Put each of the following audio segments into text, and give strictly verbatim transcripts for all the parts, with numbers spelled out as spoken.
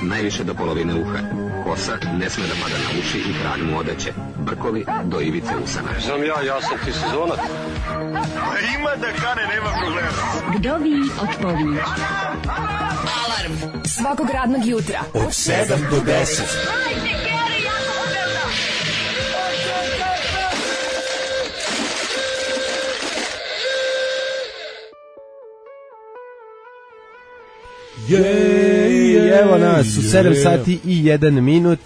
najviše do polovine uha. Kosa ne sme da pada na uši i krag mu odeće. Brkovi do ivice usana. Znam ja, ja sam ti sezonac. A ima da kane, nema problema. Vdovi odpovi. Alarm svakog radnog jutra od sedam do deset. Yeah, evo nas u sedam sati i jedan minut.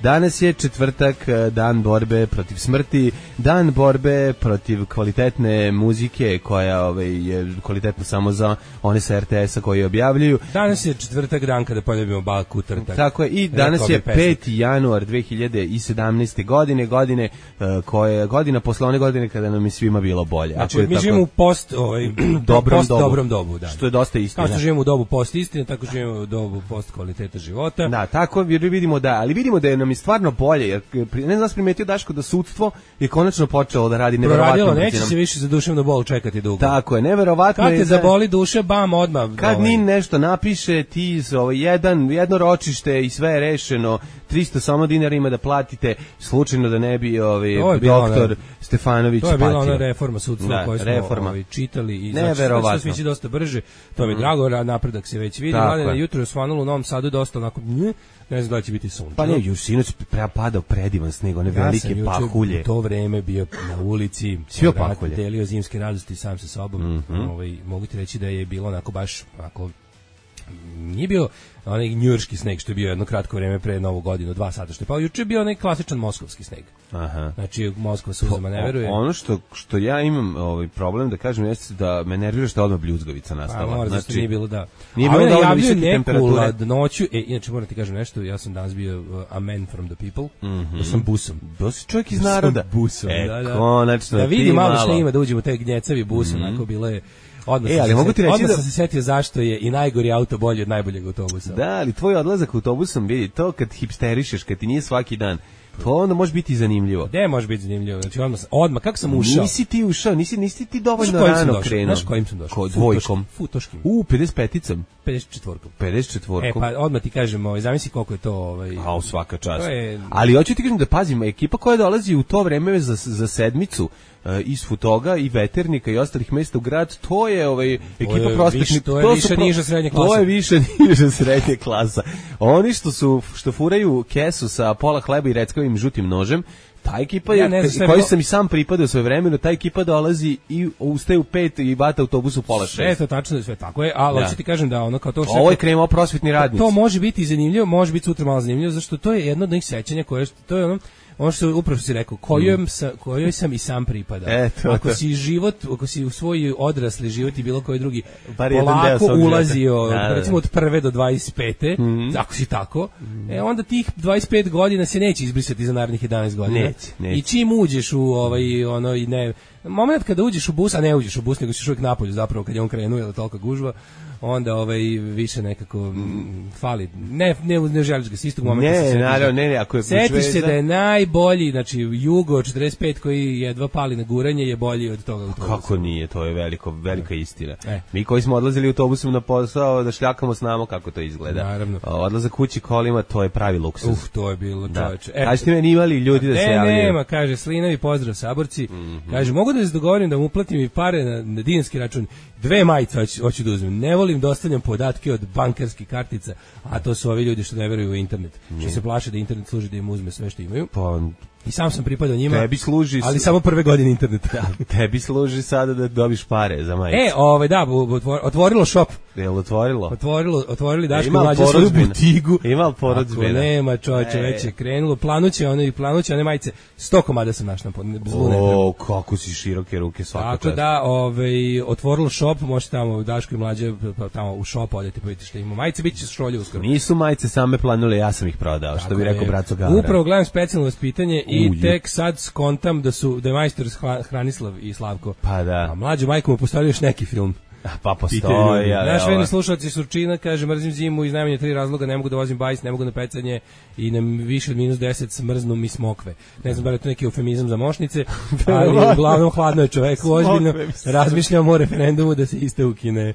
Danas je četvrtak, dan borbe protiv smrti, dan borbe protiv kvalitetne muzike koja ovaj, je kvalitetna samo za one sa er te esa koji objavljuju. Danas je četvrtak, dan kada poljubimo baku trtak. Tako je, i danas je peti januar dve hiljade sedamnaeste. godine, godine uh, koje, godina posle one godine kada nam je svima bilo bolje. Znači, mi tako, živimo u post, ovaj, dobrom, post dobu, dobrom dobu. Da. Što je dosta istina. Kao što živimo u dobu post istine, tako živimo u dobu post kvaliteta života. Da, tako vidimo da, ali vidimo da je nam je stvarno bolje, jer ne znam primetio Daško da sudstvo je konačno počelo da radi neverovatno. Proradilo, neće se više za duševnu bol čekati dugo. Tako je, neverovatno. Kad te je zaboli duša, bam, odmah. Kad ovaj. Nin nešto napiše, ti ovaj, jedan, jedno ročište i sve je rešeno, tristo samo dinara ima da platite, slučajno da ne bi ovaj, doktor ona, Stefanović patio. To je bila ona reforma sudstva da, koju smo reforma. Ovaj, čitali i neverovatno. Znači, sve svići dosta brže, to mi je mm. drago, napredak se već vidi. Mladine, jutro je osvanulo u Novom Sadu dosta onako, nje, ne znam da će biti sunce. Pa ne, još sinoć padao predivan sneg, one ja velike pahulje. Ja sam u to vreme bio na ulici, sve pahulje. Delio zimske radosti sam sa sobom. Mm -hmm. ovaj, mogu ti reći da je bilo onako baš onako, nije bio onaj njujorški sneg što je bio jedno kratko vreme pre Novu godinu, dva sata što je pao. Juče je bio onaj klasičan moskovski sneg. Aha. Znači Moskva suzama ne veruje. Ono što što ja imam ovaj problem da kažem jeste da me nervira što odmah bljuzgavica nastala. A, znači nije bilo da. Nije bilo da visoke temperature. Ladnoću, e inače moram ti kažem nešto, ja sam danas bio uh, a man from the people. Mm -hmm. Da sam busom. Da si čovjek iz naroda. Busom, e, da, da. Konačno. Da vidi malo što ima da uđemo u taj gnjecavi bus, mm -hmm. onako bilo je. Odmah, e, ali mogu ti reći odmah da sam se setio zašto je i najgori auto bolji od najboljeg autobusa. Da, ali tvoj odlazak autobusom, vidi, to kad hipsterišeš, kad ti nije svaki dan, to onda može biti zanimljivo. Gde može biti zanimljivo? Znači odmah, odmah kako sam ušao? Nisi ti ušao, nisi, nisi ti dovoljno rano krenuo. Znaš kojim sam došao? Ko, dvojkom. Futoškim. U, pedeset peticom. pedeset četvorkom. pedeset četvorkom. E, pa odmah ti kažem, ovaj, zamisli koliko je to... Ovaj, a, u svaka čast. Je... Ali hoću ti kažem da pazimo, ekipa koja dolazi u to vreme za, za sedmicu, iz Futoga i Veternika i ostalih mesta u grad, to je ovaj ekipa prospektnih, to je to više pro, niža srednja klasa. To je više niža srednja klasa. Oni što su što furaju kesu sa pola hleba i reckavim žutim nožem, ta ekipa je, ja koji bilo... sam i sam pripadao svoje vremeno, ta ekipa dolazi i ustaje u pet i bata autobus u pola šest. Sve to tačno, sve tako je, ali hoću ti kažem da ono kao to što... Ovo je krenuo prosvetni radnici. To, to može biti zanimljivo, može biti sutra malo zanimljivo, zašto to je jedno od njih sećanja koje, to je ono, ono što upravo si rekao, kojoj, mm. sa, kojoj sam i sam pripadao. E, to, ako to. si život, ako si u svoj odrasli život i bilo koji drugi bar polako ulazio, da, da. recimo od prve do dvadeset pete, mm. ako si tako, mm. e, onda tih dvadeset pet godina se neće izbrisati za narednih jedanaest godina. Neće, neće. I čim uđeš u ovaj, ono, i ne, moment kada uđeš u bus, a ne uđeš u bus, nego si uvijek napolju zapravo kad je on krenuo, je tolika gužva, onda ovaj više nekako mm, fali. Ne ne ne želiš ga s istog momenta ne, se naravno, ne, ne, ako je setiš se da je najbolji, znači Jugo četrdeset pet koji jedva pali na guranje je bolji od toga autobusa. Kako nije, to je veliko velika istina. E. Mi koji smo odlazili autobusom na posao da šljakamo s nama kako to izgleda. Naravno. Odlazak kući kolima, to je pravi luksuz. Uf, to je bilo, čoveče. E, kažete meni imali ljudi da ne, se javljaju? Nema, kaže Slinovi, pozdrav saborci. Mm -hmm. Kaže, mogu da se dogovorim da mu uplatim i pare na, na dinarski račun. Dve majice hoću, hoću da uzmem. Ne volim da ostavljam podatke od bankarskih kartica, a to su ovi ljudi što ne veruju u internet. Mm. Što se plaše da internet služi da im uzme sve što imaju. Pa, i sam sam pripadao njima, tebi služi, ali samo prve godine interneta. Da, tebi služi sada da dobiš pare za majice. E, ovaj, da, otvorilo shop. Je li otvorilo? Otvorilo, otvorili Daško mlađe svoju butigu. Ima li porudžbina? Ako nema, čovječe, e. već je krenulo. Planuće, one, planuće, one majice, sto komada sam našla, zlu ne O, kako si široke ruke svaka čast. Tako da, ovaj, otvorilo shop, možete tamo Daško i mlađe, tamo u shop odete, pa vidite što ima. Majice bit će šolje uskoro. Nisu majice same planule, ja sam ih prodao, tako što bi rekao Braco Gavra. Upravo gledam specijalno vaspitanje i Uj. tek sad skontam da su da je majstor Hranislav i Slavko. Pa da. A mlađu majku mu postavio još neki film. Pa postoji. Ja, naš veni slušalci Surčina kaže, mrzim zimu iz najmanje tri razloga, ne mogu da vozim bajs, ne mogu na pecanje i na više od minus deset smrznu mi smokve. Ne znam da li je to neki eufemizam za mošnice, ali uglavnom hladno je čovek, ozbiljno razmišljamo o referendumu da se iste ukine.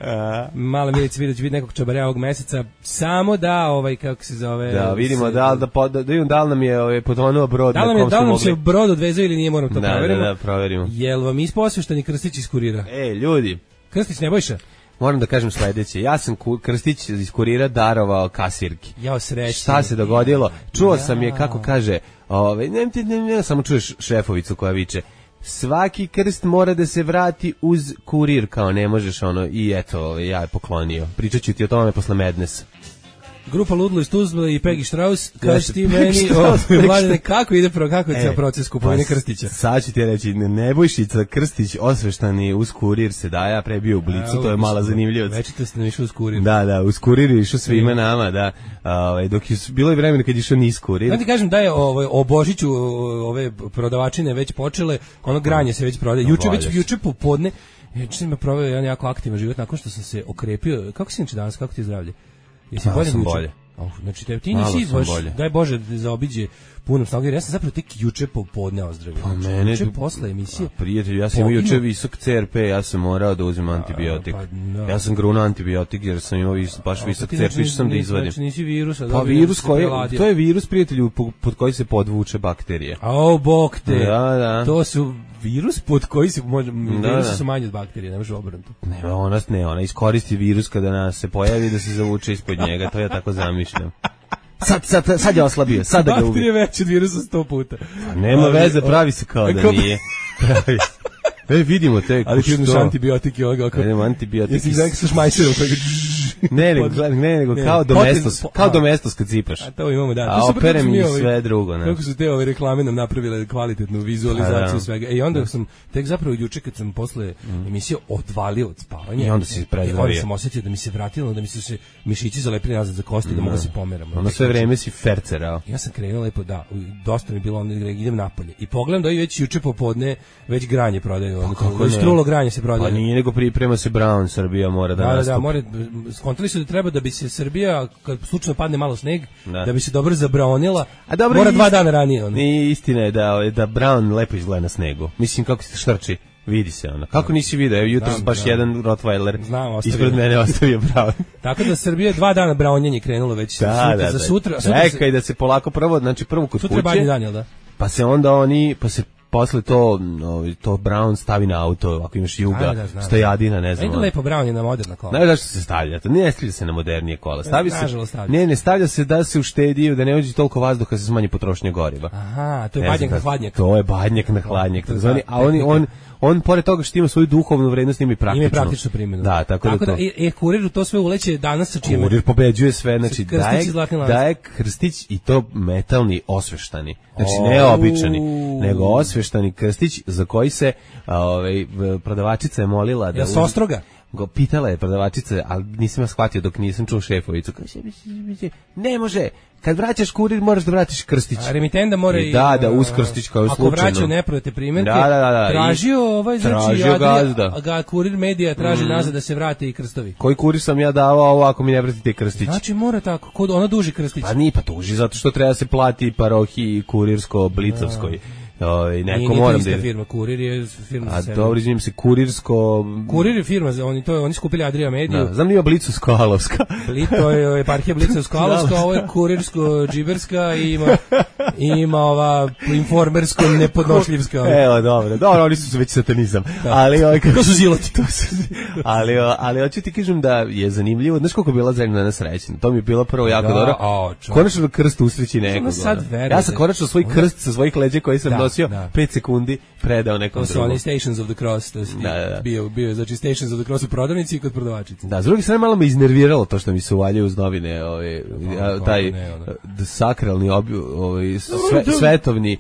Mala Milica vidi da će biti nekog čabarja ovog meseca, samo da, ovaj, kako se zove... Da, vidimo, da, da, da, da, da li nam je ovaj, potonuo brod. Da li nam, je, da li nam se brod odvezao ili nije, moram to da, proverimo. Da, da, proverimo. Jel vam isposvešteni Krstić iz Kurira? E, ljudi. Krstić Nebojša? Moram da kažem sledeće. Ja sam Krstić iz Kurira darovao kasirki. Jao, srećni. Šta se dogodilo? Čuo ja. sam je kako kaže, ovaj, ne, ne, ne, ne, samo čuješ šefovicu koja viče, svaki krst mora da se vrati uz kurir, kao ne možeš ono, i eto, ovaj, ja je poklonio. Pričat ću ti o tome posle Madnessa. Grupa Ludlo iz Tuzle i Peggy Strauss, kaži ti meni, Mladene, kako ide pro, kako je e, cijel proces kupovine pa, Krstića? Sad ću ti reći, Nebojšica Krstić osveštani uz kurir se daje, a pre bio u Blicu, a, to je mala zanimljivost. Večito ste išli uz kurir. Da, da, uz kurir je išao svima e. nama, da, ovaj, dok je bilo je vremena kad je išao niz kurir. Da ti kažem da je ovaj, o Božiću ove prodavačine već počele, ono granje se već prodaje. Juče, već, juče popodne, juče sam proveo jedan jako aktivan život nakon što sam se okrepio. Kako si inače danas, kako ti je zdravlje? Jesi bolje sam bolje. Oh, znači te, ti nisi baš, daj Bože da zaobiđe punom snagom, jer ja sam zapravo tek juče popodne ozdravio. Pa mene, juče posle emisije. Pa prijatelj, ja sam imao juče visok C R P, ja sam morao da uzmem antibiotik. Pa, no. Ja sam grunuo antibiotik jer sam imao vis, baš a, visok C R P, što sam da izvadim. Znači nisi virus, a pa virus koji, to je virus, prijatelju, pod koji se podvuče bakterije. A o, bok te, da, da. To su virus pod koji se može, da, virusi da. su manje od bakterije, ne može obrnuto. Ne, ona, ne, ona iskoristi virus kada nas se pojavi da se zavuče ispod njega, to ja tako zamišljam. Sad, sad, sad je oslabio, sad da ga ubi. Bakterije veće od virusa sto puta. A nema veze, pravi se kao da nije. Pravi se. E, vidimo te. Ali ti uzmeš antibiotik i ovoga. Ne, nema antibiotik. Jesi gledaj sa šmajserom. Ne, nego, ne, nego kao domestos, kao domestos kad cipaš. A to imamo, da. A operem i sve drugo. Kako su te ove reklame nam napravile kvalitetnu vizualizaciju svega. I onda sam, tek zapravo juče kad sam posle emisije odvalio od spavanja. I onda si prezdravio. Onda sam osjetio da mi se vratilo, da mi su se mišići zalepili nazad za kosti, da mogu se pomeram. Onda sve vreme si fercerao. Ja sam krenuo lepo, da, dosta mi bilo, onda idem napolje. I pogledam da i već juče popodne već granje prodaju. Kako strulo granje se prodaje. Pa nije nego priprema se Brown, Srbija mora da, da nastupi. Da, da, mora, skontali su da treba da bi se Srbija, kad slučajno padne malo sneg, da, da bi se dobro zabraonila, a dobro, mora dva dana ranije. Ono. I istina je da, da Brown lepo izgleda na snegu. Mislim, kako se štrči, vidi se ono. Kako nisi video, evo jutros baš da. jedan Rottweiler Znam, ispred mene ostavio Brown. Tako da Srbija dva dana braonjenje krenulo već da, sutra, da, za sutra. Čekaj da, se, da se polako prvo, znači prvo kod sutra kuće. Sutra je dan, jel da? Pa se onda oni, pa se posle to, no, to Brown stavi na auto, ako imaš Juga, da, da, stojadina, ne znam. Ajde lepo Brown je na moderna kola. Ne, zašto se stavlja? To ne stavlja se na modernije kola. Stavi se, ne, ne stavlja se da se uštedi, da ne uđe toliko vazduha, se smanji potrošnja goriva. Aha, to je badnjak na hladnjak. To je badnjak na hladnjak. A oni, on, on, pored toga što ima svoju duhovnu vrednost, ima i praktičnu. Ima praktičnu primjenu. Da, tako, tako da, da to. E, Kuriru to sve uleće danas sa čime? Kurir pobeđuje sve, znači daje, daje Krstić i to metalni osveštani. Znači ne običani, nego osveštani Krstić za koji se ovaj prodavačica je molila da ja uz... Ostroga go pitala je prodavačica, ali nisam ja shvatio dok nisam čuo šefovicu. Kaže, ne može, kad vraćaš kurir moraš da vratiš Krstić. A remitenda mora i... Da, da, uz Krstić kao ako slučajno. Ako vraćao neprojete primjerke, da, da, da, da. tražio ovaj, znači, tražio gazda. Ga Kurir Medija traži mm. nazad da se vrate i krstovi. Koji kurir sam ja davao, ovo ako mi ne vratite Krstić? Znači mora tako, kod ona duži Krstić. Pa nije, pa tuži, zato što treba se plati parohiji kurirsko, blicovskoj. Ovaj neko moram da firma Kurir je firma za sebe. A dobro, izvinim se Kurirsko. Kurir je firma, oni to oni skupili Adria Mediju. Da, znam nije Blicovsko-Alovska. Blito je eparhija Blicovsko-Alovska, ovo je Kurirsko Džiberska i ima ima ova informersko nepodnošljivska. Evo, dobro. Dobro, oni su već satanizam. Da. Ali ovaj to su ziloti. To su, ali ali hoću ti kažem da je zanimljivo, znaš koliko je bila zemlja srećna. To mi je bilo prvo jako da, dobro. Konačno krst usreći nekog. Ja sam konačno svoj krst sa svojih leđa koji sam nosio pet sekundi predao nekom drugom. To su oni Stations of the Cross, to da, da, da. bio, bio, znači Stations of the Cross u prodavnici i kod prodavačice. Da, s druge strane malo me iznerviralo to što mi se uvaljaju uz novine, ovaj, no, taj ne, sakralni, ovaj, sve, svetovni,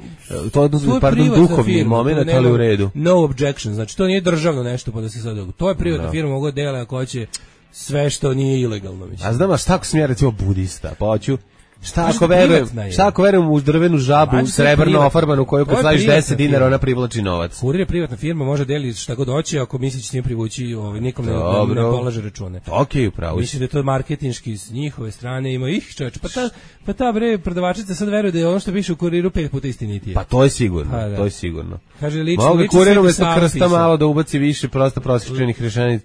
to odnosno, pardon, duhovni firma, moment, ali u redu. No objection, znači to nije državno nešto, pa da se sad, to je privatna no. firma, mogu dela ako hoće sve što nije ilegalno. Mislim. A znam, a šta ako sam ja recimo budista, pa hoću Šta ako verujem, šta ako verujem u drvenu žabu, srebrno ofarbanu koju kad staviš deset dinara ona privlači novac. Kurir je privatna firma, može deliti šta god hoće, ako misli će s njim privući, ovaj nikom ne, ne polaže račune. Okej, upravo. Mislim da je to marketinški s njihove strane, ima ih čoveče. Pa ta pa ta bre prodavačica sad veruje da je ono što piše u Kuriru pet puta istinitije. Pa to je sigurno, pa, da. to je sigurno. Kaže lično, mogu Kuriru umesto krsta malo da ubaci više prosto prosječnih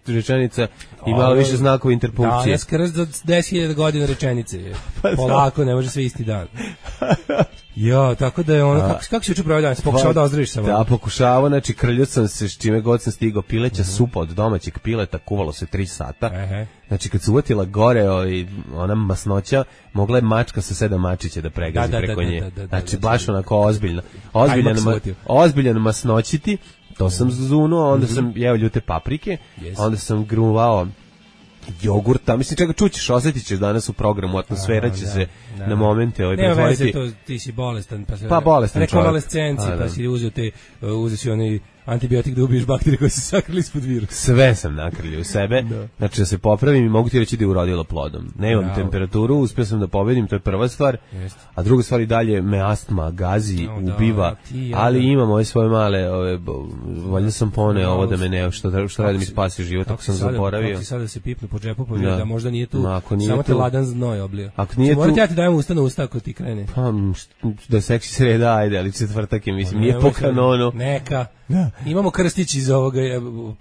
rečenica i malo više znakova interpunkcije. Da, jes krst za deset hiljada godina rečenice. Pa polako, ne može sve isti dan. Jo, tako da je ono, kako, kako si juče proveo dan? Pokušao da ozdraviš samo? Da, pokušavao, znači krljao sam se s čime god sam stigao, pileća uh-huh. supa od domaćeg pileta, kuvalo se tri sata. Uh-huh. Znači kad se uvatila gore o, ona masnoća, mogla je mačka sa sedam mačića da pregazi da, da, preko da, nje. Da, da, da, znači da, baš onako ozbiljno. Ozbiljan, ma, ozbiljan masnoćiti, to sam zunuo, onda uh-huh. sam jeo ljute paprike, yes. onda sam gruvao jogurta, mislim čega čućeš, osjetit ćeš danas u programu, atmosfera će da, se da, na momente ovaj pretvoriti. Nema veze, to ti si bolestan, pa se pa bolestan rekonvalescenci, pa, pa si uzeo te, uh, uzeo si onaj antibiotik da ubiješ bakterije koje se sakrili ispod virusa. Sve sam nakrljio u sebe, da. Znači da se popravim i mogu ti reći da je urodilo plodom. Nemam Bravo. temperaturu, uspio sam da pobedim, to je prva stvar, Jest. a druga stvar i dalje me astma gazi, no, ubiva, da, ti, ali imam ove svoje male, ove, valjda sam pone ovo da me ne, što, što radi mi spasi život, ako sam sada, zaboravio. Kako si sada se pipnu po džepu, pa da. da možda nije tu, no, nije samo tu, te ladan znoj oblio. Ako nije tu... Morate ja ti dajem usta na usta ako ti krene. Pa, da seksi sreda, ajde, ali četvrtak je, mislim, nije po kanonu. Neka. Da. Imamo krstić iz ovoga,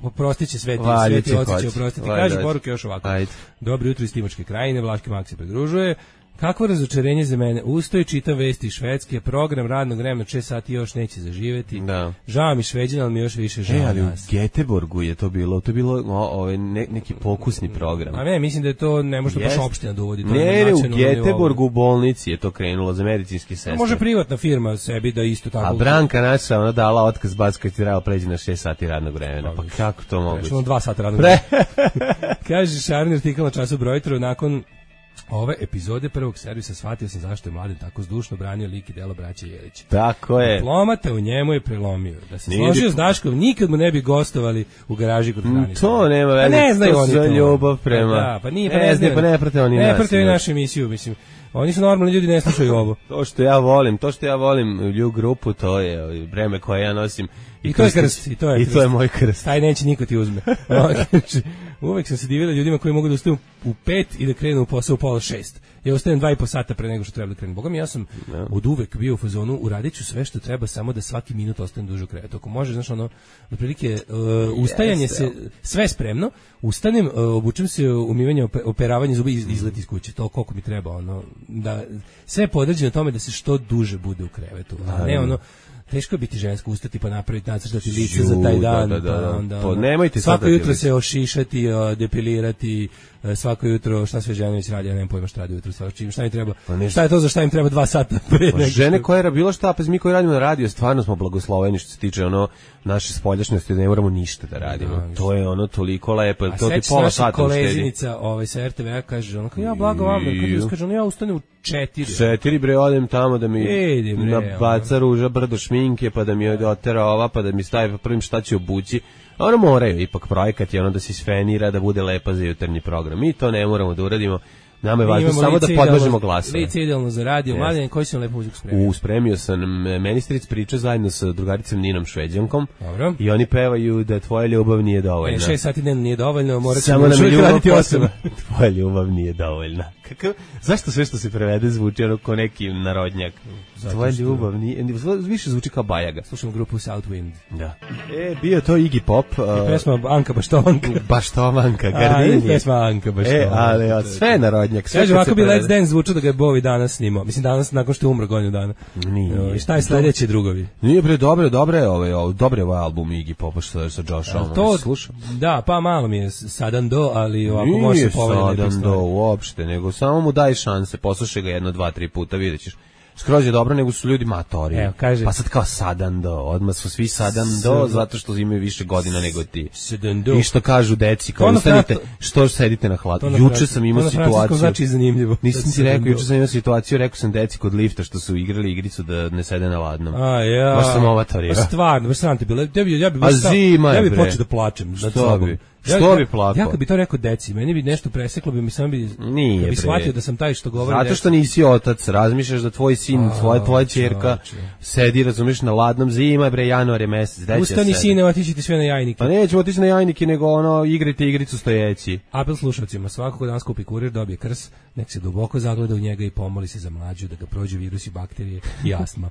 oprostiće sveti, sveti oci će oprostiti. Kaže poruke još ovako. Ajde. Dobro jutro iz Timočke krajine, Vlaški Mak se pridružuje. Kakvo razočarenje za mene. Ustoj, čitam vesti iz Švedske, program radnog vremena šest sati još neće zaživeti. Da. Žao mi Šveđana, ali mi još više žao e, ali nas. U Göteborgu je to bilo, to je bilo o, ovaj, ne, neki pokusni program. A ne, mislim da je to, ne može baš opština da uvodi. To ne, ne, u Göteborgu u bolnici je to krenulo za medicinski sestre. Može privatna firma sebi da isto tako. A Branka naša, ona dala otkaz baš kad ti trebalo pređi na šest sati radnog vremena. Pa, pa kako to moguće? Prešlo dva sata radnog vremena. Kaže Šarni artikal na času Brojtru, nakon ove epizode prvog servisa shvatio sam zašto je Mladen tako zdušno branio lik i delo braće Jelića. Tako je. Diplomata u njemu je prelomio. Da se Nije složio dip... s Daškom, nikad mu ne bi gostovali u garaži kod Hranice. To nema veze. Ne znaju oni to. Ljubav prema. Da, pa nije, pa ne znaju. Pa ne prate oni nas. Ne prate našu emisiju, mislim. Oni su normalni ljudi, ne slušaju ovo. To što ja volim, to što ja volim lju grupu, to je vreme koje ja nosim. I, I to je krst, i to je I krst. to je moj krst. Taj neće niko ti uzme. Uvek sam se divila ljudima koji mogu da ustaju u pet i da krenu u posao u pola šest. Ja ustajem dva i po sata pre nego što treba da krenem. Boga mi, ja sam no. od uvek bio u fazonu, uradit ću sve što treba, samo da svaki minut ostanem duže u krevetu. Ako može, znaš, ono, otprilike, uh, ustajanje yes, se, sve spremno, ustanem, uh, obučem se umivanje, operavanje zuba i izlet iz kuće. To koliko mi treba, ono, da, sve je podređeno tome da se što duže bude u krevetu. A ne, ono, teško je biti žensko, ustati pa napraviti, nacrtati lice za taj dan, da, da, da. pa onda po, nemojte svako jutro se ošišati, depilirati, svako jutro, šta sve žene već radi, ja nemam pojma šta radi jutro, svaki, šta im treba, pa šta je to za šta im treba dva sata pre nego. Žene koje je bilo šta, pa mi koji radimo na radiju, stvarno smo blagosloveni što se tiče ono naše spoljašnjosti, da ne moramo ništa da radimo. Da, to je ono toliko lepo, a to ti pola sata uštedi. A koleginica ovaj, sa er te ve kaže, ono, ja blago vam, kad kaže, ono, ja ustanem u četiri. Četiri, bre, odem tamo da mi nabaca ruža, brdo šminke, pa da mi otera ova, pa da mi stavi prvim šta će obući. Ono moraju, ipak projekat je ono da se sfenira, da bude lepa za jutarnji program. Mi to ne moramo da uradimo. Nama je važno samo da podložimo glasove. Lice idealno za radio. Yes. Mladen, koji si vam lepo muziku spremio? U, spremio sam Ministric priča zajedno sa drugaricom Ninom Šveđankom. Dobro. I oni pevaju da tvoja ljubav nije dovoljna. E, šest sati dnevno nije dovoljno, morat ćemo da mi raditi osam. Tvoja ljubav nije dovoljna. Kakav, zašto sve što se prevede zvuči ono ko neki narodnjak? Zato tvoja što... ljubav nije, više zvuči kao Bajaga. Slušamo grupu Southwind. Da. E, bio to Iggy Pop. Uh, I pesma Anka Baštovanka. Baštovanka, Gardini. A, pesma Anka Baštovanka. E, ali od sve narodnjak. Kaže, ovako bi Let's Dance zvučao da ga je Bowie danas snimao. Mislim, danas nakon što je umro godinu dana. Nije. I šta je sledeće, drugovi? Nije, bre, dobre, dobre, ovaj, ovaj, dobre ovaj album Iggy Popa što sa Joshom. To slušam. Da, pa malo mi je sadan do, ali ovako može se povedati. Nije sadan do uopšte, nego samo mu daj šanse, poslušaj ga jedno, dva, tri puta, vidjet ćeš. skroz je dobro, nego su ljudi matori. Evo, kaže, pa sad kao sadando, odmah su svi sadando, zato što imaju više godina nego ti. Sedando. I što kažu deci, kao ustanite, što sedite na hladu. Juče sam imao situaciju. Znači zanimljivo. Nisam ti rekao, juče sam imao situaciju, rekao sam deci kod lifta što su igrali igricu da ne sede na ladnom. A ja. Baš sam ovatorio. Pa stvarno, baš sam ti bilo. Ja bi ja bi A zima je, ja bi bre. počeo da plačem. Što bi? Ja, Što ja, bi plakao? Ja kad bi to rekao deci, meni bi nešto preseklo, bi mi samo bi, Nije, bi bre. shvatio da sam taj što govori. Zato što nisi otac, razmišljaš da tvoj sin, A, tvoja tvoja ćerka sedi, razumiješ, na ladnom, zima je, bre, januar je mesec. Ustani sine, otići svi na jajnike. Pa nećemo otići na jajnike, nego ono, igrajte igricu stojeći. Apel slušalcima, svako ko danas kupi kurir dobije krs, nek se duboko zagleda u njega i pomoli se za mlađu da ga prođu virusi, bakterije i astma.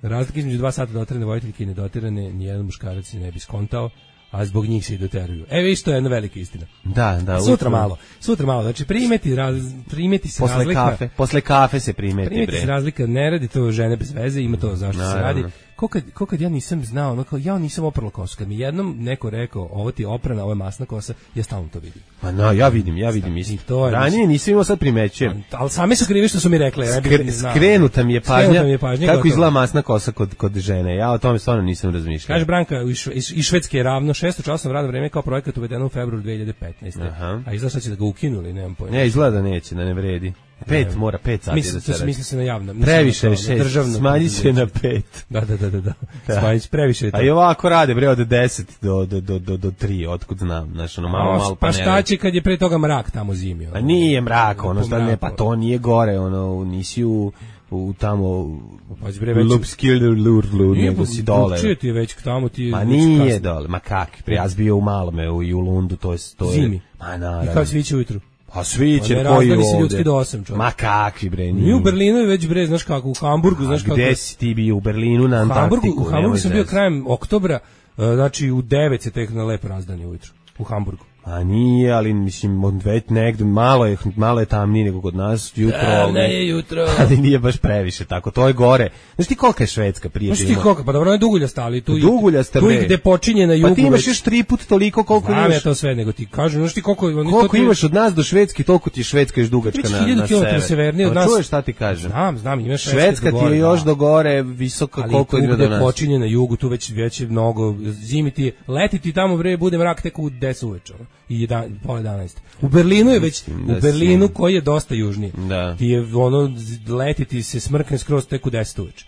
Razlika između dva sata dotirane vojiteljke i nedotirane nijedan muškarac se ne bi skontao, a zbog njih se i doteruju. E, viš, to je jedna velika istina. Da, da. Sutra utro. malo, sutra malo, znači primeti, raz, primeti se posle razlika. Kafe, posle kafe se primeti, primeti bre. se razlika, ne radi to žene bez veze, ima to zašto Naravno. se radi. Ko kad, ko kad ja nisam znao, ono kao, ja nisam oprala kosu, kad mi jednom neko rekao, ovo ti je oprana, ovo je masna kosa, ja stalno to vidim. Pa no, ja vidim, ja vidim isto. I to je, ranije nisam imao, sad primećujem. Ali sami su krivi što su mi rekli. Ja Skre, skrenuta mi je pažnja, Skrenuta mi je pažnja kako gotovo. izgleda masna kosa kod, kod žene. Ja o tome stvarno nisam razmišljao. Kaže Branka, iz, iz, iz Švedske je ravno šesto časno radno vreme kao projekat uvedeno u februaru dve hiljade petnaeste. Aha. A izgleda sad će da ga ukinuli, nemam pojma. Ne, izgleda da neće, da ne vredi. Pet, Ne, mora pet sati mislim, da se to se radi. misli se na javno. Previše je mislim na to, na šest, državno smanjit će na preduzeće. pet. Da, da, da, da, da. Da. Smanjit, previše je to. A i ovako rade, bre, od deset do, do, do, do, do tri, otkud znam, znaš, ono, malo, malo, pa ne šta radi. će kad je pre toga mrak tamo zimi? Ono? Pa nije mrak, ono, šta ne, mraku. pa to nije gore, ono, nisi u, u tamo, Pazi, bre, već- Lupskilurlu, Nije, nego si dole. drugčije ti je već tamo ti je Ma već nije kasno. dole, ma kakvi, pre, ja sam bio u Malome u, i u Lundu, to je, to je, Zimi. ma I naravno. kao sviće ujutru. Pa svi će Pa ne koji razdali se ovde. ljudski do osam, čovječe. Ma kakvi, bre, Mi u Berlinu je već bre, znaš kako, u Hamburgu, znaš A kako. gde si ti bio u Berlinu na U Hamburgu, Antarktiku? u Hamburgu nemoj sam bio zezati. krajem oktobra, e, znači u devet se tek na lepo razdani ujutru. U Hamburgu. A nije, ali mislim, od već negde, malo je, malo je tamnije nego kod nas, jutro, ali, jutro. ali nije baš previše, tako, to je gore. Znaš ti kolika je Švedska, Znaš prijatelj? ti ima? koliko, pa dobro, je duguljasta, ali tu, i- Duguljasta, tu i bre. gde počinje na jugu. Pa ti imaš već- još tri put toliko koliko Znam imaš. ja to sve, nego ti kažem, znaš ti koliko... oni- Koliko to ti- imaš od nas do Švedske, toliko ti je Švedska još dugačka Već na, hiljadu na kilometara sever. severnije od Pa nas. čuješ šta ti kažem? Znam, znam, imaš Švedska ti je još do gore, visoka ali koliko tu je do gde nas. počinje na jugu, tu već, već je mnogo, zimi ti, leti ti tamo, bre, bude mrak tek u deset uveče, ono, i jedan, pola jedanaest. U Berlinu je već, Mislim da u Berlinu si- koji je dosta južniji, Da. ti je ono, leti ti se smrkne skroz tek u deset uveče.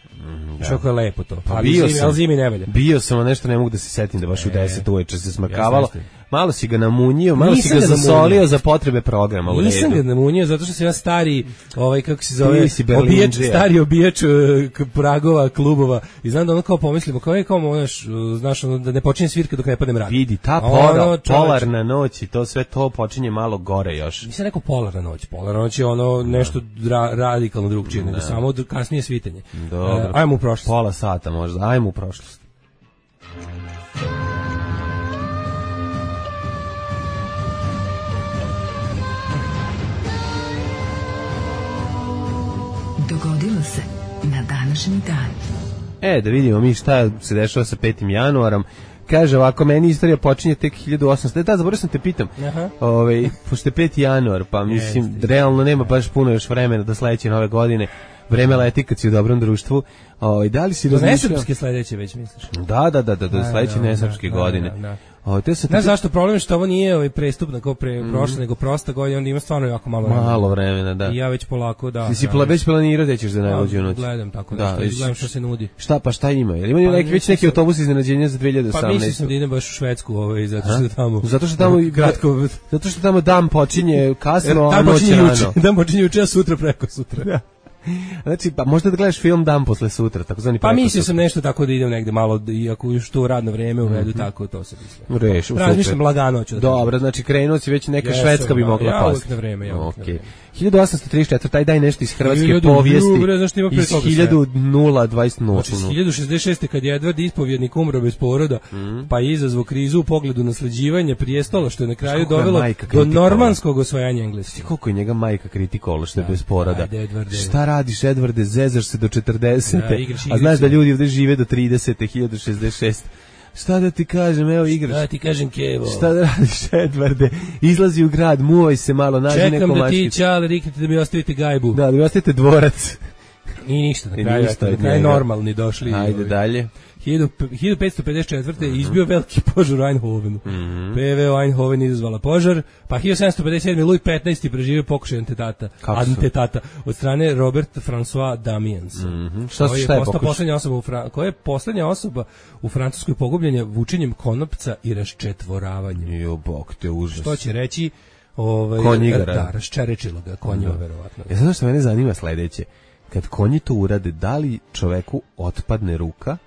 Što kako je lepo to. Pa ali bio zimi, sam, ali zimi ne valja. bio sam, a nešto ne mogu da se setim da baš u deset uveče se smrkavalo. Jasno, jasno. Malo si ga namunjio, malo Nisam si ga ga namunio. zasolio za potrebe programa u Nisam ga redu. namunio zato što sam ja stari, ovaj kako se zove, Ti si obijač, Berlindžija. stari obijač e, k- pragova, klubova i znam da ono kao pomislimo, kao je kao možeš, znaš, ono, da ne počinje svirka dok ne padne mrak. Vidi, ta A pora, ono, čoveče, polarna noć i to sve to počinje malo gore još. Nisam rekao polarna noć, polarna noć je ono nešto ra, radikalno drugčije, nego samo dr- kasnije svitanje. Dobro. E, ajmo u prošlost. Pola sata možda, ajmo u prošlost. Dogodilo se na današnji dan. E, da vidimo mi šta se dešava sa petim januarom. Kaže ovako, meni istorija počinje tek hiljadu osamsto. Da, zaboravio sam te pitam. Aha. Ovaj, pošto je peti januar, pa mislim, Jeste. realno nema baš puno još vremena do sledeće nove godine. Vreme leti kad si u dobrom društvu. Ovaj, da li si Do razmišljao? nesrpske sledeće već misliš? Da, da, da, da, do Da, sledeće da, nesrpske da, godine. da, da. Ovaj, te sam te Znaš zašto problem je što ovo nije ovaj prestupna kao pre prošle, nego prosta godina, onda ima stvarno jako malo vremena. malo vremena, da. I ja već polako, da. Ti si da, pla, već planirao da ćeš za najluđu noć. Gledam tako Da, nešto, već- gledam što se nudi. Šta, pa šta ima? Jel imaju Pa neki, već mislim neki sam- autobus iznenađenja za dve hiljade Pa osamnaeste? mislim sam da idem baš u Švedsku, ovaj, zato što je tamo... Zato što tamo i kratko... Zato što tamo dan počinje kasno, a Dan noć počinje rano. juče, dan počinje juče, a sutra preko sutra. Znači, pa možda da gledaš film dan posle sutra, takozvani Pa preko mislio sutra. sam nešto tako da idem negde malo, iako još to radno vreme uvedu, tako to se misle. Reš, super. Razmišljam lagano ću da Dobro, znači krenuo si već neka Jesam, Švedska bi da, mogla ja pasti. uvek na vreme, ja uvek na Okej. vreme. hiljadu osamsto trideset četvrte taj daj nešto iz hrvatske Hiljadu, povijesti. bre, znaš šta ima pre Iz toga sve? hiljadu nula dvadeset nula. Znači, hiljadu šezdeset šeste kad je Edvard ispovjednik umro bez poroda, pa je izazvao krizu u pogledu nasleđivanja prijestola, što je na kraju koliko je dovelo majka do kritikovala? normanskog osvajanja Engleske. Koliko je njega majka kritikovala što je bez poroda. ajde, Edvarde. Šta radiš, Edvarde, zezaš se do četrdesete, Da, igraš a igrice. znaš da ljudi ovde žive do tridesete, hiljadu šezdeset šeste. Šta da ti kažem, evo igraš. Da ti kažem, Kevo. Šta da radiš, Edvarde? Izlazi u grad, muvaj se malo, nađi Čekam neko da ti, mačkicu. čale, riknete da mi ostavite gajbu. Da, da mi ostavite dvorac. I ništa, na kraju, na kraju normalni došli. Ajde ovaj, dalje. hiljadu petsto pedeset četvrte. Uh-huh. izbio veliki požar u Eindhovenu. Mm-hmm. P V O Eindhoven izazvala požar, pa hiljadu sedamsto pedeset sedme. Louis petnaesti preživio pokušaj antetata, antetata od strane Robert François Damiens. Mm-hmm. Šta koji je šta je postao pokušaj? poslednja osoba u Fra... koja je poslednja osoba u Francuskoj pogubljenja vučenjem konopca i raščetvораvanjem. Jo, bog te užas. Što će reći ovaj Konjigara. Da, raščerečilo ga konjeva verovatno. Ja znam što mene zanima sledeće. Kad konji to urade, da li čoveku otpadne ruka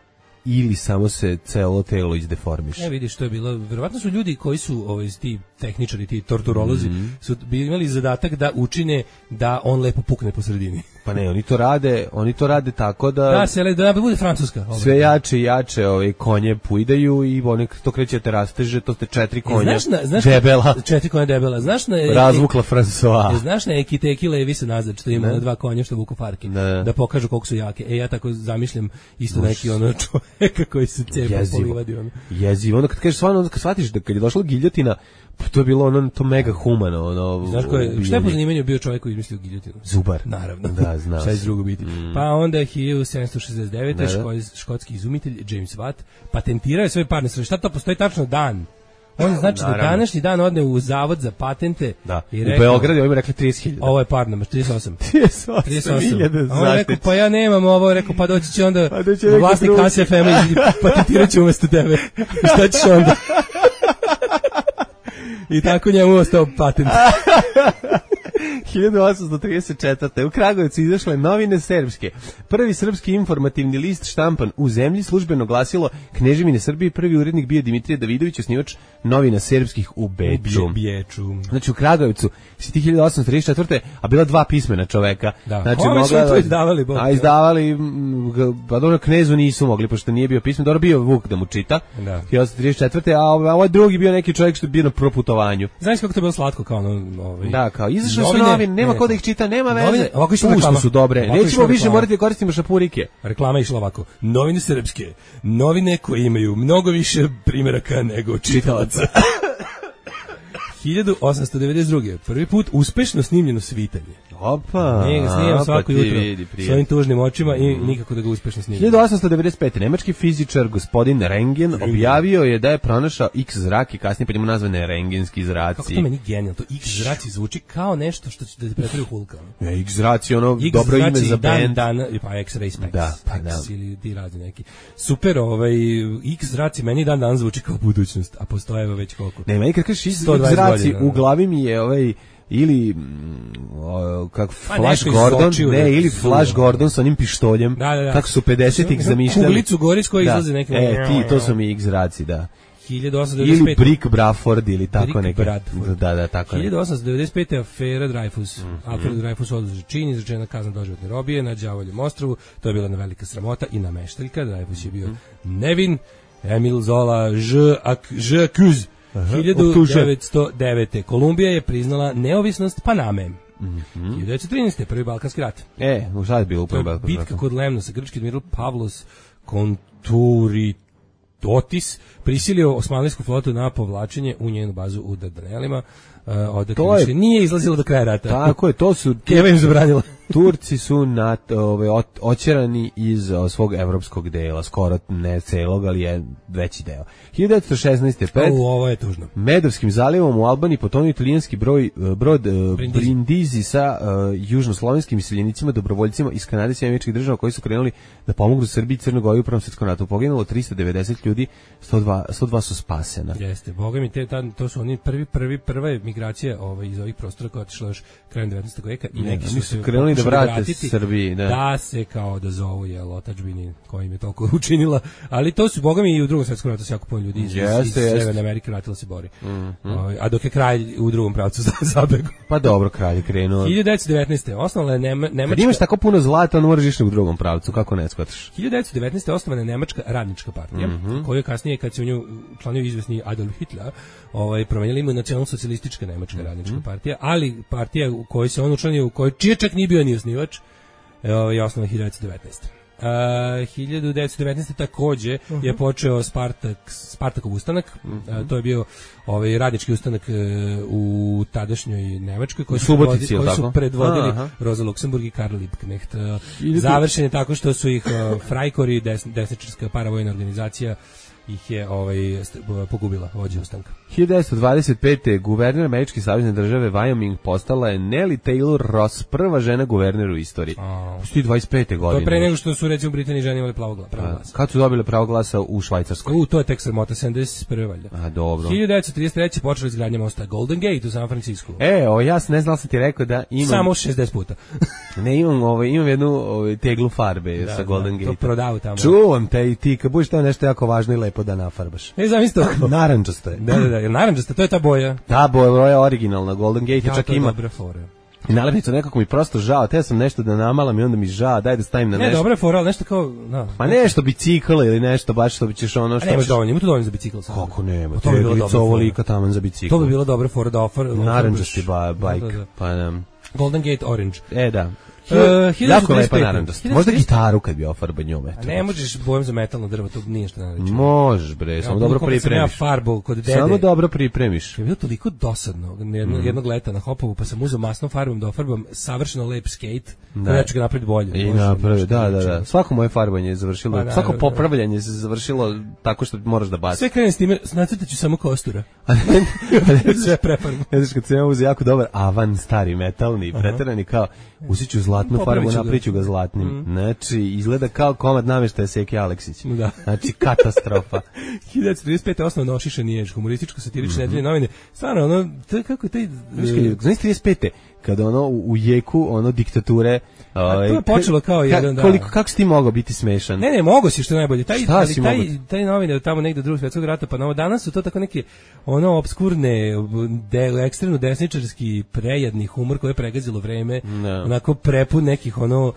ili samo se celo telo izdeformiše? E vidiš, to je bilo, verovatno su ljudi koji su ovaj ti tehničari, ti torturolozi, mm-hmm. su imali zadatak da učine da on lepo pukne po sredini. Pa ne, oni to rade, oni to rade tako da da se da bude francuska. Ovaj. Sve jače i jače ove konje pujdaju i oni to kreće te rasteže, to ste četiri konja. Znaš na, znaš debela. Četiri konja debela. Znaš na razvukla François. Znaš na Ekiteki Levi se nazad što ima dva konja što vuku farke. Ne. Da pokažu koliko su jake. E ja tako zamišljam isto Uš. neki ono čovjeka koji se cepa po livadi ono. Jezivo. Onda kad kažeš stvarno, onda kad shvatiš da kad je došla giljotina, to je bilo ono to mega humano, ono. Znaš ko je, šta je po zanimanju bio čovjek koji izmislio giljotinu? Zubar. Naravno. Da, znam. Šta je drugo biti? Mm. Pa onda je hiljadu sedamsto šezdeset devete. škotski izumitelj James Watt patentirao je svoj parni stroj. Šta to postoji tačno dan? On znači da današnji dan odne u zavod za patente da. I rekao, u Beogradu ovim rekli trideset hiljada. Ovo je parno, trideset osam. trideset osam hiljada. A on je rekao, pa ja nemam ovo, je rekao, pa doći će onda pa doći vlasnik K S F M i patentirat će umesto tebe. I šta ćeš onda? I tako njemu ostao patent. hiljadu osamsto trideset četvrte. u Kragujevcu izašle Novine srpske. Prvi srpski informativni list štampan u zemlji, službeno glasilo Kneževine Srbije, prvi urednik bio Dimitrije Davidović, osnivač Novina srpskih u Beču. U Beču. Znači u Kragujevcu si ti hiljadu osamsto trideset četvrte. a bila dva pismena čoveka. Da. Znači Ome su to izdavali. Bog, a izdavali, pa dobro Knezu nisu mogli, pošto nije bio pismen, dobro bio Vuk da mu čita. Da. hiljadu osamsto trideset četvrte. a ovaj drugi bio neki čovjek što je bio na proputovanju. Znaš kako to bilo slatko kao ono, ovaj. Da, kao izašle su novine, nema ko da ih čita, nema veze. Novine, ovako išla reklama. Su dobre. Ovako Nećemo više morati da koristimo šapurike. Reklama išla ovako. Novine srpske. Novine koje imaju mnogo više primjeraka nego čitalaca. hiljadu osamsto devedeset druge. Prvi put uspešno snimljeno svitanje. Opa. Ne, snimam svako jutro s ovim tužnim očima i nikako da ga uspešno snimim. hiljadu osamsto devedeset pete. Nemački fizičar gospodin Rentgen objavio je da je pronašao X zrak i kasnije pa njemu nazvane rengenski zraci. Kako to meni genijalno, to X zraci zvuči kao nešto što će da te pretvori u Hulka. Ne, X zraci ono X dobro ime za band. Dan, dan, pa X-Ray Specs. Da, pa da. Ili ti razni neki. Super, ovaj X zraci meni dan dan zvuči kao budućnost, a postoje već koliko. Ne, meni kad kažeš X zraci u glavi mi je ovaj ili o, kako Flash Gordon, ne, ili Flash Gordon sa onim pištoljem, da, da, da. kako su pedesetih zamišljali. Kuglicu gori s koje izlaze neke. E, ti, to su mi X-raci, da. hiljadu osamsto devedeset pete. Ili Brick Bradford ili tako neke. Da, da, tako hiljadu osamsto devedeset pete. afera Dreyfus. Mm -hmm. Alfred Dreyfus oduzet čin, izrečena kazna doživotne robije na Đavoljem ostrvu. To je bila jedna velika sramota i nameštaljka. Dreyfus je bio mm -hmm. nevin. Emil Zola Ž accuse. hiljadu devetsto devete. Kolumbija je priznala neovisnost Paname. Mm-hmm. hiljadu devetsto trinaeste. Prvi Balkanski rat. E, u šta je bilo u prvi Balkanski rat? Bitka kod Lemnosa. Grčki admiral Pavlos Konturitotis prisilio osmanlijsku flotu na povlačenje u njenu bazu u Dardanelima. Uh, odakle više nije izlazilo do kraja rata. Tako je, to su Keva im zabranila. Turci su na ove oćerani iz o, svog evropskog dela, skoro ne celog, ali je veći deo. hiljadu devetsto šesnaeste. pred o, ovo je tužno. Medarskim zalivom u Albaniji potonuo italijanski broj brod uh, Brindisi. Brindisi sa uh, južnoslovenskim iseljenicima, dobrovoljcima iz Kanade i Američkih država koji su krenuli da pomognu Srbiji i Crnoj Gori u Prvom svetskom ratu. Poginulo trista devedeset ljudi, sto dva, sto dva su spasena. Jeste, boga mi te ta, to su oni prvi prvi prva je migracija ovaj iz ovih prostora koja je otišla još krajem devetnaestog veka i neki su se krenuli da vrate Srbiji, da. Da se kao da zovu je otadžbini koja im je toliko učinila, ali to su boga mi i u Drugom svetskom ratu se jako puno ljudi iz, jeste, iz Severne Amerike vratilo se bori. Mm, mm. O, a dok je kralj u drugom pravcu zabegao. Pa dobro, kralj je krenuo. hiljadu devetsto devetnaeste. osnovana je Nema, Nemačka. Kad imaš tako puno zlata, on moraš ići u drugom pravcu, kako ne shvataš? hiljadu devetsto devetnaeste. osnovana je Nemačka radnička partija, mm -hmm. koju je kasnije kad se u nju članio izvesni Adolf Hitler, ovaj promenili ime nacionalno-socijalistička Nemačka mm -hmm. radnička partija, ali partija u kojoj se on učlanio, u kojoj čije čak nije bio ni osnivač, je osnovana hiljadu devetsto devetnaeste. Uh, hiljadu devetsto devetnaeste takođe uh-huh. je počeo Spartak, Spartakov ustanak. Uh-huh. Uh, to je bio ovaj radnički ustanak uh, u tadašnjoj Nemačkoj koji su, Subotici, koji su predvodili Aha. Rosa Luxemburg i Karl Liebknecht. Uh, završen je tako što su ih uh, Freikorps, des, desničarska paravojna organizacija, ih je ovaj pogubila vođa ustanka. hiljadu devetsto dvadeset pete. guverner američke savezne države Wyoming postala je Nellie Taylor Ross, prva žena guverner u istoriji. Sti dvadeset pete godine. To je pre nego što su recimo u Britaniji žene imale pravo glasa. Kad su dobile pravo glasa u Švajcarskoj? U, to je tek sramota, sedamdeset prve valjda. A, dobro. hiljadu devetsto trideset treće počela izgradnja mosta Golden Gate u San Francisco. E, o, ja ne znam, sam ti rekao da imam... Samo šezdeset puta. ne, imam, ovaj, imam jednu ovaj, teglu farbe da, sa Golden Gate. To prodavu tamo. Čuvam te i ti, kad budeš tamo nešto jako važno i lepo da nafarbaš. Ne znam isto. Narandžasto je. Da, da, da, narandžasto, to je ta boja. Ta boja je originalna, Golden Gate ja, čak to je ima. Dobra fora. I nalepnicu nekako mi prosto žao, te sam nešto da namalam i onda mi žao, daj da stavim na ne, nešto. Ne, dobra fora, ali nešto kao, no. Ma nešto bicikl ili nešto, baš što bi ćeš ono što... A nemaš dovoljno, ima to dovoljno za bicikl sam. Kako nema, to bi bilo dobro. Ovo lika taman za bicikl. To bi bilo dobra fora da ofar... Narandžasti ba, bajk, da, da. pa nam... Golden Gate Orange. E, da. Uh, jako lepa narandžast. Možda gitaru kad bi ofarba njome. A ne možeš bojem za metalno drvo, to nije što ne reći. Možeš bre, samo ja, dobro pripremiš. Ja farbu kod dede. Samo dobro pripremiš. Je bilo toliko dosadno jedno, mm. jednog leta na Hopovu, pa sam uzeo masnom farbom da ofarbam savršeno lep skate, da ja ću ga napraviti bolje. I napravi, da, da, da. Svako moje farbanje je završilo, pa, svako popravljanje se završilo tako što moraš da baciš. Sve krene s time, nacrtaću samo kostura. Sve prefarbu. Ne znaš kad sam ja uzeo jako dobar avan stari metalni, preterani kao usiću zlatnu farbu, napriču ga zlatnim. Mm. Znači, izgleda kao komad namještaja Seke Aleksić. Da. Znači, katastrofa. hiljadu devetsto trideset pete. osnovno Ošišani je humorističko-satirične mm-hmm. nedelje novine. Stvarno, ono, to je kako taj... Znaš, trideset pete. Kada ono u, u jeku, ono, diktature... A to je počelo kao jedan, da. Koliko, kako si ti mogao biti smešan? Ne, ne, mogo si, što je najbolje. Taj, Šta ali, si taj, mogo? taj novine tamo negde drugog svjetskog rata, pa novo danas su to tako neke, ono, obskurne, de, ekstremno desničarski, prejedni humor koje je pregazilo vreme, no. Onako prepun nekih, ono,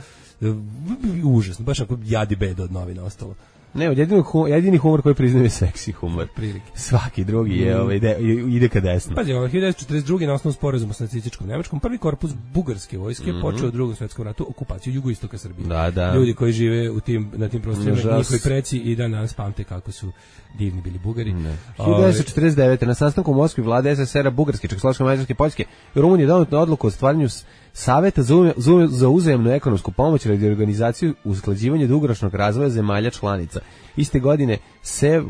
užasno, baš onako jadi bed od novina ostalo. Ne, jedini humor, jedini humor koji priznaje seksi humor. Prilike. Svaki drugi je, ovaj, ide, ide ka desno. Pazi, ovaj, hiljadu devetsto četrdeset druge. na osnovu sporazuma sa nacističkom Nemačkom, prvi korpus bugarske vojske mm-hmm. počeo u drugom svjetskom ratu okupaciju jugoistoka Srbije. Da, da. Ljudi koji žive u tim, na tim prostorima, njihovi preci i dan danas pamte kako su divni bili Bugari. hiljadu devetsto četrdeset devete. na sastanku u Moskvi vlade es es es er a Bugarske, Čekoslovačke, Mađarske, Poljske i Rumunije donijela odluku o stvaranju Saveta za, za uzajamnu ekonomsku pomoć radi organizaciju usklađivanja dugoročnog razvoja zemalja članica. Iste godine se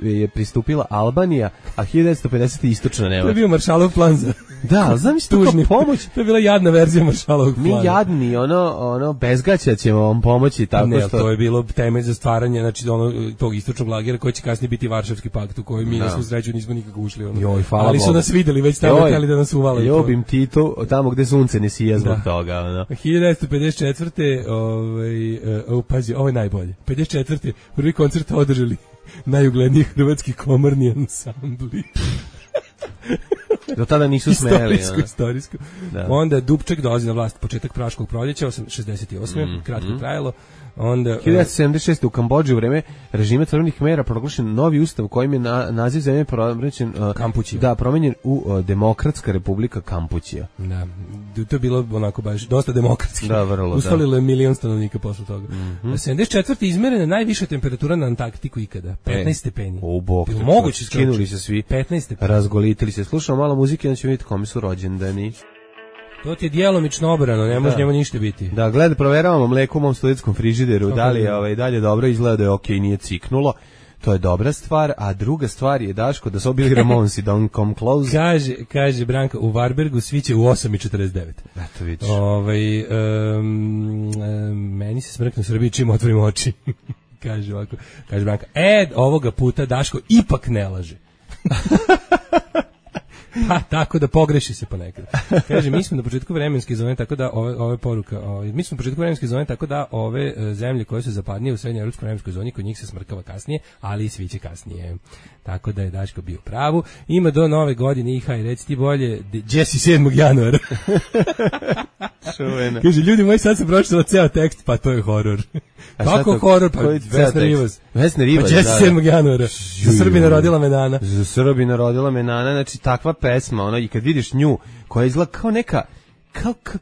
je pristupila Albanija, a hiljadu devetsto pedesete. istočna Nemačka. To je bio Maršalov plan za... Da, znam što kao pomoć. To je bila jadna verzija Maršalovog plana. Mi jadni, ono, ono, bezgaća ćemo vam pomoći tako ne, što... to je bilo temelj za stvaranje, znači, ono, tog istočnog lagera koji će kasnije biti Varšavski pakt u koji mi na svu sreću nismo nikako ušli. Ono. Joj, ali su Bogu. Nas videli, već tamo htjeli da nas uvale. Ljubim Tito, tamo gde sunce ne sija zbog toga. Ono. hiljadu devetsto pedeset četvrte. Ovaj, uh, pazi, ovo je najbolje. pedeset četvrte. prvi koncert održali najugledniji hrvatski komorni ansambli. Do tada nisu smeli. Istorijsko, istorijsko. Da. Onda Dubček dolazi na vlast, početak Praškog proljeća, šezdeset osme. Mm, kratko mm. trajalo. Onda hiljadu devetsto sedamdeset šeste. u Kambodži u vreme režima crvenih mera proglašen novi ustav kojim je na, naziv zemlje promenjen uh, Kampučija. Da, promenjen u uh, Demokratska republika Kampučija. Da. To je bilo onako baš dosta demokratski. Da, vrlo. Ustalilo je da. milion stanovnika posle toga. Mm-hmm. sedamdeset četvrte. izmerena najviša temperatura na Antarktiku ikada, petnaest stepeni. O bog. Moguće skinuli se svi. petnaest stepeni. Razgolitili se. Slušamo malo muzike, onda ćemo vidjeti kome su rođendani. To ti je djelomično obrano, ne može njemu ništa biti. Da, gled, proveravamo mleko u mom studijskom frižideru, da li je ovaj, dalje dobro, izgleda da je okej, okay, nije ciknulo. To je dobra stvar, a druga stvar je, Daško, da su bili Ramonsi, Don't Come Close. Kaže, kaže Branka, u Varbergu sviće u osam i četrdeset devet. Eto vidiš. Ovaj, um, um, meni se smrkne u Srbiji čim otvorim oči. Kaže ovako, kaže Branka, e, ovoga puta Daško ipak ne laže. Pa, tako da pogreši se ponekad. Kaže, mi smo na početku vremenske zone, tako da ove, ove poruka, ove, mi smo na početku vremenske zone, tako da ove e, zemlje koje su zapadnije u srednjoj evropskoj vremenskoj zoni, kod njih se smrkava kasnije, ali i sviće kasnije. Tako da je Daško bio u pravu. Ima do nove godine i haj, reci ti bolje, Jesse sedmog januara. Čuvena. Kaže, ljudi moji, sad se pročitala ceo tekst, pa to je horor. Kako horor? Pa Vesna Rivas. Vesna Rivas, pa Jesse sedmog januara. Za Srbina rodila me Nana. Za Srbina rodila me Nana, znači takva pesma, ono, i kad vidiš nju, koja izgleda kao neka, kao, kao,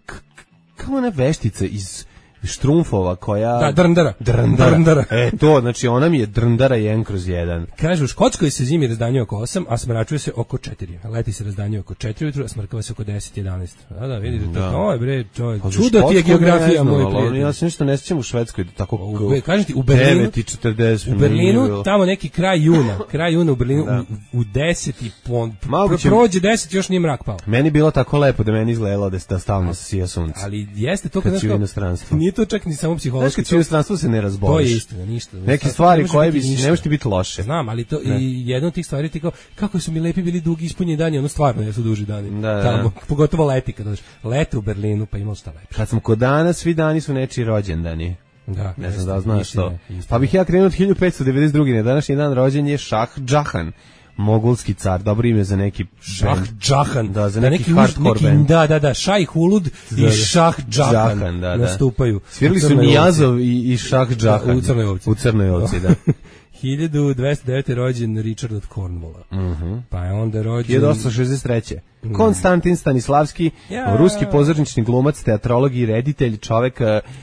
kao ona veštica iz Štrumfova koja... Da, drndara. Drndara. Drndara. E, to, znači ona mi je drndara jedan kroz jedan. Kaže, u Škotskoj se zimi razdanjuje oko osam, a smračuje se oko četiri. Leti se razdanjuje oko četiri ujutru, a smrkava se oko deset jedanaest. Da, da, vidite, to, to je bre, to je čudo ti je geografija, moj prijatelj. Ja se ništa ne sjećam u Švedskoj, tako... U, kažem ti, u Berlinu, devet i četrdeset u Berlinu, tamo neki kraj juna, kraj juna u Berlinu, da. u, u deset i pon, pro, prođe deset, još nije mrak pao. Meni bilo tako lepo da meni izgledalo da da stalno sija sunce. Ali jeste to kad kad inostranstvo. Nije to čak ni samo psihološki. Znači, inostranstvo se ne razboliš. To je istina, ništa. Neke stvari koje bi ne možete biti loše. Znam, ali to ne. I jedna od tih stvari ti kao kako su mi lepi bili dugi ispunjeni dani, ono stvarno jesu duži dani. Da, da. Tamo, pogotovo leti kad dođeš. Lete u Berlinu, pa imalo šta lepo. Kad sam kod dana, svi dani su nečiji rođendani. Da, ne znam da znaš to. Pa bih ja krenuo od hiljadu petsto devedeset druge. Na današnji dan rođen je Šah Džahan. Mogulski car, dobro ime za neki Šah Džahan, da, za neki, neki hardcore band. Da, da, da, Šaj Hulud i Šah Džahan, Džahan da, nastupaju. Svirali su Nijazov i, i Šah Džahan. U Crnoj ovci. U Crnoj ovci, da. hiljadu dvesta devete rođen Richard od Cornwalla. Uh-huh. Pa je onda rođen... hiljadu osamsto šezdeset treće Mm. Konstantin Stanislavski, ja. ruski pozornični glumac, teatrolog i reditelj, čovek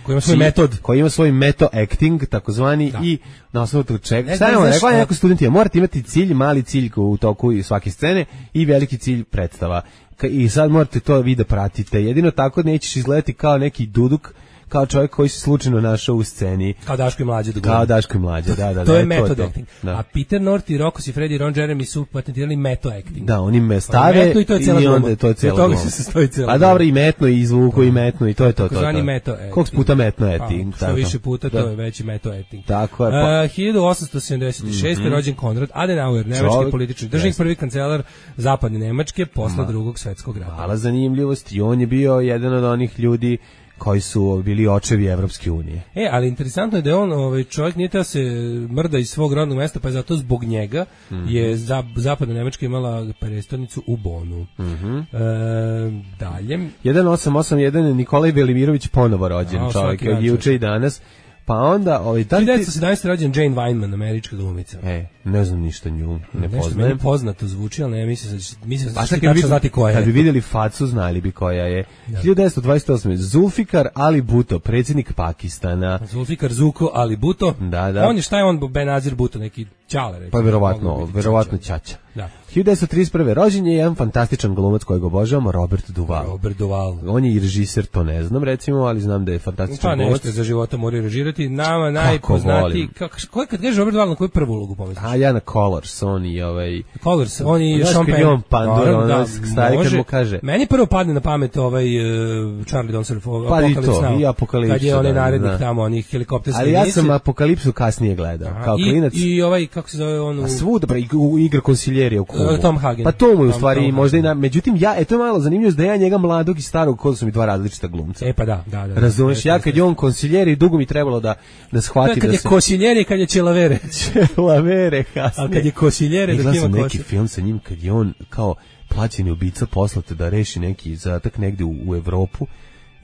koji ima svoj metod, koji ima svoj meto acting, takozvani, da. I na osnovu tog čega. Šta je on rekao neko studenti, morate imati cilj, mali cilj u toku svake scene i veliki cilj predstava. I sad morate to vi da pratite. Jedino tako nećeš izgledati kao neki duduk, kao čovjek koji se slučajno našao u sceni. Kao Daško i Mlađa. Kao Daško i Mlađa, da, da. To da, je method to, acting. Da. A Peter North i Rocco Siffredi i Ron Jeremy su patentirali meto acting. Da, oni me stave i, to je i onda to je cijela gluma. Se sastoji cijela A dobro, i metno, i zvuku, i metno, i to je to. Tako zvani meto acting. Koliko puta metno acting? Što više puta, to je veći meto acting. Tako je. Pa. Uh, hiljadu osamsto sedamdeset šeste Mm-hmm. rođen Konrad Adenauer, nemački politički državnik, prvi kancelar zapadne Nemačke posle drugog svetskog rata. Hvala zanimljivosti. On je bio jedan od onih ljudi koji su bili očevi Evropske unije. E, ali interesantno je da je on, ovaj, čovjek nije teo se mrda iz svog rodnog mesta, pa je zato zbog njega mm-hmm. je za, zapadna Nemačka imala prestonicu u Bonu. Mm-hmm. E, dalje. jedan osam osam jedan Nikolaj Velimirović ponovo rođen, A, čovjek, juče i danas. Pa onda, ovaj hiljadu devetsto sedamnaeste rođen Jane Weinman, američka glumica. E, ne znam ništa nju, ne Nešto poznajem. Meni poznato zvuči, al ne mislim se mislim da će znati koja je. Kad bi vidjeli facu, znali bi koja je. Ja. hiljadu devetsto dvadeset osme Zulfikar Ali Bhutto, predsjednik Pakistana. Zulfikar Zuko Ali Bhutto. Da, da. On je šta je on Benazir Bhutto, neki ćale, recimo. Pa verovatno, verovatno ćaća. Da. hiljadu devetsto trideset prve rođen je jedan fantastičan glumac kojeg obožavamo, Robert Duvall. Robert Duvall. On je i režiser, to ne znam recimo, ali znam da je fantastičan pa, glumac. Pa nešto za života mora režirati. Nama najpoznatiji, kako koji kad kaže Robert Duvall, na koju prvu ulogu pomisliš? A ja na Colors, on i ovaj Colors, on i Sean Penn. On Pandora, on da, stari kad mu kaže. Meni prvo padne na pamet ovaj uh, Charlie Don't Surf, pa Apocalypse Now. I Apokalipsa. Kad je onaj narednik tamo, onih helikopterskih. Ali ja sam Apokalipsu kasnije gledao, aha, kao klinac. I ovaj, kako se zove on? A svuda, bre, igra konsiljerija u klubu. Tom Hagen. Pa to mu je u stvari možda i na, međutim ja, eto je malo zanimljivo da ja njega mladog i starog, kod su mi dva različita glumca. E pa da, da, da. Razumeš, ja kad je on konsiljeri, dugo mi trebalo da da shvatim da se... Kad je konsiljeri, kad je čelavere. Čelavere, kasnije. A kad je konsiljeri, da ima neki film sa njim, kad je on kao plaćeni ubica poslate da reši neki zadatak negde u, u Evropu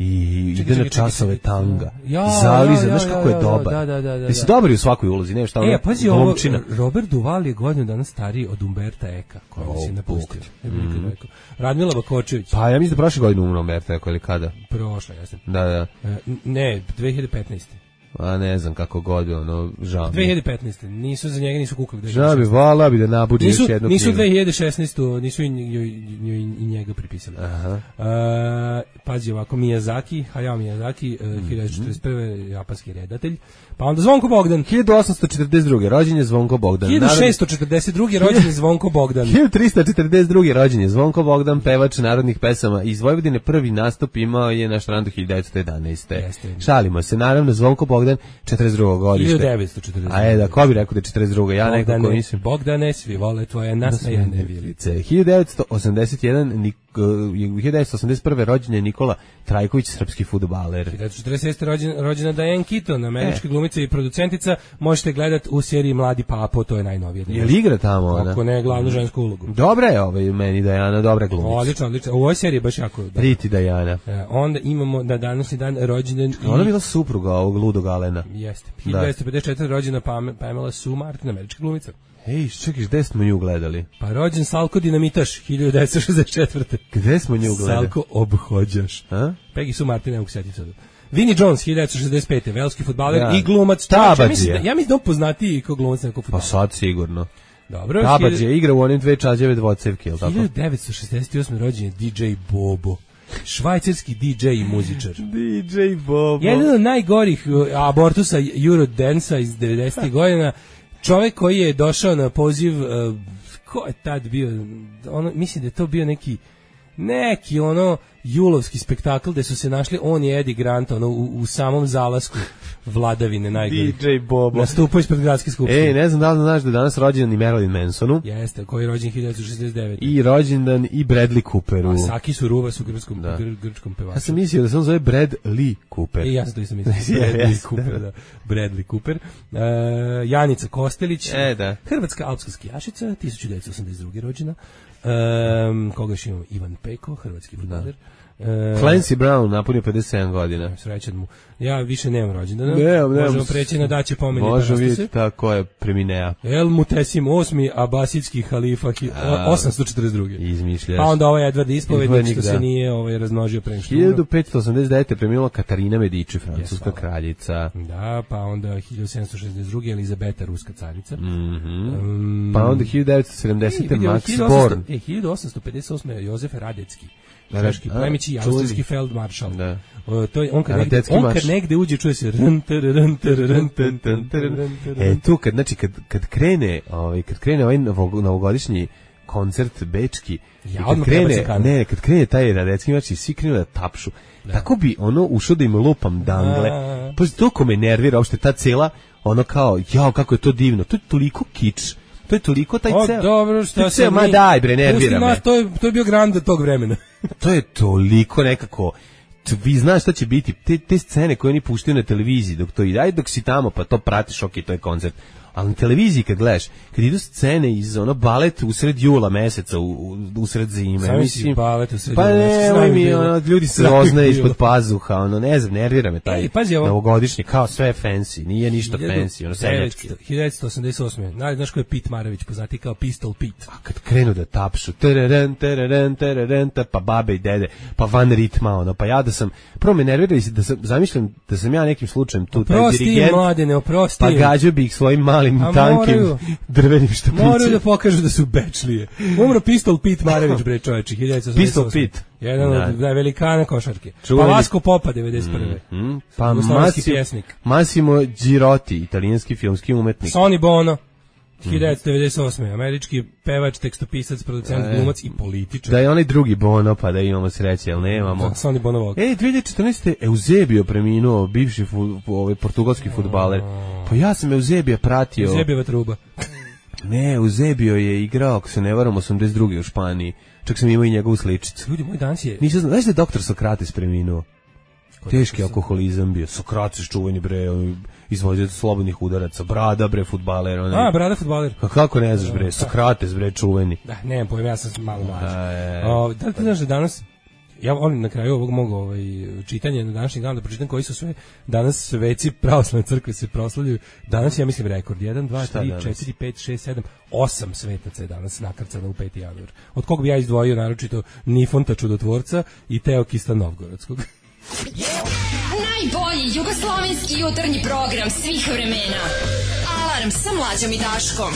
i čekaj, ide na časove čekaj, tanga. Ja, Zaliza, ja, ja, znaš kako je dobar. Da, da, da, da. Jesi dobar u svakoj ulozi, ne šta ono. E, pazi ovo, Robert Duvall je godinu dana stariji od Umberta Eka, koja oh, si napustio. Mm. Radmila Bakočević. Pa ja mislim da prošle godine umro Umberta Eka ili kada? Prošle, ja sam. Da, da. Ne, dve hiljade petnaeste A ne znam kako god, ono, žao. dve hiljade petnaeste Nisu za njega nisu kukali. Žao bi, vala bi da nabuđi još jednu knjigu. Nisu dve hiljade šesnaeste nisu i, i, i njega pripisali. Aha. Uh, pazi ovako, Miyazaki, Hayao Miyazaki, uh, hiljadu devetsto četrdeset prve japanski redatelj. Pa onda Zvonko Bogdan. hiljadu osamsto četrdeset druge rođen je Zvonko Bogdan. hiljadu šessto četrdeset druge rođen je Zvonko Bogdan. hiljadu tristo četrdeset druge rođen je Zvonko Bogdan, pevač narodnih pesama iz Vojvodine. Prvi nastup imao je na Štrandu hiljadu devetsto jedanaeste Jeste. Šalimo se, naravno, Zvonko Bogdan, četrdeset drugog godište. hiljadu devetsto četrdeset A je, da, ko bi rekao da je četrdeset druga Ja Bogdane, nekako mislim. Bogdane, svi vole tvoje nasmejane vilice. hiljadu devetsto osamdeset jedan hiljadu devetsto osamdeset prve rođen je Nikola Trajković, srpski fudbaler. hiljadu devetsto četrdeset šeste rođen, rođena Diane Keaton, američka e. glumica i producentica. Možete gledati u seriji Mladi Papo, to je najnovije. Je li igra tamo ona? Ako ne, glavnu žensku ulogu. Dobra je ovaj meni Diana, dobra glumica. Odlično, odlično. U ovoj seriji je baš jako dobra. Pretty Diana. E, onda imamo na današnji dan rođendan. Ona bila supruga ovog ludog Alena. Jeste. hiljadu devetsto pedeset četvrte rođena Pamela Sue Martin, američka glumica. Ej, čekaj, gde smo nju gledali? Pa rođen Salko Dinamitaš, hiljadu devetsto šezdeset četvrte Gde smo nju gledali? Salko Obhođaš. A? Peggy Sue Martin, ne mogu setiti sada. Vinnie Jones, hiljadu devetsto šezdeset pete velski fudbaler Ja. i glumac. Tabadžija. Ja mislim da, ja mislim da on poznatiji kao glumac nekog Pa fudbala. sad sigurno. Dobro. Tabađe je igra u onim dve čađeve dvocevke, ili tako? hiljadu devetsto šezdeset osme rođen je D J Bobo. Švajcarski D J i muzičar. D J Bobo. Jedan od najgorih uh, abortusa Eurodance-a iz devedesetih godina. Čovjek koji je došao na poziv, uh, ko je tad bio, ono, mislim da je to bio neki neki ono julovski spektakl gde su se našli on i Eddie Grant ono, u, u samom zalasku vladavine najgorih. D J Bobo. Nastupao ispred gradske skupštine. Ej, ne znam da li znaš da je danas rođendan i Marilyn Mansonu. Jeste, koji je rođen hiljadu devetsto šezdeset devete. I rođendan i Bradley Cooperu. A Saki Suruva u grčkom, Da. gr, grčkom pevaču. Ja sam mislio da se on zove Brad Lee Cooper. I ja sam to isto mislio. Yes, Bradley Cooper, da. Bradley Cooper. Uh, Janica Kostelić. E, da. Hrvatska alpska skijašica, hiljadu devetsto osamdeset druge rođena. Um, koga još imamo? Ivan Peko, hrvatski fudbaler. Uh, Clancy Brown napunio pedeset sedam godina. Srećan mu. Ja više nemam rođendana. Nemam, nemam. Možemo preći na daće pomenje. Možemo vidjeti tako je preminea. El Mutesim osmi abasidski halifa osamsto četrdeset druge. Izmišljaš. Pa onda ovaj Edvard Ispovednik Ispovednik, što se da. nije ovaj razmnožio pre nego što hiljadu petsto osamdeset devete preminula Katarina Medici, francuska Yes, hvala. kraljica. Da, pa onda hiljadu sedamsto šezdeset druge Elizabeta, ruska carica. Mhm. Um, Pa onda hiljadu devetsto sedamdesete vidio, Max hiljadu osamsto Born. E, hiljadu osamsto pedeset osme Jozef Radecki. Da, Češki a, plemić i čuli. austrijski feldmaršal. Da. O, to je on kad negde, Radecki on marš. kad negde uđe čuje se rn, tar, rn, tar, rn, tar, tar, tar, rn, tar, rn. E tu kad znači kad kad krene, ovaj kad krene ovaj novog- novogodišnji koncert bečki, Ja, i kad odmah krene, prebacim kameru. ne, kad krene taj Radecki marš i svi krenu da tapšu. Tako bi ono ušao da im lupam dangle. A. Pa toliko me nervira uopšte ta cela ono kao, jao kako je to divno. To je toliko kič. To je toliko taj O, ceo. dobro, to šta je se ceo, ma mi- daj bre, nervira Pusti me. nas, to je, to je bio grand tog vremena. To je toliko nekako t- vi znaš šta će biti, te, te scene koje oni puštaju na televiziji dok to ide, aj dok si tamo pa to pratiš, ok, to je koncert, ali na televiziji kad gledaš, kad idu scene iz ono balet usred jula meseca, u, u, usred zime, Sam mislim, si balet usred pa jula meseca, ne, znam mi, bilo. ono, ljudi se Znam roznaje bilo. ispod pazuha, ono, ne znam, nervira me taj Ej, pazi ovo. novogodišnji, kao sve je fancy, nije ništa fancy, ono, seljački. hiljadu devetsto osamdeset osme Znaš, znaš ko je Pete Marović, poznati kao Pistol Pete. A kad krenu da tapšu, tereren, tereren, tereren, ta, pa babe i dede, pa van ritma, ono, pa ja da sam, prvo me nervira i da sam, zamišljam da sam ja nekim slučajem tu taj Oprosti im, dirigent, mladene, oprosti pa im. gađao bi ih svojim malim, A tankim, moraju. drvenim štapicima. Moraju da pokažu da su bečlije. Umro Pistol Pete Marović, bre čoveče, hiljadu devetsto osamdeset osme Pistol Pete. Jedan Da. od da, velikana košarke. Čuveni- Pa Vasko Popa, devedeset prve Mm, pa Jugoslovenski Massimo, pjesnik. Massimo Girotti, italijanski filmski umetnik. Sonny Bono, hiljadu devetsto devedeset osme Američki pevač, tekstopisac, producent, E. glumac i političar. Da je onaj drugi Bono, pa da imamo sreće, ali nemamo. Da, Sonny Bono Vogue. Ej, dve hiljade četrnaeste. Eusebio preminuo, bivši fu, ovaj portugalski fudbaler. Pa ja sam Eusebija pratio. Zebjeva truba. Ne, Eusebio je igrao, ako se ne varam, osamdeset druge u Španiji. Čak sam imao i njegovu sličicu. Ljudi, moj danas je... Nisam znao, znaš da je doktor Sokrates preminuo? Teški sam- alkoholizam bio. Sokrates čuveni bre, on izvođač slobodnih udaraca, brada bre, fudbaler. Onaj. A, brada fudbaler. Pa kako ne znaš bre, Sokrates bre, čuveni. Da, nemam pojma, ja sam malo mlađi. E. O, da li ti znaš da danas, ja volim na kraju ovog mog ovaj, čitanja na današnji dan da pročitam koji su sve danas sveci pravoslavne crkve se proslavljaju. Danas ja mislim rekord jedan, dva, Šta tri, danas? četiri, pet, šest, sedam, osam svetaca je danas nakrcano u peti januar. Od kog bi ja izdvojio naročito Nifonta čudotvorca i Teokista Novgorodskog. Najbolji jugoslovenski jutarnji program svih vremena. Alarm sa Mlađom i Daškom.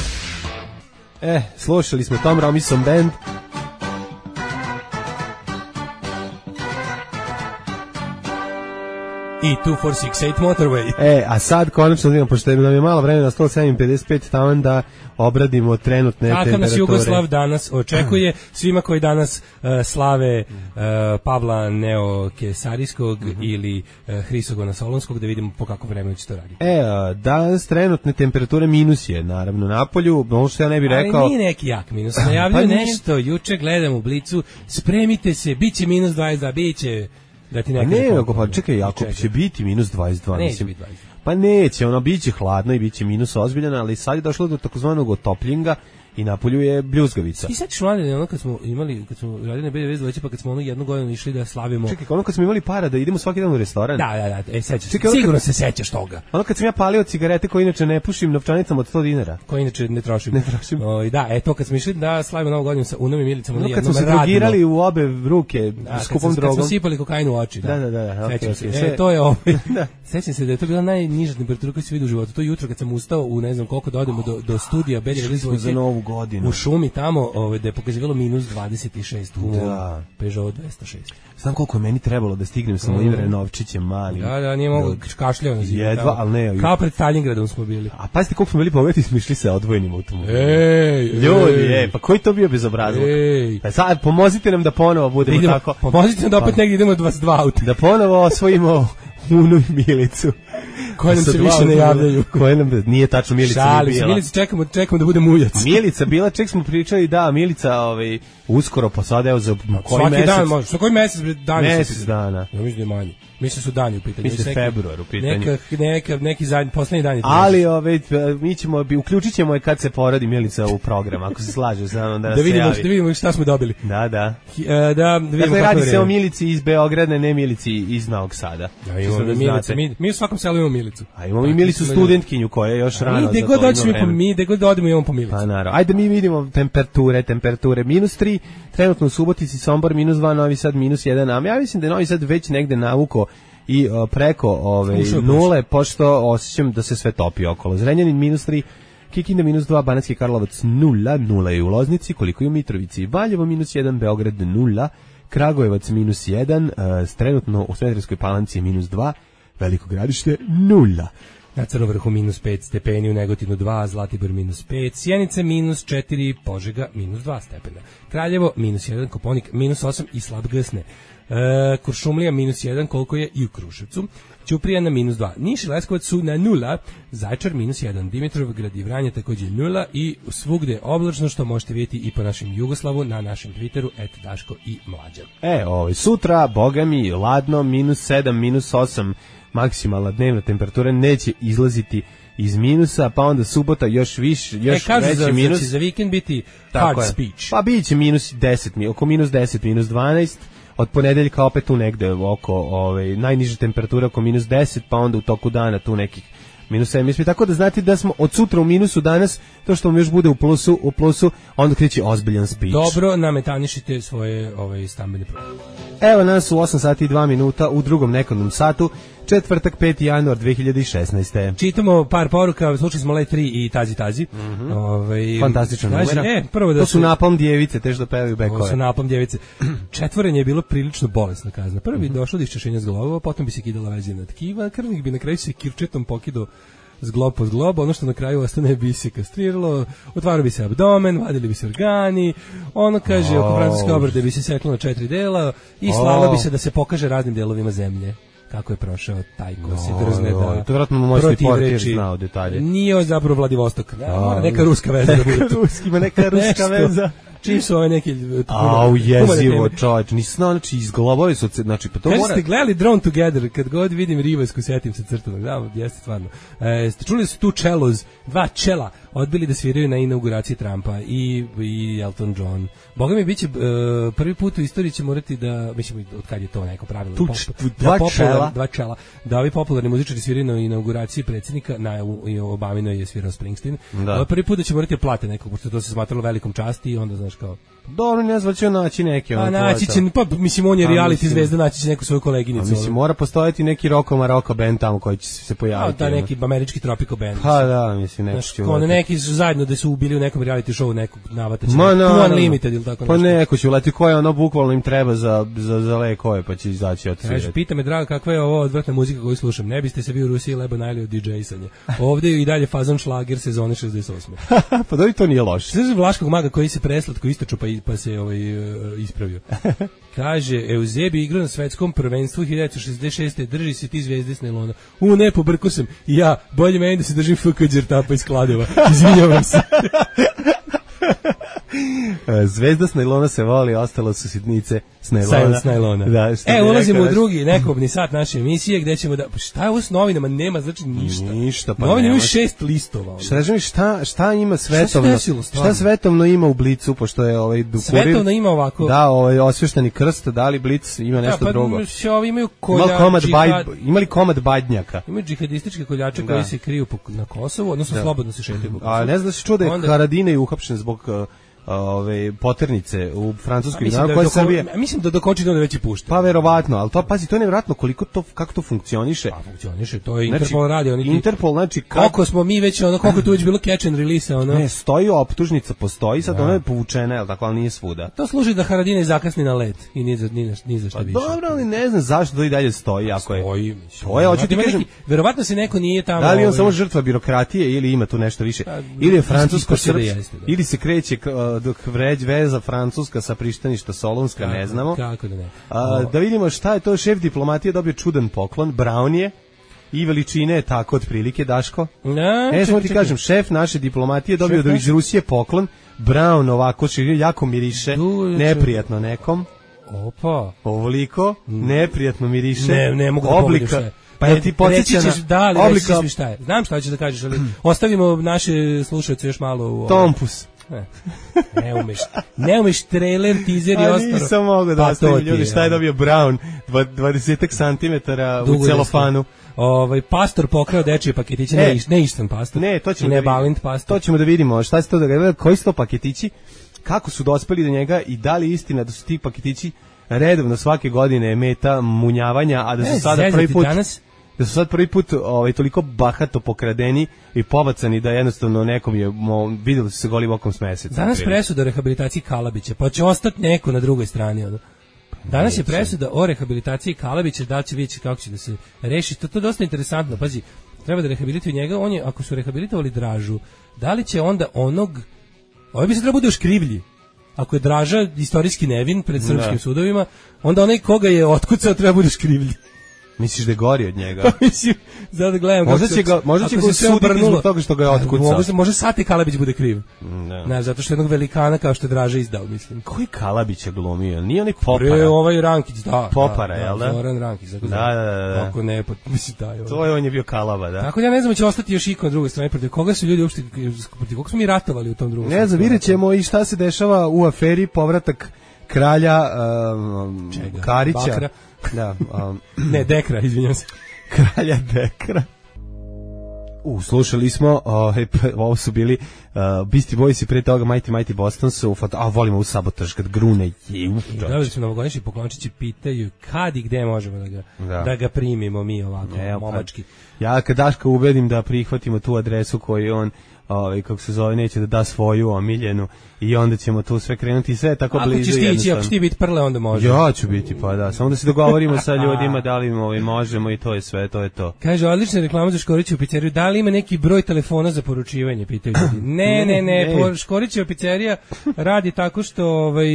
E, slušali smo Tom Robinson Band. I dva četiri šest osam Motorway. E, a sad konačno vidimo, pošto nam je malo vremena, sto sedam pedeset pet, taman da obradimo trenutne Kakav temperature. nas Jugoslav danas očekuje, svima koji danas uh, slave uh, Pavla Neokesarijskog Mhm. ili uh, Hrisogona Solonskog, da vidimo po kakvom vremenu će to raditi. E, a, danas trenutne temperature minus je, naravno, na polju, ono što ja ne bih rekao... Ali nije neki jak minus, najavljuju Pa nije. nešto, juče gledam u Blicu, spremite se, bit će minus dvadeset dva, bit će, da ti Pa ne ne, kažem nego, koliko. pa čekaj, jako Čekaj. će biti minus dvadeset dva. Neće mislim. biti dvadeset dva. Pa neće, ono, bit će hladno i bit će minus ozbiljan, ali sad je došlo do takozvanog otopljenja i napolju je bljuzgavica. I sećaš mlade, ono kad smo imali, kad smo radili na B D V Zleće, pa kad smo ono jednu godinu išli da slavimo. Čekaj, ono kad smo imali para da idemo svaki dan u restoran. Da, da, da, e, sećaš. Čekaj, sigurno kad, se sećaš toga. Ono kad sam ja palio cigarete koje inače ne pušim novčanicama od sto dinara. Koje inače ne trošim. Ne trošim. O, da, e to kad smo išli da slavimo Novu godinu sa Unom i Milicom, ono kad smo se drogirali u obe ruke da, skupom kad drogom. Kad smo sipali kokain u oči, da. Da, da, da, sećam okay, se. okay, E, to je ovo. Da. Sećam se da je to bila najniža temperatura koju se vidi u životu. To jutro kad sam ustao u ne znam koliko da odemo do, do studija B D V Zleće za Novu godinu. U šumi tamo, ovaj da je pokazivalo minus dvadeset šest u da. Peugeot dvesta šest. Znam koliko je meni trebalo da stignem sa mojim Renovčićem malim. Da, da, nije mogu kašljao na zimu. Jedva, ali ne. Kao pred Stalingradom smo bili. A pazite koliko smo bili bogati, smo išli sa odvojenim automobilom. Ej, ljudi, ej, pa koji to bio bezobrazluk? Ej. Pa sad pomozite nam da ponovo budemo idemo, tako. Pomozite nam da opet pa, negdje idemo dvadeset dva auta. Da ponovo osvojimo Unu i Milicu. Koje nam se više ne javljaju. Koje nam nije tačno Milica Šali, nije bila. Milica čekamo, čekamo da bude muljac. Milica bila, ček smo pričali, da, Milica ovaj, uskoro, pa sad evo za koji svaki mesec. dan može, sa koji mesec dani? Mesec dana. Ja mislim da je manje. Mislim su dani u pitanju. Mislim neki, februar u pitanju. Neka, neka, neki zadnji, poslednji dan je. Ali ove, mi ćemo, uključit ćemo je kad se porodi Milica u program, ako se slaže sa mnom da nas da vidimo, se javi. Da vidimo šta smo dobili. Da, da. H, da, da vidimo dakle, kako radi se o Milici iz Beograda, ne Milici iz Novog Sada. Ja, imamo mi, Milica, mi, mi u svakom selu imamo Milicu. A imamo i Milicu studentkinju koja je još rano. Mi gde god dođemo po mi, gde god odemo imamo po Milicu. Pa naravno. Ajde mi vidimo temperature, temperature minus tri, trenutno u Subotici, Sombor minus dva, Novi Sad minus jedan, a ja mislim da je Novi Sad već negde navuko i o, preko ove nule, pošto osjećam da se sve topi okolo. Zrenjanin minus tri, Kikinda minus dva, Banatski Karlovac nula, nula je u Loznici, koliko je u Mitrovici, Valjevo minus jedan, Beograd nula, Kragujevac minus jedan, uh, trenutno u Smederevskoj Palanci minus dva, Veliko Gradište nula. Na Crnovrhu minus pet stepeni, u Negotinu dva, Zlatibor minus pet, Sjenica minus četiri, Požega minus dva stepena, Kraljevo minus jedan, Koponik minus osam i slab gsne. E, Kuršumlija minus jedan, koliko je i u Kruševcu, Ćuprija na minus dva, Niš i Leskovac su na nula, Zaječar minus jedan, Dimitrovgrad i Vranje takođe nula i svugde oblačno, što možete vidjeti i po našem Jugoslavu na našem Twitteru et Daško i Mlađan. E, ovaj, sutra, boga mi, ladno, minus sedam, minus osam, maksimalna dnevna temperatura, neće izlaziti iz minusa, pa onda subota još više, još e, veći za, minus. Znači za vikend biti hard je. Speech. Pa biće minus deset, oko minus deset, minus dvanaest, od ponedeljka opet tu negde oko ovaj, najniža temperatura oko minus deset, pa onda u toku dana tu nekih minus sedam. Tako da znate da smo od sutra u minusu danas, to što vam još bude u plusu, u plusu, onda kreće ozbiljan speech. Dobro nametanišite svoje ovaj, stambene probleme. Evo nas u osam sati i dva minuta u drugom nekadnom satu, četvrtak peti januar dve hiljade šesnaeste. Čitamo par poruka, slušali smo Let tri i Tazi Tazi. Mm -hmm. Ove, Fantastična numera. E, prvo da to su napalm djevice, te što pevaju bekove. To su napalm djevice. Četvorenje je bilo prilično bolesna kazna. Prvo bi mm -hmm. došlo do iščešenja zglobova, potom bi se kidala vezina tkiva, krvnik bi na kraju se kirčetom pokidao zglob po zglob, ono što na kraju ostane bi se kastriralo, otvarao bi se abdomen, vadili bi se organi, ono kaže, oh. oko francuske obrade bi se seklo na četiri dela i slalo oh. bi se da se pokaže raznim delovima zemlje kako je prošao taj ko se drzne no, da to vjerojatno možete portir znao detalje. Nije zapravo Vladivostok, da, neka ruska veza da bude. Ruskima neka ruska veza. Čim su ove neki... Au, jezivo, čovječ, nisam znao, znači, izglobovi su, znači, pa to Kaži mora... ste gledali Drawn Together, kad god vidim Rivasku, setim se crtanog, da, jeste stvarno. E, ste čuli su tu čeloz, dva čela, odbili da sviraju na inauguraciji Trumpa i, i Elton John. Boga mi, biće, uh, prvi put u istoriji će morati da, mislim, od kad je to neko pravilo, tu, pop, tu, dva, da čela. dva čela, da ovi popularni muzičari sviraju na inauguraciji predsjednika, na Obaminoj je svirao Springsteen, da. Prvi put da će morati da plate nekog, pošto to se smatralo velikom časti i onda, znaš, kao dobro, ne znam, će naći neke. A naći će, pa mislim, on je reality mislim, zvezda, naći će neku svoju koleginicu. A mislim, mora postojati neki Rocco Marocco band tamo koji će se pojaviti. A, da, neki američki tropical band. Pa da, mislim, neki će uleti. Neki su zajedno da su ubili u nekom reality showu nekog navataća. Ma, no, no, Unlimited ili tako pa nešto. Pa neko će uleti koje ono bukvalno im treba za, za, za lekove, pa će izaći od svijeta. Pita me, draga, kakva je ovo odvratna muzika koju slušam? Ne biste se vi u Rusiji lebo najeli od D J-sanja. Ovde je i dalje fazon šlager sezone šezdeset osme. Pa da li to nije loše? Sve Vlaškog maga koji se preslatko istoču pa, pa se ovaj ispravio. Kaže, Euzebi igra na svetskom prvenstvu hiljadu devetsto šezdeset šeste. Drži se ti zvezde s nailona. U, ne, pobrko sam. I ja, bolje meni da se držim F K đertapa iz Kladeva. Izvinjavam se. Zvezda s najlona se voli, ostalo su sitnice s najlona. S najlona. Da, e, ulazimo u drugi nekobni sat naše emisije gde ćemo da... Šta je ovo s novinama? Nema, znači ništa. Ništa, pa novine nema. imaju šest listova. Šta, mi, šta, šta ima svetovno? Šta, desilo, šta svetovno ima u Blicu, pošto je ovaj Dukurir... Svetovno ima ovako... Da, ovaj osvešteni krst, da li Blic ima nešto da, pa, drugo? Da, ovi imaju kolja, džihad... Imali komad badnjaka? Imaju džihadističke koljače da. koji se kriju na Kosovu, odnosno da. slobodno se šetaju po Kosovu. A ne znaš da se čuo da je Onda... Haradinaj uhapšen zbog... Uh, ove poternice u francuskoj da koje Srbije. Mislim da dokoči do već i pušta. Pa verovatno, al to pazi, to je nevjerovatno koliko to kako to funkcioniše. Pa funkcioniše, to je Interpol znači, radi, oni Interpol znači kako smo mi već ono koliko tu već bilo catch and release ono. Ne, stoji optužnica, postoji, sad da. ona je povučena, el tako, al nije svuda. To služi da Haradinaj zakasni na let i ni za ni, ni za šta pa više. Dobro, ali ne znam zašto to i dalje stoji, ako je. Stoji, to je, hoću ti kažem, neki, verovatno se neko nije tamo. Da li on ovaj... samo žrtva birokratije ili ima tu nešto više? Pa, ili je francusko srpsko, ili se kreće dok vređ veza francuska sa prištaništa Solunska, kako, ne znamo. Kako da ne. A, da vidimo šta je to, šef diplomatije dobio čudan poklon, Brown je, i veličine je tako otprilike, Daško. Ne, ne samo ti kažem, šef naše diplomatije dobio šef, do iz Rusije poklon, Brown ovako, jako miriše, du, neprijatno nekom. Opa. Ovoliko, neprijatno miriše. Ne, ne mogu da oblika, šta je. Pa ja ti podsjeća na da, ali oblika... reći šta je. Znam šta hoćeš da kažeš, ali ostavimo naše slušaoce još malo u... Tompus. Ne, ne umeš, ne umeš trailer, teaser i ostalo. Nisam mogu da pa ostavim ljudi šta je dobio Brown, dvadeset centimetara u celofanu. Ovaj pastor pokrao dečije paketiće, ne, ne istan pastor. Ne, to ćemo ne da Balint pastor. To ćemo da vidimo, šta se to da koji su to paketići, kako su dospeli do njega i da li istina da su ti paketići redovno svake godine meta munjavanja, a da su ne, sada prvi put danas da su sad prvi put ovaj, toliko bahato pokradeni i pobacani da jednostavno nekom je mo, vidjeli su se golim okom s meseca. Danas presuda o rehabilitaciji Kalabića, pa će ostati neko na drugoj strani. Ono. Danas je presuda o rehabilitaciji Kalabića, da će vidjeti kako će da se reši. To, to je dosta interesantno. Pazi, treba da rehabilituju njega. On je, ako su rehabilitovali Dražu, da li će onda onog... Ovo bi se treba bude još krivlji. Ako je Draža istorijski nevin pred srpskim sudovima, onda onaj koga je otkucao treba bude još krivlji. Misliš da je gori od njega? Mislim, zato gledam. Možda će ga, možda će ga suditi zbog toga što ga je otkucao. Može, može Sati Kalabić bude kriv. Ne. Ne, zato što jednog velikana kao što je Draža izdao, mislim. Koji Kalabić je glumio? Nije onaj Popara? Pre ovaj Rankić, da. Popara, da, jel da? Zoran Rankić, tako da, da, da, da. Ako ne, pa mislim da je. To je on je bio Kalaba, da. Tako da ja ne znam, će ostati još iko na drugoj strani, protiv koga su ljudi uopšte, protiv koga smo mi ratovali u tom drugom. Ne znam, vidjet ćemo i šta se dešava u aferi povratak kralja um, Karića. Bakra. Da, um, ne, Dekra, izvinjam se. Kralja Dekra. U, slušali smo, uh, ovo su bili uh, Beastie Boys i pre toga Mighty Mighty Boston su, a volimo u sabotaž kad grune je. Da, su novogodišnji poklončići pitaju kad i gde možemo da ga, da. da ga primimo mi ovako, ne, momački. Ja kad Daška ubedim da prihvatimo tu adresu koju on ovaj kako se zove, neće da da svoju omiljenu i onda ćemo tu sve krenuti sve tako ako blizu. Ako ćeš ti ići, ako ćeš ti biti prle, onda može. Ja ću biti, pa da, samo da se dogovorimo sa ljudima da li ovaj, možemo i to je sve, to je to. Kaže, odlična reklama za Škorićevu pizzeriju, da li ima neki broj telefona za poručivanje, pitaju ljudi. Ne, ne, ne, ne. Škorićeva pizzerija radi tako što ovaj,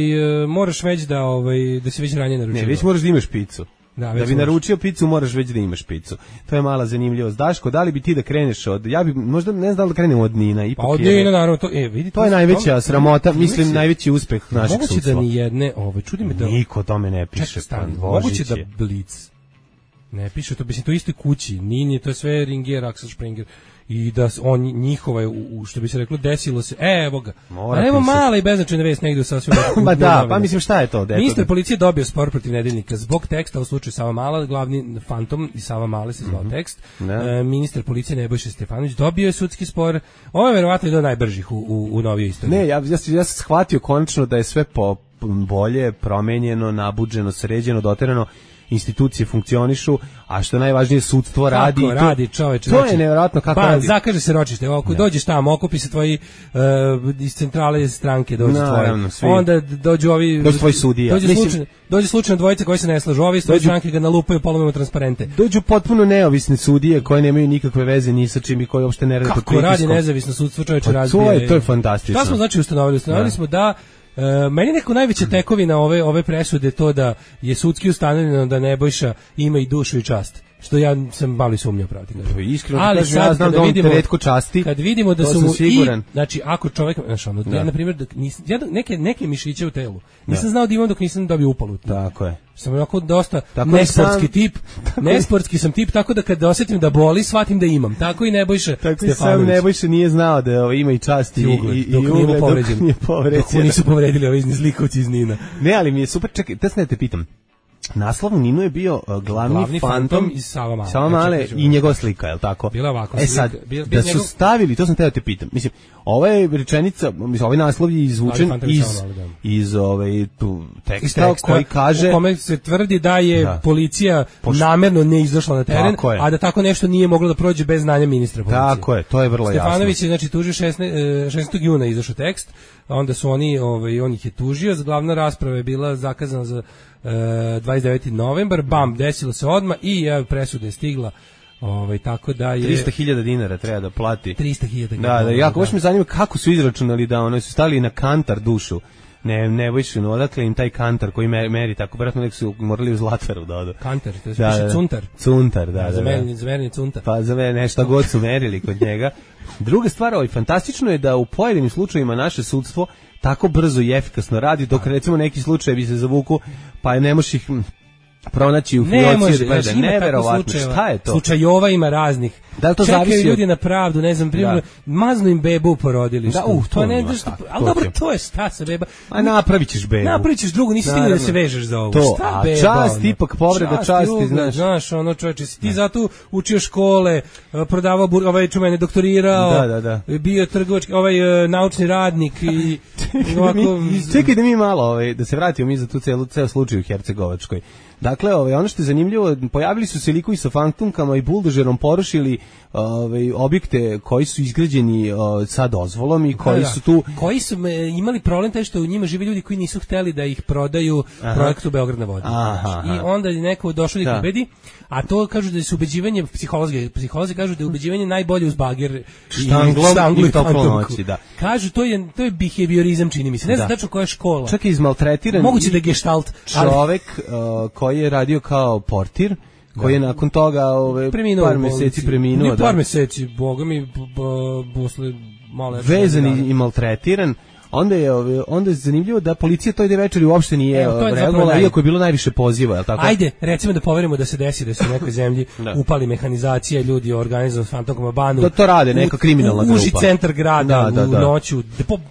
moraš već da, ovaj, da se već ranije naručio. Ne, već moraš da imaš picu. Da, da bi naručio picu moraš već da imaš picu. To je mala zanimljivost. Daško, da li bi ti da kreneš od, ja bi možda ne znam da krenemo od Nina, ipak. Pa od Nina naravno, to e vidi to je najveća tom, sramota, mislim mislim najveći uspeh našeg sudstva. Moguće da ni jedne, ovaj čudi me da niko tome ne piše. Čekaj, moguće da Blitz ne piše to, mislim to istoj kući. Nini, to je sve Ringier, Axel Springer. I da on njihova je, u, što bi se reklo, desilo se, e, evo ga. A evo mala i beznačajna vest negdje u sasvim. Ma da, pa mislim šta je to? Ministar policije dobio spor protiv Nedeljnika zbog teksta u slučaju Sava Mala, glavni fantom i Sava Male se zvao mm-hmm. tekst. E, ministar policije Nebojša Stefanović dobio je sudski spor. Ovo je verovatno jedan od najbržih u, u, u novijoj istoriji. Ne, ja, ja, ja sam shvatio konačno da je sve po bolje, promenjeno, nabuđeno, sređeno, doterano. Institucije funkcionišu, a što najvažnije sudstvo radi. Kako radi, čoveče. To znači, je nevjerojatno kako ba, radi. Zakaže se ročište, ako dođeš tamo, okupi se tvoji uh, iz centrale stranke, dođu no, tvoji. Svi. Onda dođu ovi... Dođu tvoji sudija. Dođu slučajno, dođu slučajno dvojice koji se ne slažu, ovi iz tvoje stranke ga nalupaju, polomimo transparente. Dođu potpuno neovisne sudije koje nemaju nikakve veze ni sa čim i koji uopšte ne rade pod pritiskom. Kako radi nezavisno sudstvo, čoveče, razbije. To je, to je fantastično. Šta smo znači ustanovili? Ustanovili smo da Uh, meni neko najveća tekovina ove ove presude to da je sudski ustanovljeno da Nebojša ima i dušu i čast. što ja sam malo sumnjao pravo ti kažem. Iskreno ali kažem, ja znam da on te retko časti. Kad vidimo da su mu i, znači ako čovjek, znači ono, da. ja na primjer da nis, ja neke neke mišiće u telu. Nisam da. znao da imam dok nisam dobio upalu. Tako je. Sam onako dosta tako nesportski sam, tip. Nesportski sam tip, tako da kad osetim da boli, shvatim da imam. Tako i Nebojša Stefanović. Tako sam Nebojša nije znao da ovo ima i čast i ugled, i, dok, i ugled, dok nije povređen. Dok nisu povredili ovi zlikovci iz Nina. Ne, ali mi je super, čekaj, da se ne te pitam. Naslov Ninu je bio uh, glavni, glavni fantom, fantom iz Savamale, Savamale i njegova slika, je li tako? Bila ovako e sad, slika. Bil, da su njegov... stavili, to sam teo te pitam, mislim, ova je rečenica, mislim, ovaj naslov je izvučen iz, iz ove, tu teksta, teksta koji kaže... U kome se tvrdi da je da. policija Poš... namerno ne izašla na teren, a da tako nešto nije moglo da prođe bez znanja ministra policije. Tako je, to je vrlo jasno. Stefanović je, znači, tužio šesnaestog juna izašao tekst, onda su oni, ovaj, on ih je tužio, glavna rasprava je bila zakazana za Uh, dvadeset deveti novembar, bam, desilo se odmah i ja, presuda je stigla, ovaj, tako da je... trista hiljada dinara treba da plati. trista hiljada Da, da, jako, baš me zanima kako su izračunali da ono, su stali na kantar dušu. Ne, ne više, no, odakle im taj kantar koji meri, meri tako, vjerojatno nek su morali u Zlataru da odu. Kantar, to je da, da, cuntar. Cuntar, da, da. Za meni, za meni cuntar. Pa za mene nešto god su merili kod njega. Druga stvar, ovaj, fantastično je da u pojedinim slučajevima naše sudstvo tako brzo i efikasno radi, dok recimo neki slučajevi se zavuku, pa ne možeš ih pronaći u fioci, pa da neverovatno, šta je to? Slučajova ima raznih. Da li to čekaju zavisi ljudi na pravdu, ne znam, primjer, maznu im bebu u porodilištu. Da, uh, to, to ne, da što, ali dobro, to je šta sa beba. A napravit ćeš bebu. Napravit ćeš drugu, nisi stigao da se vežeš za ovo. To, šta a beba? Čast, ipak povreda čast, časti, ugled, znaš. Znaš, ono čoveče, si ti zato učio škole, prodavao, bur, ovaj čumene doktorirao, da, da, da. bio trgovački, ovaj naučni radnik i ovako... Čekaj da mi malo, ovaj, da se vratimo mi za tu celu, ceo slučaj u Hercegovačkoj. Dakle, ovaj, ono što je zanimljivo, pojavili su se likovi sa fantomkama i buldožerom porušili ovaj, objekte koji su izgrađeni ovaj, sa dozvolom i koji da, su tu... Koji su me, imali problem taj što u njima žive ljudi koji nisu hteli da ih prodaju aha. projektu Beograd na vodi. Aha, I onda je neko došao da ih ubedi, a to kažu da je ubeđivanje, psiholozi, psiholozi kažu da je ubeđivanje najbolje uz bager štanglom i, i toplonoći, da. Kažu, to je, to je behaviorizam, čini mi se. Ne znam tačno koja je škola. Čak je izmaltretiran. Moguće da je gestalt. Čovek uh, koji je radio kao portir, koji je nakon toga ove, preminuo par meseci preminuo. Nije par meseci, boga mi, posle malo... Vezan i, i maltretiran. Onda je onda je zanimljivo da policija toj večeri uopšte nije reagovala, iako je bilo najviše poziva, je l' tako? Ajde, recimo da poverimo da se desi da se u nekoj zemlji upali mehanizacija, ljudi organizuju s fantomkom banu. Da to rade neka kriminalna grupa. Uži centar grada, da, da, da. u noću,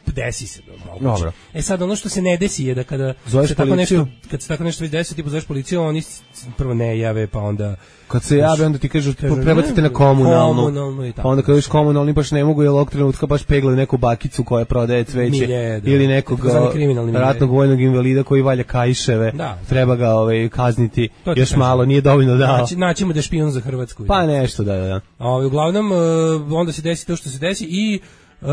desi se. Dobro. E sad, ono što se ne desi je da kada se tako nešto, kad se tako nešto već desi, ti pozoveš policiju, oni prvo ne jave, pa onda... Kad se jave, onda ti kažu, prebacite na komunalnu, komunalnu pa onda kad viš komunalni baš ne mogu, jer ovog trenutka baš peglaju neku bakicu koja prodaje cveće, Milje, ili nekog ratnog vojnog invalida koji valja kajševe, da, treba ga ovaj, kazniti, još kažem. Malo, nije dovoljno dao. Naći, naćemo da je špijun za Hrvatsku. Pa nešto, da, da, da. A, uglavnom, onda se desi to što se desi i Uh,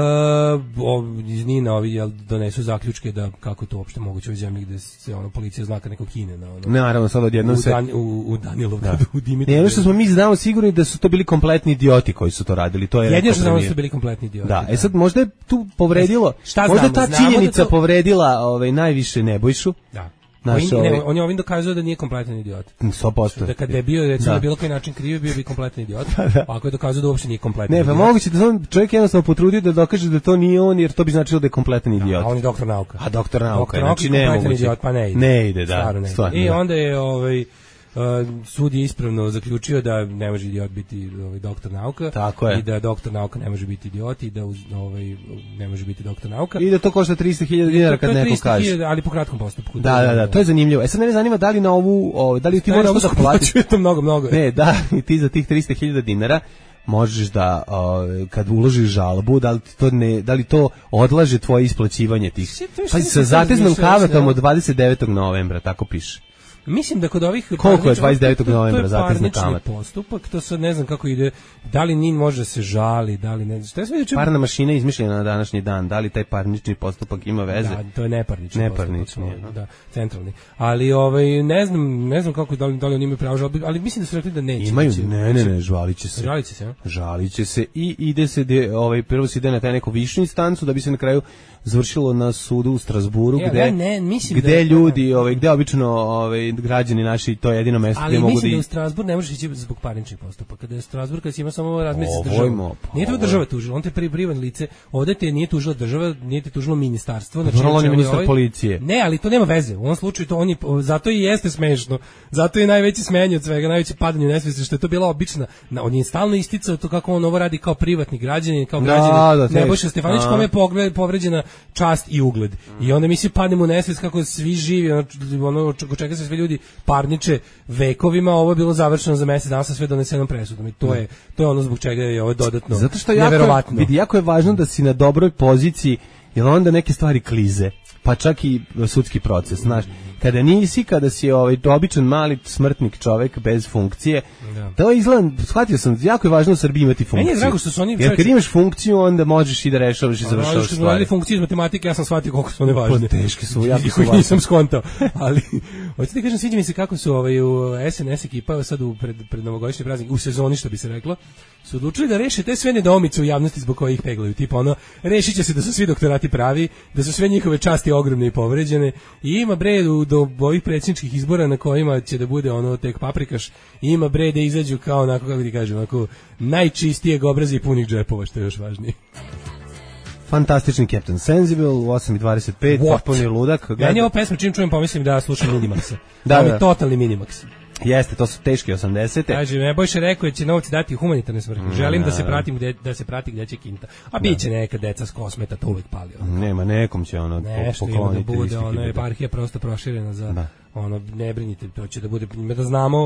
iz Nina ovi jel, donesu zaključke da kako to uopšte moguće u zemlji gde se ono policija zna nekog Kine na ono. Ne, naravno sad odjednom se Dan, u, u Danilovgradu, u Dimitrovgradu. Ne, ono što smo mi znamo sigurno da su to bili kompletni idioti koji su to radili. To je jedino što znamo da su bili kompletni idioti. Da, da. E sad možda je tu povredilo. Šta možda znamo? Ta činjenica da to... povredila ovaj najviše Nebojšu. Da. Naš, on, ne, on je ovim dokazao da nije kompletan idiot. sto posto. Da kad je bio recimo na bilo koji način kriv, bio bi kompletan idiot. Da. Ako je dokazao da uopšte nije kompletan. Ne, pa moguće da on čovjek jednostavno potrudio da dokaže da to nije on, jer to bi značilo da je kompletan idiot. A on je doktor nauka. A doktor nauka, doktor znači ne moguće. Idiot, pa ne ide. Ne ide, da. Ne stvarno, I da. onda je ovaj Uh, sud je ispravno zaključio da ne može idiot biti ovaj doktor nauka. Tako je. I da doktor nauka ne može biti idiot i da uz, ovaj ne može biti doktor nauka. I da to košta trista hiljada dinara kad neko kaže. Ali po kratkom postupku. Da, da, da, to je zanimljivo. E sad mene zanima da li na ovu, ovaj, da li ti moraš da platiš to mnogo mnogo. Ne, da, i ti za tih trista hiljada dinara možeš da uh, kad uložiš žalbu, da li to ne, da li to odlaže tvoje isplaćivanje tih. Pa sa zateznom kamatom od dvadeset devetog novembra, tako piše. Mislim da kod ovih koliko je dvadeset devetog novembra zatezna kamata postupak, to sad ne znam kako ide, da li Nin može se žali, da li ne znam. Šta je sve parna mašina izmišljena na današnji dan, da li taj parnični postupak ima veze? Da, to je neparnični, neparnični postupak, da, centralni. Ali ovaj ne znam, ne znam kako da li, da li oni imaju pravo žalbe, ali mislim da su rekli da neće. Imaju, ne, ne, ne, žaliće se. Žaliće se, a? Žaliće se i ide se de, ovaj prvo se ide na taj neku višu instancu da bi se na kraju završilo na sudu u Strasburu, ja, gde, ja ne, mislim gde da, ljudi, ovaj, gde obično ovaj, građani naši, to je jedino mesto ali gde mogu da... Ali mislim da u Strasbur ne možeš ići zbog parničnih postupaka. Kada je Strasbur, kada si ima samo razmirice s državom. Pa, nije to država tužila, on te pri privatno lice, ovde te nije tužila država, nije te tužilo ministarstvo. Znači, on je ministar ovaj, policije. Ne, ali to nema veze. U ovom slučaju to on je, zato i jeste smešno. Zato je najveći smejanje od svega, najveće padanje u nesvesti, što je to bila obična, on je stalno isticao to kako on ovo radi kao privatni građanin, kao građanin da, Nebojša Stefanić, kome je povređena čast i ugled. Mm. I onda mi svi padnemo u nesvest kako svi živi, ono, ono čeka se sve ljudi parniče vekovima, ovo je bilo završeno za mesec dana sa sve donesenom presudom. I to je to je ono zbog čega je ovo dodatno. Zato što neverovatno. Jako, vidi, jako je važno da si na dobroj poziciji, jer onda neke stvari klize. Pa čak i sudski proces, znaš. Kada nisi, kada si ovaj običan mali smrtnik čovek bez funkcije, da. To izgleda, shvatio sam, jako je važno u Srbiji imati funkciju. Meni je drago što su oni... Jer kad imaš funkciju, onda možeš i da rešavaš i završavaš stvari. Radili funkcije iz matematike, ja sam shvatio koliko su one važne. Pa teške su, jako su važne. Nisam skontao, ali... Hoćete ti kažem, sviđa mi se kako su ovaj, u S N S ekipa sad u pred, pred novogodišnji praznik, u sezoni što bi se reklo, su odlučili da reše te sve nedoumice u javnosti zbog kojih peglaju. Tipa ono, rešit će se da su svi doktorati pravi, da su sve njihove časti ogromne i povređene i ima bre do ovih predsjedničkih izbora na kojima će da bude ono tek paprikaš, ima bre da izađu kao onako, kako ti kažem, onako najčistijeg obraza i punih džepova, što je još važnije. Fantastični Captain Sensible u osam i dvadeset pet, potpuni ludak. Ja nije ovo pesma, čim čujem pomislim da slušam Minimaxa. Da, to da. je totalni Minimax. Jeste, to su teški osamdesete. Kaže, Nebojša rekao će novci dati u humanitarne svrhe. Želim da se pratim gde, da se prati gdje će kinta. A bit će neka deca s Kosmeta, to uvek pali. Ono. Nema, nekom će ono nešto pokloniti. Nešto da bude, ono, eparhija prosto proširena za, da. Ono, ne brinite, to će da bude, da znamo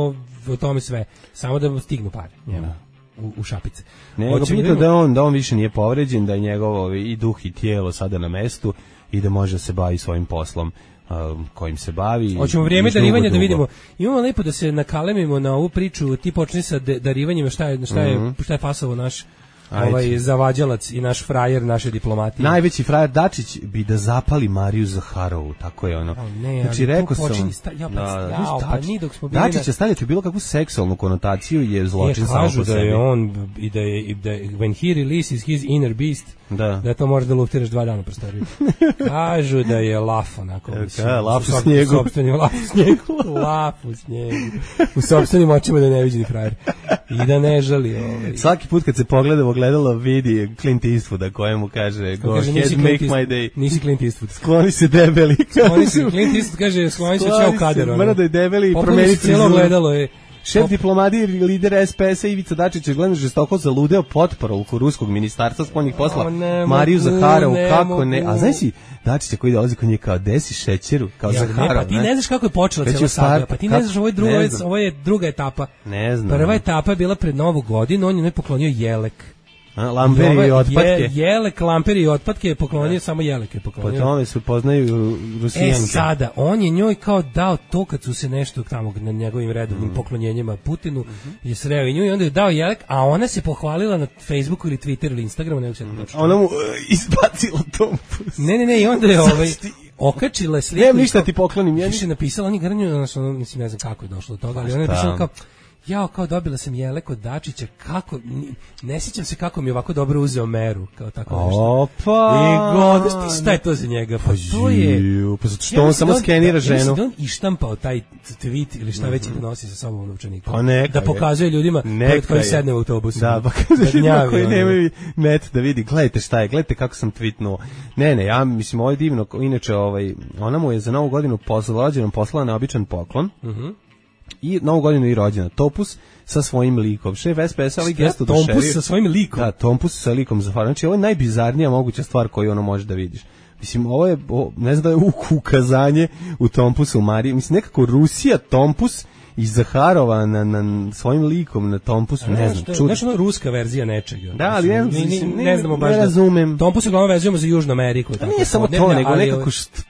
o tome sve. Samo da stignu pare njemu. U, u šapice. Nego pitao da on, da on više nije povređen, da je njegov i duh i tijelo sada na mestu i da može da se bavi svojim poslom um, kojim se bavi. Hoćemo vrijeme darivanja da vidimo. Imamo lepo da se nakalemimo na ovu priču, ti počni sa de, darivanjima, šta je, šta je, mm-hmm. šta je fasovo naš ovaj zavađalac i naš frajer naše diplomatije. Najveći frajer Dačić bi da zapali Mariju Zaharovu, tako je ono. Oh, ne, znači rekao sam, sta, ja, pa, da, ja, pa, ni dok smo bili Dačić je stavljati bilo kakvu seksualnu konotaciju je zločin samo po sebi. Kažu da je on i da je da when he releases his inner beast, da, da to može da luftiraš dva dana prostoriju. Kažu da je laf onako. Ka, laf u snijegu. Sopstveni laf u snijegu. Laf u snijegu. U sopstvenim očima da je neviđeni frajer. I da ne žali. Ovaj. Svaki put kad se pogleda gledalo vidi Clint Eastwooda kojemu kaže go kaže, ahead make East, my day. Nisi Clint Eastwood. Skloni se debeli. Skloni se, Clint Eastwood kaže skloni se čao kader. Mora da je debeli i promeni cijelo gledalo je. Šef Pop... diplomatije i lider S P S-a Ivica Dačić je gledano žestoko zaludeo potporuku ruskog ministarstva spoljnih posla o, Mariju Zaharovu, kako ne, a znaš si Dačića koji dolazi kod nje kao desi šećeru, kao ja, Zaharov, ne, pa ti ne znaš kako je počela cijela saga, pa ti ne znaš, ovo je, drugo, ovo je druga etapa. Ne znam. Prva etapa je bila pred Novu godinu, on je ne poklonio jelek. A, lamperi i otpatke. Je, jelek, lamperi i otpatke je poklonio, ja. Samo jelek je poklonio. Po tome se poznaju Rusijanke. E sada, on je njoj kao dao to kad su se nešto tamo na njegovim redovnim mm. poklonjenjima Putinu mm-hmm. je sreo i nju i onda je dao jelek, a ona se pohvalila na Facebooku ili Twitteru ili Instagramu, nego se ne točno. Ona mu uh, izbacila tompus. Ne, ne, ne, i onda je ovaj... okačila sliku. Nemam ništa ti poklonim. Ja više napisala, oni garnju, ono, mislim, ne znam kako je došlo do toga, ali ona je napisala kao, jao, kao dobila sam jelek od Dačića, kako, ne sjećam se kako mi je ovako dobro uzeo meru, kao tako nešto. Opa! I god, šta je to za njega? Pa to je... Pa zato što on samo skenira ženu. Ja mislim da on ištampao taj tweet ili šta već da nosi sa sobom u novčaniku. Pa neka da pokazuje ljudima pored koji sedne u autobusu. Da, pa kaže ljudima koji nemaju net da vidi, gledajte šta je, gledajte kako sam tweetnuo. Ne, ne, ja mislim, ovo je divno, inače, ovaj, ona mu je za novu godinu poslala, poslala neobičan poklon. Mhm. I novu godinu i rođena Topus sa svojim likom. Šef S P S-a ovaj gesto do šerif. Tompus sa svojim likom? Da, Tompus sa likom Zaharovu. Znači, ovo je najbizarnija moguća stvar koju ono može da vidiš. Mislim, ovo je, o, ne znam da je ukazanje u Tompusu u Mariji. Mislim, nekako Rusija, Tompus i Zaharova na, na svojim likom na Tompusu, ne znam, čuti. Znaš, ono ruska verzija nečega. Da, ali ne, ne, ne, ne, ne znamo baš ne razumem. Da, Tompus uglavnom vezujemo za Južnu Ameriku. Tako, nije samo to, nego nekako što...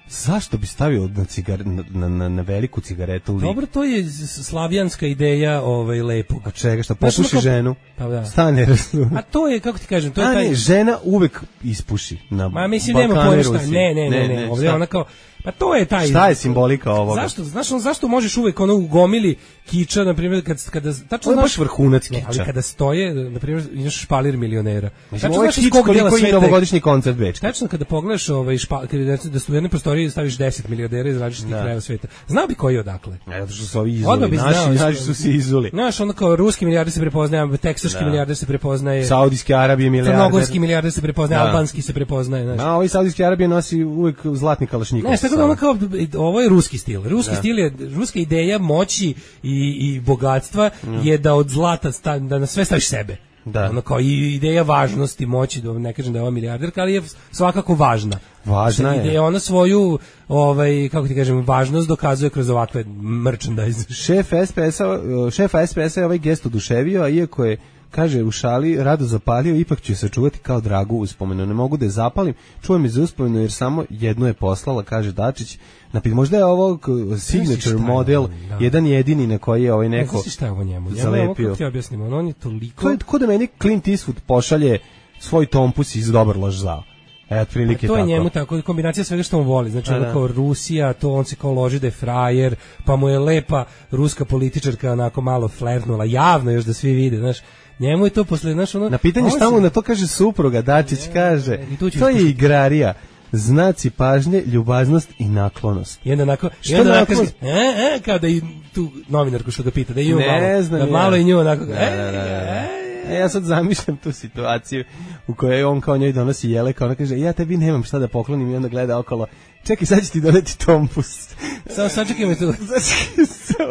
Zašto bi stavio na, cigar, na, na, na veliku cigaretu lik? Dobro, to je slavijanska ideja ovaj, lepog. A čega, šta popuši znači, ženu? Pa da. Stane, razumem. A to je, kako ti kažem, to je A taj... ne, žena uvek ispuši na Ma mislim, nema poješta, ne, ne, ne, ne, ne. Ovdje ona kao, Pa to je taj. Šta je simbolika ovoga? Zašto, znaš, on, zašto možeš uvek ono u gomili kiča, na primjer, kad kada tačno znaš, baš vrhunac kiča. Ali kada stoje, na primjer, imaš špalir milionera. Mislim, ovo je kič koliko je novogodišnji koncert Bečka. Tačno kada pogledaš ovaj špa, kada da su u jednoj prostoriji staviš deset milijardera iz različitih krajeva sveta. Znao bi koji je odakle. Ne, zato što su ovi izuli. Naši, naši su se izuli. Znaš, ono kao ruski milijarder se prepoznaje, teksaški milijarder se prepoznaje, Saudijske Arabije milijarder, crnogorski milijarder se prepoznaje, albanski se prepoznaje, znaš. A ovi Saudijske Arabije nosi uvek zlatni kalašnjikov. Ne, tako da ono kao, ovo je ruski stil. Ruski stil je, ruska ideja moći i, i bogatstva je da od zlata, sta, da na sve staviš sebe. Da. Ono kao i ideja važnosti, moći, da ne kažem da je ova milijarderka, ali je svakako važna. Važna je. Ideja, ona svoju, ovaj, kako ti kažem, važnost dokazuje kroz ovakve merchandise. Šef S P S-a, šefa S P S-a je ovaj gest oduševio, a iako je, kaže, u šali rado zapalio, ipak ću se čuvati kao dragu uspomenu. Ne mogu da je zapalim, čuvam je za uspomenu jer samo jednu je poslala, kaže Dačić. Napit, možda je ovo signature model, da. Jedan jedini na koji je ovaj neko zalepio. Šta je ovo njemu? Zalepio. Ovo ti objasnim, on, on je toliko... To je tako da meni Clint Eastwood pošalje svoj tompus iz Dobar loš zao. E, otprilike to je tako. Njemu tako, kombinacija svega što on voli. Znači, ono kao Rusija, to on se kao loži da je frajer, pa mu je lepa ruska političarka onako malo flertnula, javno još da svi vide, znaš. Njemu je to posle, znaš, ono... Na pitanje šta mu na to kaže supruga, Dačić kaže, to je igrarija. Znaci pažnje, ljubaznost i naklonost. I onda onako, i onda onako kaže, e, e, kao da i tu novinarku što ga pita, da i nju malo, znam da ja. malo i nju onako, da, da, da, da. E, ja sad zamišljam tu situaciju u kojoj on kao njoj donosi jele, kao ona kaže, ja tebi nemam šta da poklonim i onda gleda okolo, čekaj, sad ću ti doneti tompus. Samo sačekaj me tu.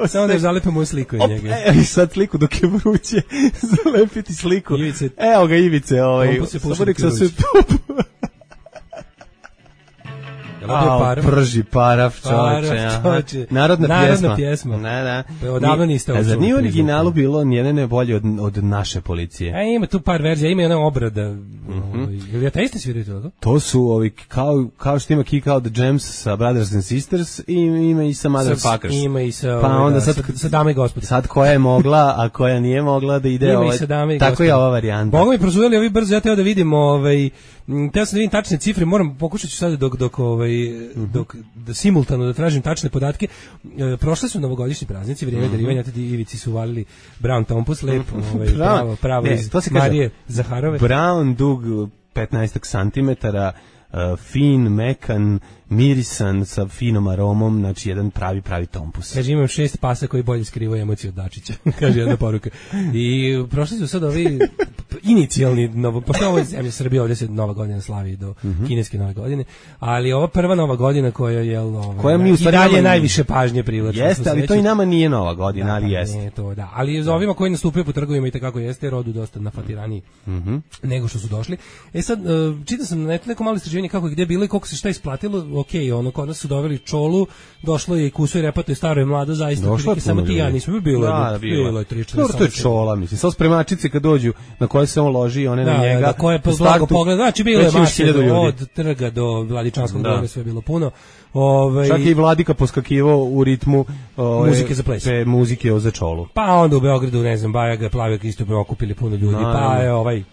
Samo da zalepimo u sliku od njega. Evo i sad sliku dok je vruće, zalepiti sliku. Ivice. Evo ga Ivice, ovaj. Samo nek sa sve A, prži paraf, čoveče. Narodna, Narodna pjesma. pjesma. Ne, da. Odavno niste ovo. Zar nije u originalu bilo nijedne ne bolje od, od naše policije? E, ima tu par verzija, ima jedna obrada. Mm-hmm. Ili ateisti sviraju to? To su ovi, kao, kao što ima Kick Out the Jams sa Brothers and Sisters, i ima i sa Motherfuckers. Ima i sa, pa onda da, sad, sa, sa Dame i Gospode. Sad koja je mogla, a koja nije mogla da ide ovaj, tako je ova varijanta. Boga mi prozujeli ovi brzo, ja teo da vidim ovaj, teo sam da vidim tačne cifre, moram, pokušat ću sad dok, dok, ovaj, mm-hmm. dok da simultano da tražim tačne podatke. E, prošle su novogodišnji praznici, vrijeme mm-hmm. darivanja, tadi Ivici su valili Brown Tompus, lepo, ovaj, pravo, pravo ne, iz Marije Zaharove. Brown dug petnaest santimetara, uh, fin, mekan, mirisan, sa finom aromom, znači jedan pravi, pravi tompus. Kaže, imam šest pasa koji bolje skrivaju emociju od Dačića, kaže jedna poruka. I prošli su sad ovi inicijalni, novo, pošto ovo je zemlja Srbije, ovdje se Nova godina slavi do mm-hmm. kineske Nove godine, ali ova prva Nova godina koja je, ovaj, koja mi u stvari i dalje nama najviše pažnje privlači. Jeste, ali to i nama nije Nova godina, da, ali jeste. Ne, to, da. Ali za ovima koji nastupaju po trgovima i tako jeste, rodu dosta nafatiraniji mm-hmm. nego što su došli. E sad, čitao sam na netu neko malo istraživanje kako je gde bilo i koliko se šta isplatilo. Ok, ono, kod nas su doveli čolu, došlo je i kuso i repato i staro i mlado, zaista prilike, samo ti ja nismo bilo, da, je, bilo, bilo je tri četiri. To je čola, mislim, samo spremačice kad dođu na koje se on loži, one da, na njega. Da, koje po blago pogled, znači bilo je mase od trga do Vladičanskog dvora, sve je bilo puno. Ove, čak i Vladika poskakivao u ritmu ove, muzike za ples. Pe, muzike za čolu. Pa onda u Beogradu, ne znam, Bajaga, Plavijak isto okupili puno ljudi, no, pa je ovaj,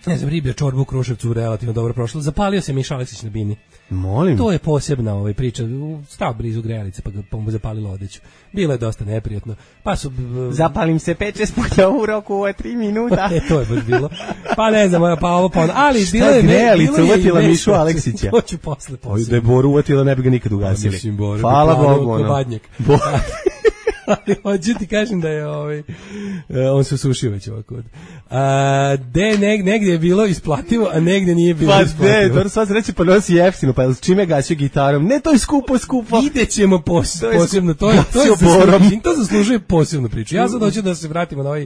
ne znam, riblja čorba u Kruševcu relativno dobro prošla. Zapalio se Miša Aleksić na bini. Molim. To je posebna ovaj priča, stao blizu grejalice pa ga pa mu zapalilo odeću. Bilo je dosta neprijatno. Pa su zapalim se pet šest puta u roku od tri minuta. E, to je baš bilo. Pa ne znam, pa ovo pa ono, ali bilo je grejalica uvatila Mišu Aleksića. To ću posle posle. Da je Boru uvatila, ne bi ga nikad ugasili. Hvala Bogu, ono. Ali hoću ti kažem da je ovaj, on se usušio već ovako. A, de, neg, negdje je bilo isplativo, a negdje nije bilo pa isplativo. Pa ne, to sva se reći pa nosi jeftino, pa s čime gaću gitarom? Ne, to je skupo, skupo. Ide ćemo pos, to posebno, to je, to, je zaslužuje, to zaslužuje posebnu priču. Ja sad hoću da se vratimo na ovaj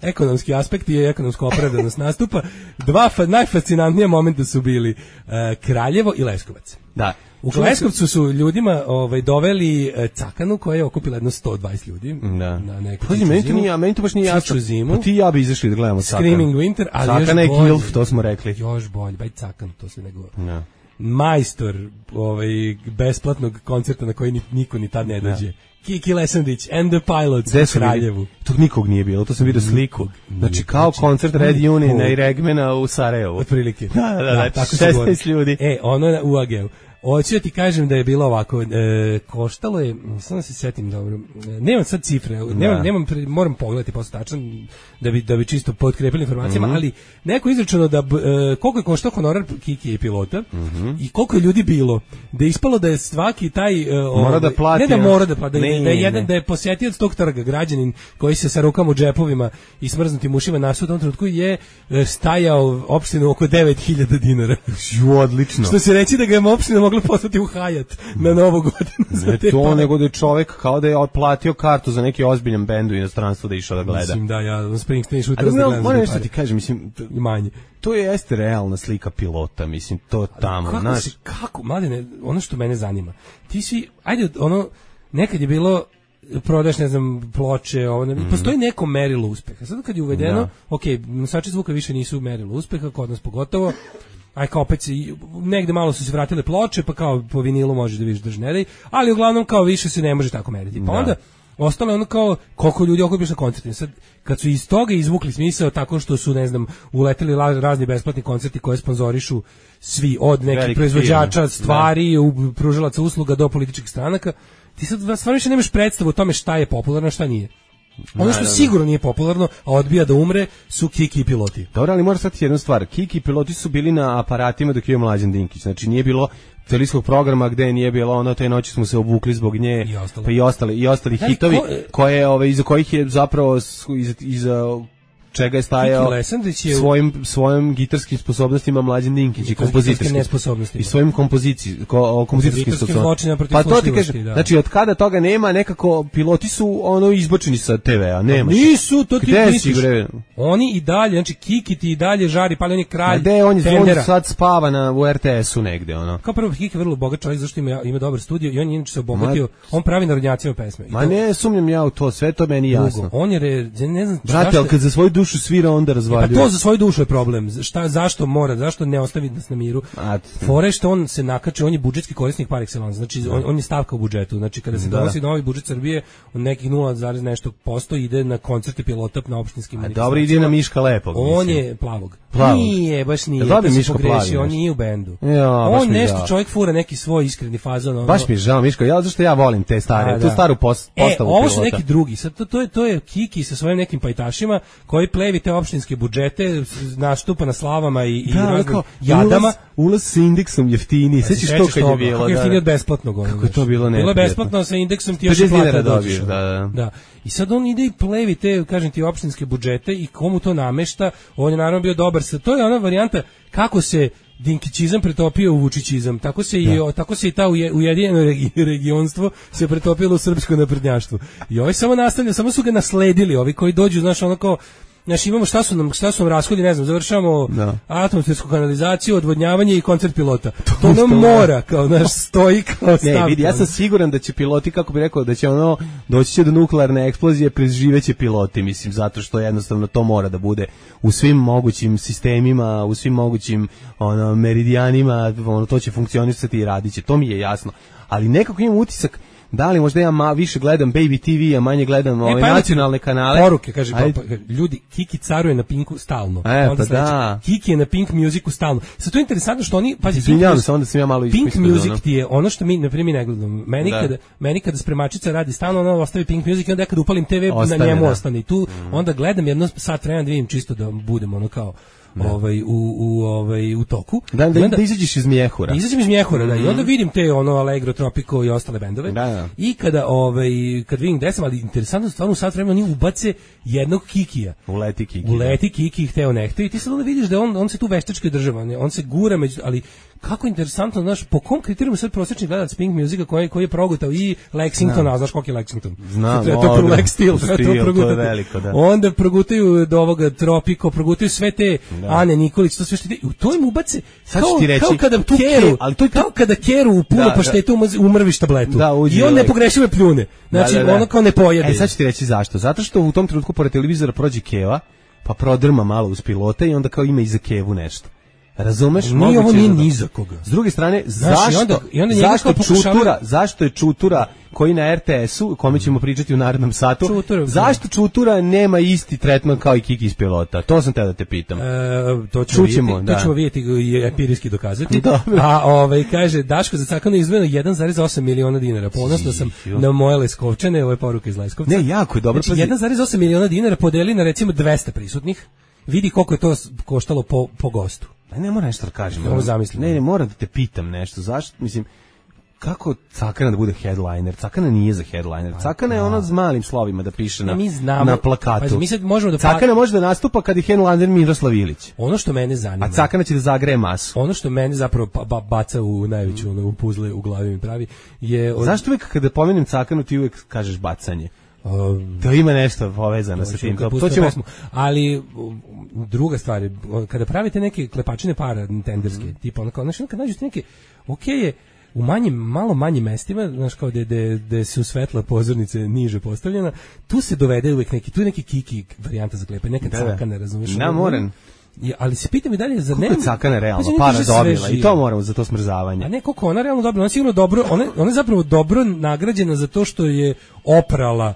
ekonomski aspekt i ekonomsko opravdanost nastupa. Dva fa, najfascinantnija momenta su bili uh, Kraljevo i Leskovac. Da. U Leskovcu su ljudima ovaj, doveli cakanu koja je okupila jedno sto dvadeset ljudi. Da. Na neku Pazi, meni to nije, meni to baš nije jasno. Zimu. Pa ti i ja bi izašli da gledamo Cakanu. Screaming Winter, ali Cakana još je Gilf, to smo rekli. Još bolje, baj Cakan, to se ne govori. Da. Majstor ovaj, besplatnog koncerta na koji niko ni tad ne dođe. Kiki Lesandić and the Pilots u Kraljevu. Tog nikog nije bilo, to sam vidio sliku. Znači kao koncert Red Union i Regmena u Sarajevu. Otprilike. Da, da, da, da, tako šesnaest ljudi. E, ono je u A G U. Hoću da ti kažem da je bilo ovako, e, koštalo je, samo da se setim dobro, nemam sad cifre, nemam, nemam, moram pogledati posle tačno da bi, da bi čisto potkrepili informacijama, mm-hmm. ali neko je izračunao da, e, koliko je koštao honorar Kiki i pilota mm-hmm. i koliko je ljudi bilo, da je ispalo da je svaki taj, e, mora da plati, ne da mora da plati, da, ne, da je jedan, da je posjetioc tog trga, građanin koji se sa rukama u džepovima i smrznutim ušima nasuo u tom trenutku je stajao opštinu oko devet hiljada dinara. Ju, odlično. Što se reći da ga je opština mogla poslati u Hajat na Novu godinu. Ne to, pare. Nego da je čovek kao da je otplatio kartu za neki ozbiljan bend u inostranstvu da išao da gleda. Mislim da, ja Springsteen šuter da gledam. Moram nešto ti kažem, mislim, to, manje. To je jeste realna slika pilota, mislim, to tamo, kako znaš. Si, kako, mladine, ono što mene zanima, ti svi, ajde, ono, nekad je bilo prodaš, ne znam, ploče, ovo, ne, mm. postoji neko merilo uspeha. Sad kad je uvedeno, da. ok, nosači zvuka više nisu merilo uspeha, kod nas pogotovo, aj kao opet se, negde malo su se vratile ploče, pa kao po vinilu možeš da vidiš držnerej, ali uglavnom kao više se ne može tako meriti. Pa da. onda ostalo je ono kao koliko ljudi okupiš na koncertima. Sad, kad su iz toga izvukli smisao tako što su, ne znam, uleteli razni besplatni koncerti koje sponzorišu svi od nekih Veliki proizvođača film. stvari, da. pružalaca usluga do političkih stranaka, ti sad stvarno više nemaš predstavu o tome šta je popularno, šta nije. Ono što sigurno nije popularno, a odbija da umre, su Kiki i piloti. Dobro, ali moraš shvatiti jednu stvar. Kiki i piloti su bili na aparatima dok je Mlađan Dinkić. Znači nije bilo televizijskog programa gde nije bilo ono, te noći smo se obukli zbog nje, i ostalo. Pa i ostali i ostali da, hitovi ko, koje ove iza kojih je zapravo iza, iza čega je stajao je svojim svojim gitarskim sposobnostima Mlađan Dinkić i kompozitorskim i svojim kompozicijim ko, kompozitorskim sposobnostima. Pa to ti kažem, da. Znači od kada toga nema, nekako piloti su ono izbačeni sa te ve-a, nema. Nisu, to ti misliš. Oni i dalje, znači Kiki ti i dalje žari, pa on je kralj. A gde on je, on sad spava na u er te esu negde, ono. Kao prvo Kiki je vrlo bogat čovjek, zašto ima ima dobar studio i on je inače se obogatio, on pravi narodnjačke pesme. Ma ne sumnjam ja u to, sve to meni jasno. On je ne znam brate, al kad za svoju dušu svira onda razvaljuje. Pa to za svoju dušu je problem. Šta, zašto mora, zašto ne ostavi nas na miru? Fore što on se nakače, on je budžetski korisnik par excellence, znači on, on je stavka u budžetu. Znači kada se da. donosi novi budžet Srbije, on nekih nula zarez nešto posto ide na koncerte pilota na opštinskim. A dobro, ide na Miška Lepog. On mislim. je plavog. Plavog. Nije, baš nije. Da bi Miško plavi, on nije u bendu. Ja, on nešto žao. Čovjek fura neki svoj iskreni fazon. Ono, baš mi je žao Miško, ja zašto ja volim te stare, a, tu staru post, e, postavu ovo pilota. su neki drugi, sad to, to je to je Kiki sa svojim nekim pajtašima koji plevi te opštinske budžete, nastupa na slavama i, i da, raznim jadama. Ulaz, ulaz sa indeksom jeftini, sećaš to kad je bilo? Kako je jeftini od besplatnog. Ono, kako je to bilo neprijatno. Bilo je besplatno sa indeksom ti još i plata dođeš. Da, da. da. I sad on ide i plevi te, kažem ti, opštinske budžete i komu to namešta, on je naravno bio dobar. To je ona varijanta kako se Dinkićizam pretopio u Vučićizam, tako se i o, tako se i ta ujedinjeno regi, regionstvo se pretopilo u srpsko naprednjaštvo. I ovaj samo nastavlja, samo su ga nasledili, ovi koji dođu, znaš, ono kao znači imamo šta su nam šta su nam rashodi, ne znam, završavamo no. atmosfersku kanalizaciju, odvodnjavanje i koncert pilota. To, to nam mora kao naš stoji kao stav. Ne, vidi, ja sam siguran da će piloti, kako bi rekao, da će ono doći će do nuklearne eksplozije, preživeće piloti, mislim, zato što jednostavno to mora da bude u svim mogućim sistemima, u svim mogućim ono meridijanima, ono to će funkcionisati i radiće. To mi je jasno. Ali nekako imam utisak da li možda ja ma, više gledam Baby te ve, a manje gledam ove e, pa nacionalne kanale. Poruke, kaže, pa, pa, ljudi, Kiki caruje na Pinku stalno. E, onda pa da. Kiki je na Pink Musicu stalno. Sad to je interesantno što oni, pazi, Pink, Music, onda sam ja malo Pink Music ti je ono što mi, na primjer, ne gledam. Meni, da. kada, meni kada spremačica radi stalno, ona ostavi Pink Music i onda ja kad upalim te ve, ostane, na njemu da. ostane. I tu mm. onda gledam jedno sat vremena da vidim čisto da budem ono kao Da. ovaj u u ovaj u toku. Da, da, onda, da izađeš iz Mjehura. Izađem iz Mjehura, mm-hmm. da, i onda vidim te ono Allegro, Tropico i ostale bendove. Da, da. I kada ovaj kad vidim gde sam, ali interesantno stvarno u sat vremena oni ubace jednog Kikija. Uleti Kiki. Uleti Kiki, hteo ne hteo i ti sad onda vidiš da on on se tu veštački država, on se gura među, ali kako interesantno, znaš, po kom kriterijumu sad prosječni gledalac Pink Musica koji koji je progutao i Lexington, a znaš koliki je Lexington? Znam, to je to Lex Steel, to je veliko, da. Onda progutaju do ovoga Tropico, progutaju sve te da. Ane Nikolić, to sve što ide, u to im ubace, sad ću ti reći, kao kada tu keru, ali to je kao kada keru u puno da, paštetu da. umrviš tabletu. Da, i on ne pogrešivo pljune. Znači, da, da, da. ono kao ne pojede. E, sad ću ti reći zašto. Zato što u tom trenutku pored televizora prođe keva, pa prodrma malo uz pilota i onda kao ima iza kevu nešto. Razumeš? Nije ovo nije ni za koga. S druge strane, Znaš, zašto, i onda, i onda zašto pokušavaju... Čutura, zašto je Čutura koji na R T S-u, kome ćemo pričati u narednom satu, Čutura, zašto Čutura nema isti tretman kao i Kiki iz pilota? To sam te da te pitam. E, to ćemo Čućemo, vidjeti, da. to ćemo vidjeti i empirijski dokazati. Dobro. A ovaj kaže Daško za Cakanu izdvojeno jedan zarez osam miliona dinara. Ponosno sam na moje Leskovčane, ovo je poruka iz Leskovca. Ne, jako je dobro. Znači, jedan zarez osam miliona dinara podeli na recimo dvesta prisutnih. Vidi koliko je to koštalo po, po gostu. Ne mora nešto da kažem. Ovo zamislim. Ne, ne, moram da te pitam nešto. Zašto, mislim, kako Cakana da bude headliner? Cakana nije za headliner. Cakana je ono s malim slovima da piše na, mi znamo, na plakatu. Pa, mi sad možemo da Cakana može da nastupa kad je headliner Miroslav Ilić. Ono što mene zanima. A Cakana će da zagreje masu. Ono što mene zapravo ba, baca u najveću ono, u puzle u glavi mi pravi je... Od... Zašto uvijek kada pomenem Cakanu ti uvijek kažeš bacanje? Um, to ima nešto povezano sa tim. To ćemo... pesmu. Ali druga stvar je, kada pravite neke klepačine para tenderske, mm. tipa ono kao, znaš, kad nađete neke, okej okay je, u manjim, malo manjim mestima, znaš kao da da su svetla pozornice niže postavljena, tu se dovede uvek neki, tu je neki Kiki varijanta za klepanje, neka da, Cakana, razumiješ? Na, moram. Ja, ali se pitam i dalje za ne. Koliko je Cakana realno para dobila i to moramo za to smrzavanje. A ne, koliko ona realno dobila, ona je sigurno dobro, ona, ona je zapravo dobro nagrađena za to što je oprala.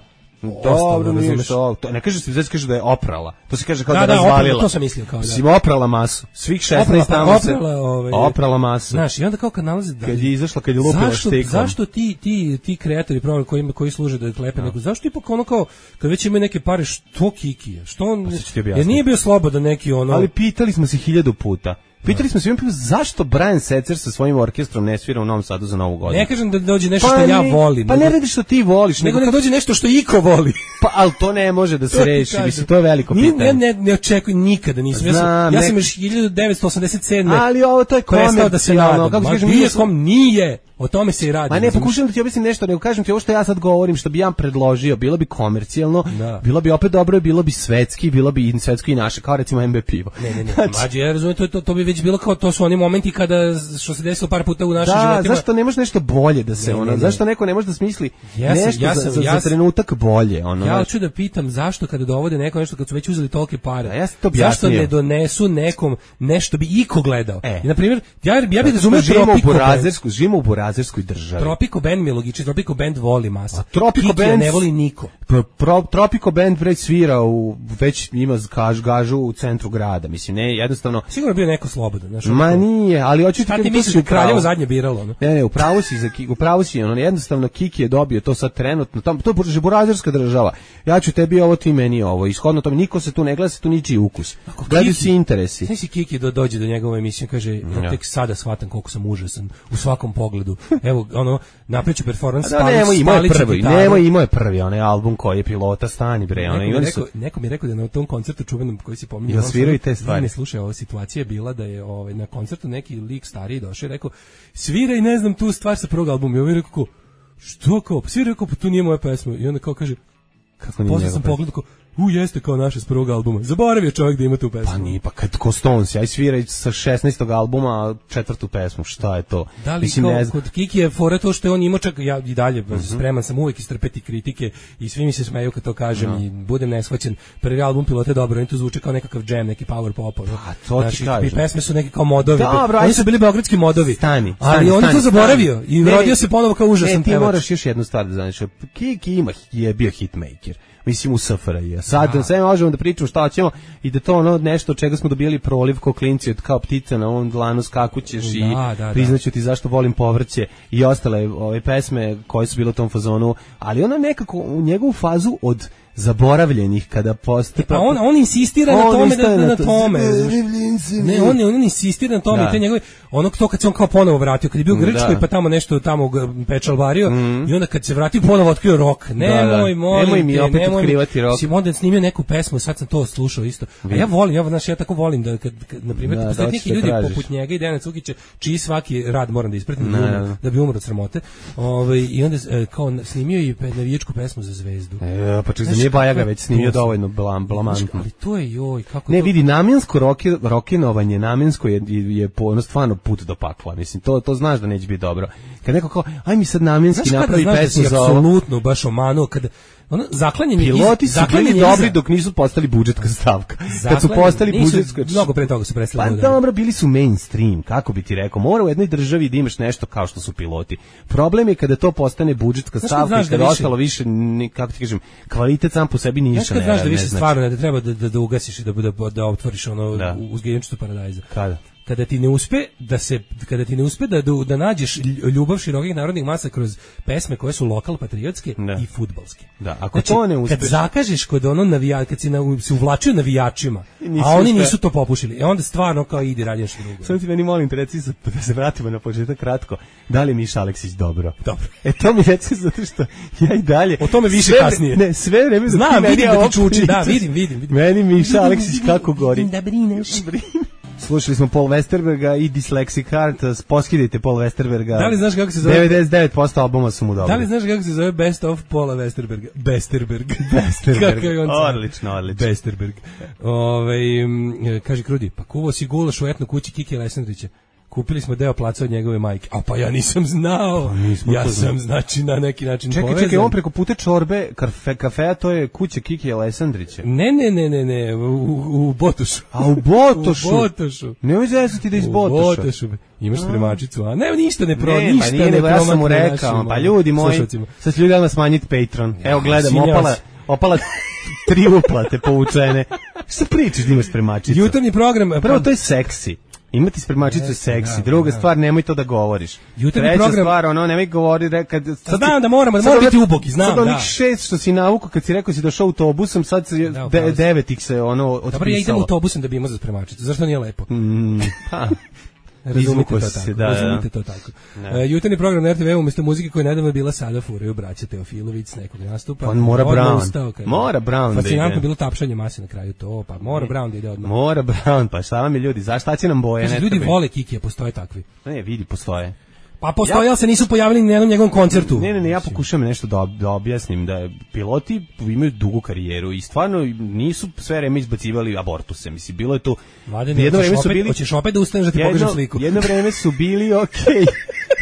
Dobro, nije što, to ne kaže se, znači kaže da je oprala. To se kaže kao da, da, da razvalila. Oprala, to sam mislio kao da. Si oprala masu. Svih šesnaest tamo se oprala, ovaj, oprala masu. Znaš, i onda kao kad nalazi da kad je izašla, kad je lupila štikom. Zašto ti ti ti kreatori programa koji koji služe da klepe neku, zašto ipak ono kao kad već imaju neke pare što Kikije? Što on jer nije bio slobodan neki ono. Ali pitali smo se hiljadu puta. Pitali smo se jedan put zašto Brian Setzer sa svojim orkestrom ne svira u Novom Sadu za Novu godinu. Ne kažem da dođe nešto pa što ja volim. Pa ne radi što ti voliš, nego nek dođe nešto što iko voli. Pa al to ne može da se reši, mislim to je veliko pitanje. Ne ne ne očekujem nikada, nisam. Ja sam, ja sam još hiljadu devetsto osamdeset sedme. Ali ovo to je komercijalno, da se nadam. Kako kažem, nije kom nije. O tome se i radi. Ma ne, pokušam da ti objasnim nešto, nego kažem ti ovo što ja sad govorim, što bi ja predložio, bilo bi komercijalno, da. Bilo bi opet dobro, bilo bi svetski, bilo bi i svetski i naše, kao recimo M B pivo. Ne, ne, ne, znači, mađi, ja razumijem, to, to, to bi već bilo kao, to su oni momenti kada, što se desilo par puta u našim da, životima. Da, zašto ne može nešto bolje da se, ne, ono, ne, ne. Zašto neko ne može da smisli ja sam, nešto ja sam, za, za, ja sam, za trenutak bolje, ono. Ja hoću da pitam zašto kada dovode neko nešto, kad su već uzeli tolike pare, ja to zašto ne donesu nekom nešto bi iko gledao. E. I, na primjer, ja, ja bih razumio Tropico, živimo u burazerskoj državi. Tropico Band mi je logično, Tropico Band voli masa. Tropico Band ne voli niko. Pro, pro, Tropico Band već svira u, već ima gaž, gažu u centru grada, mislim, ne, jednostavno... Sigurno bio neko slobodan, znaš. Ma nije, ali hoću ti... Šta ti misliš da Kraljevo zadnje biralo, no? Ne, ne, upravo si, za, upravo si, ono, jednostavno Kiki je dobio to sad trenutno, tam, to je burazerska država, ja ću tebi ovo, ti meni ovo, ishodno tome, niko se tu ne gleda, se tu ničiji ukus. Gledaju si interesi. Znaš si Kiki do, dođe do njegove emisije, kaže, ja tek sada shvatam koliko sam užasan u svakom pogledu. Evo, ono, napreću performans, da, spali, nemo, spali prvi, nemo, imao je prvi onaj album koji je pilota, stani bre. Neko, mi, rekao, neko mi je rekao da na tom koncertu čuvenom koji si pominjao, ja sviraju te stvari. Ne slušaj, ova situacija je bila da je ovaj, na koncertu neki lik stariji došao i rekao, sviraj, ne znam, tu stvar sa prvog albuma. I ovaj rekao, ko, što kao, sviraj, rekao, pa tu nije moja pesma. I onda kao kaže, kako nije posle sam pogledao, kao, u, jeste kao naše s prvog albuma. Zaboravio čovjek da ima tu pesmu. Pa nije, pa kad ko Stones, aj sviraj sa šesnaestog albuma četvrtu pesmu, šta je to? Da li Mislim, kao, kod Kiki je fora to što je on imao čak, ja i dalje uh -huh. spreman sam uvijek istrpeti kritike i svi mi se smeju kad to kažem no. i budem neshvaćen. Prvi album Pilota je dobro, oni to zvuče kao nekakav džem, neki power pop. No? A to ti Znači, kažem. pesme su neki kao modovi. Dobro, oni su bili beogradski modovi. Stani, stani, ali on je to zaboravio i rodio se ponovo kao užasan pevač. Ti moraš još jednu stvar da znaš. Kiki ima, je bio hitmaker. Mislim u S F R J. Sad da. sve možemo da pričamo šta hoćemo i da to ono nešto od čega smo dobili proliv ko klinci od kao ptice na ovom dlanu skakućeš da, i da, priznaću ti zašto volim povrće i ostale ove pesme koje su bile u tom fazonu, ali ona nekako u njegovu fazu od zaboravljenih kada postoji. Pa on on insistira on na tome da na, na tome. Ne, on on insistira na tome da. I te njegove ono to kad se on kao ponovo vratio, kad je bio u Grčkoj pa tamo nešto tamo pečalvario mm. i onda kad se vratio ponovo otkrio rok. Nemoj, da, da. Nemoj mi opet nemoj otkrivati rok. Si onda snimio neku pesmu, sad sam to slušao isto. A ja volim, ja znači ja tako volim da kad, kad na primjer da, postoje neki ljudi tražiš. Poput njega i Dejana Cukića, čiji svaki rad moram da ispratim da, da, da bi umro od sramote. Ovaj i onda kao snimio i navijačku pesmu za Zvezdu. E, pa čak nije Bajaga već snimio dovoljno blam, blamantno. Ali to je joj, kako ne, to... vidi, namjensko roke, rokenovanje, namjensko je, je po, stvarno put do pakla. Mislim, to, to znaš da neće biti dobro. Kad neko kao, aj mi sad namjenski napravi pesmu za ovo. Apsolutno, baš omanuo, kad ono zaklanjanje piloti su bili dobri dok nisu postali budžetska stavka. Kad su postali budžetska, mnogo pre toga su prestali. Pa dobro, bili su mainstream, kako bi ti rekao. Mora u jednoj državi da imaš nešto kao što su piloti. Problem je kada to postane budžetska stavka i kada da ostalo više, kako ti kažem, kvalitet sam po sebi ništa ne. Znaš da više stvarno ne da treba da da, da ugasiš i da da, da otvoriš ono da. uzgajivačtu paradajza. Kada? Kada ti ne uspe da se kada ti ne uspe da da nađeš ljubav širokih narodnih masa kroz pesme koje su lokal patriotske da. i fudbalske. Da, ako znači, to ne uspeš, kad zakažeš kod ono navija, kad si na, se uvlačio navijačima, a oni uspe. Nisu to popušili. E onda stvarno kao idi radi nešto drugo. Samo ti meni molim te reci da se vratimo na početak kratko. Da li je Miša Aleksić dobro? Dobro. E to mi reci zato što ja i dalje o tome više sve, kasnije. Ne, sve vreme za znam, vidim da ti čuči, da, vidim, vidim, vidim. Meni Miša Aleksić kako gori. Da brineš. Slušali smo Paul Westerberga i Dyslexic Heart, poskidajte Paul Westerberga. Da li znaš kako se zove? devedeset devet posto albuma su mu dobri. Da li znaš kako se zove Best of Paula Westerberga? Besterberg. Besterberg. Odlično, odlično. Besterberg. Ove, kaže Krudi, pa kuvo si gulaš u etno kući Kike Alessandrića. Kupili smo deo placa od njegove majke. A pa ja nisam znao. Pa ja sam, znači, na neki način čekaj, povezan. Čekaj, on preko puta čorbe kafe, kafeja, to je kuća Kiki Alessandrića. Ne, ne, ne, ne, ne, u, u Botošu. A u Botošu? U Botošu. Nemoj zezati da iz Botoša. U Botošu. Imaš spremačicu, a ne, ništa ne pro, ne, ništa pa nije, ne pro. Ja sam mu rekao, pa ljudi moji, sad ću ljudi odmah smanjiti Patreon. Evo, gledam, opala, opala tri uplate povučene. Šta pričaš da imaš spremačicu? Jutarnji program. Prvo, to je seksi. Imati spremačicu je seksi. Druga da, stvar, nemoj to da govoriš. Jutarnji Treća program, stvar, ono, nemoj govori kad sad znam da moramo, da mora biti ubogi, znam, sad da. Sad onih šest što si navuku kad si rekao si došao autobusom, sad se da, de, devet ih se ono otpisalo. Dobro, ja idem autobusom da bi imao za spremačicu. Zašto nije lepo? Mm, pa. Razumite to tako. Da, razumite to tako. Uh, jutarnji program na er te ve umjesto muzike koja je nedavno bila sada furaju braća Teofilović s nekog nastupa. On mora Brown. Ustao, mora Brown. Fascinantno bilo tapšanje mase na kraju to, pa mora Brown da ide odmah. Mora Brown, pa šta vam je ljudi, zašto će nam boje? Znači, ljudi vole Kikija, postoje takvi. Ne, vidi, postoje. Pa postoje, ali se nisu pojavili ni na jednom njegovom koncertu. Ne, ne, ne, ja pokušam nešto da, da objasnim, da piloti imaju dugu karijeru i stvarno nisu sve vreme izbacivali abortuse. Mislim, bilo je to... Mladen, jedno vreme su bili... Hoćeš opet da ustaneš da ti jedno, pokažem sliku? Jedno vreme su bili okej. Okay.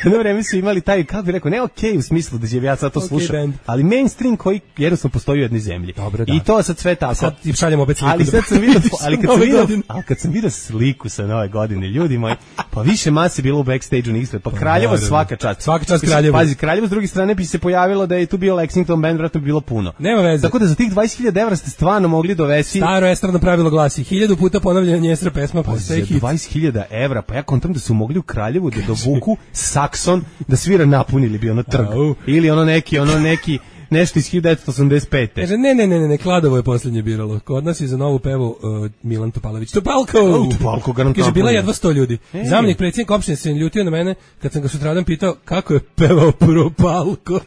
Jedno vreme su imali taj, kako bih rekao, ne okej okay, u smislu da će ja sad to okay, slušam, band. Ali mainstream koji jednostavno postoji u jednoj zemlji. Dobro, da. I to sad sve tako. Sad ti šaljemo opet sliku. Ali sad sam vidio, ali kad sam vidio, ali kad sam vidio sliku sa nove godine, ljudi moji, pa više mase bilo u backstage-u niste, pa Kraljevo svaka čast. Svaka čast Kraljevo. Pazi, Kraljevo s druge strane bi se pojavilo da je tu bio Lexington band, vratno bi bilo puno. Nema veze. Tako da za tih dvadeset hiljada evra ste stvarno mogli dovesti. Staro estradno pravilo glasi, hiljadu puta ponavljanje njestra pesma postaje hit. dvadeset hiljada evra, pa ja kontam da su mogli u Kraljevu da dovuku Saxon da svira napunili bi ono trg. Au. Ili ono neki, ono neki nešto iz hiljadu devetsto osamdeset pete. Kaže, ne, ne, ne, ne, Kladovo je poslednje biralo. Kod nas je za novu pevu uh, Milan Topalović. Topalko! Oh, Topalko, garantujem. Kaže, bila je jedva sto ljudi. E. Zamjenik predsjednika opštine se ljutio na mene kad sam ga sutradan pitao kako je pevao Propalko.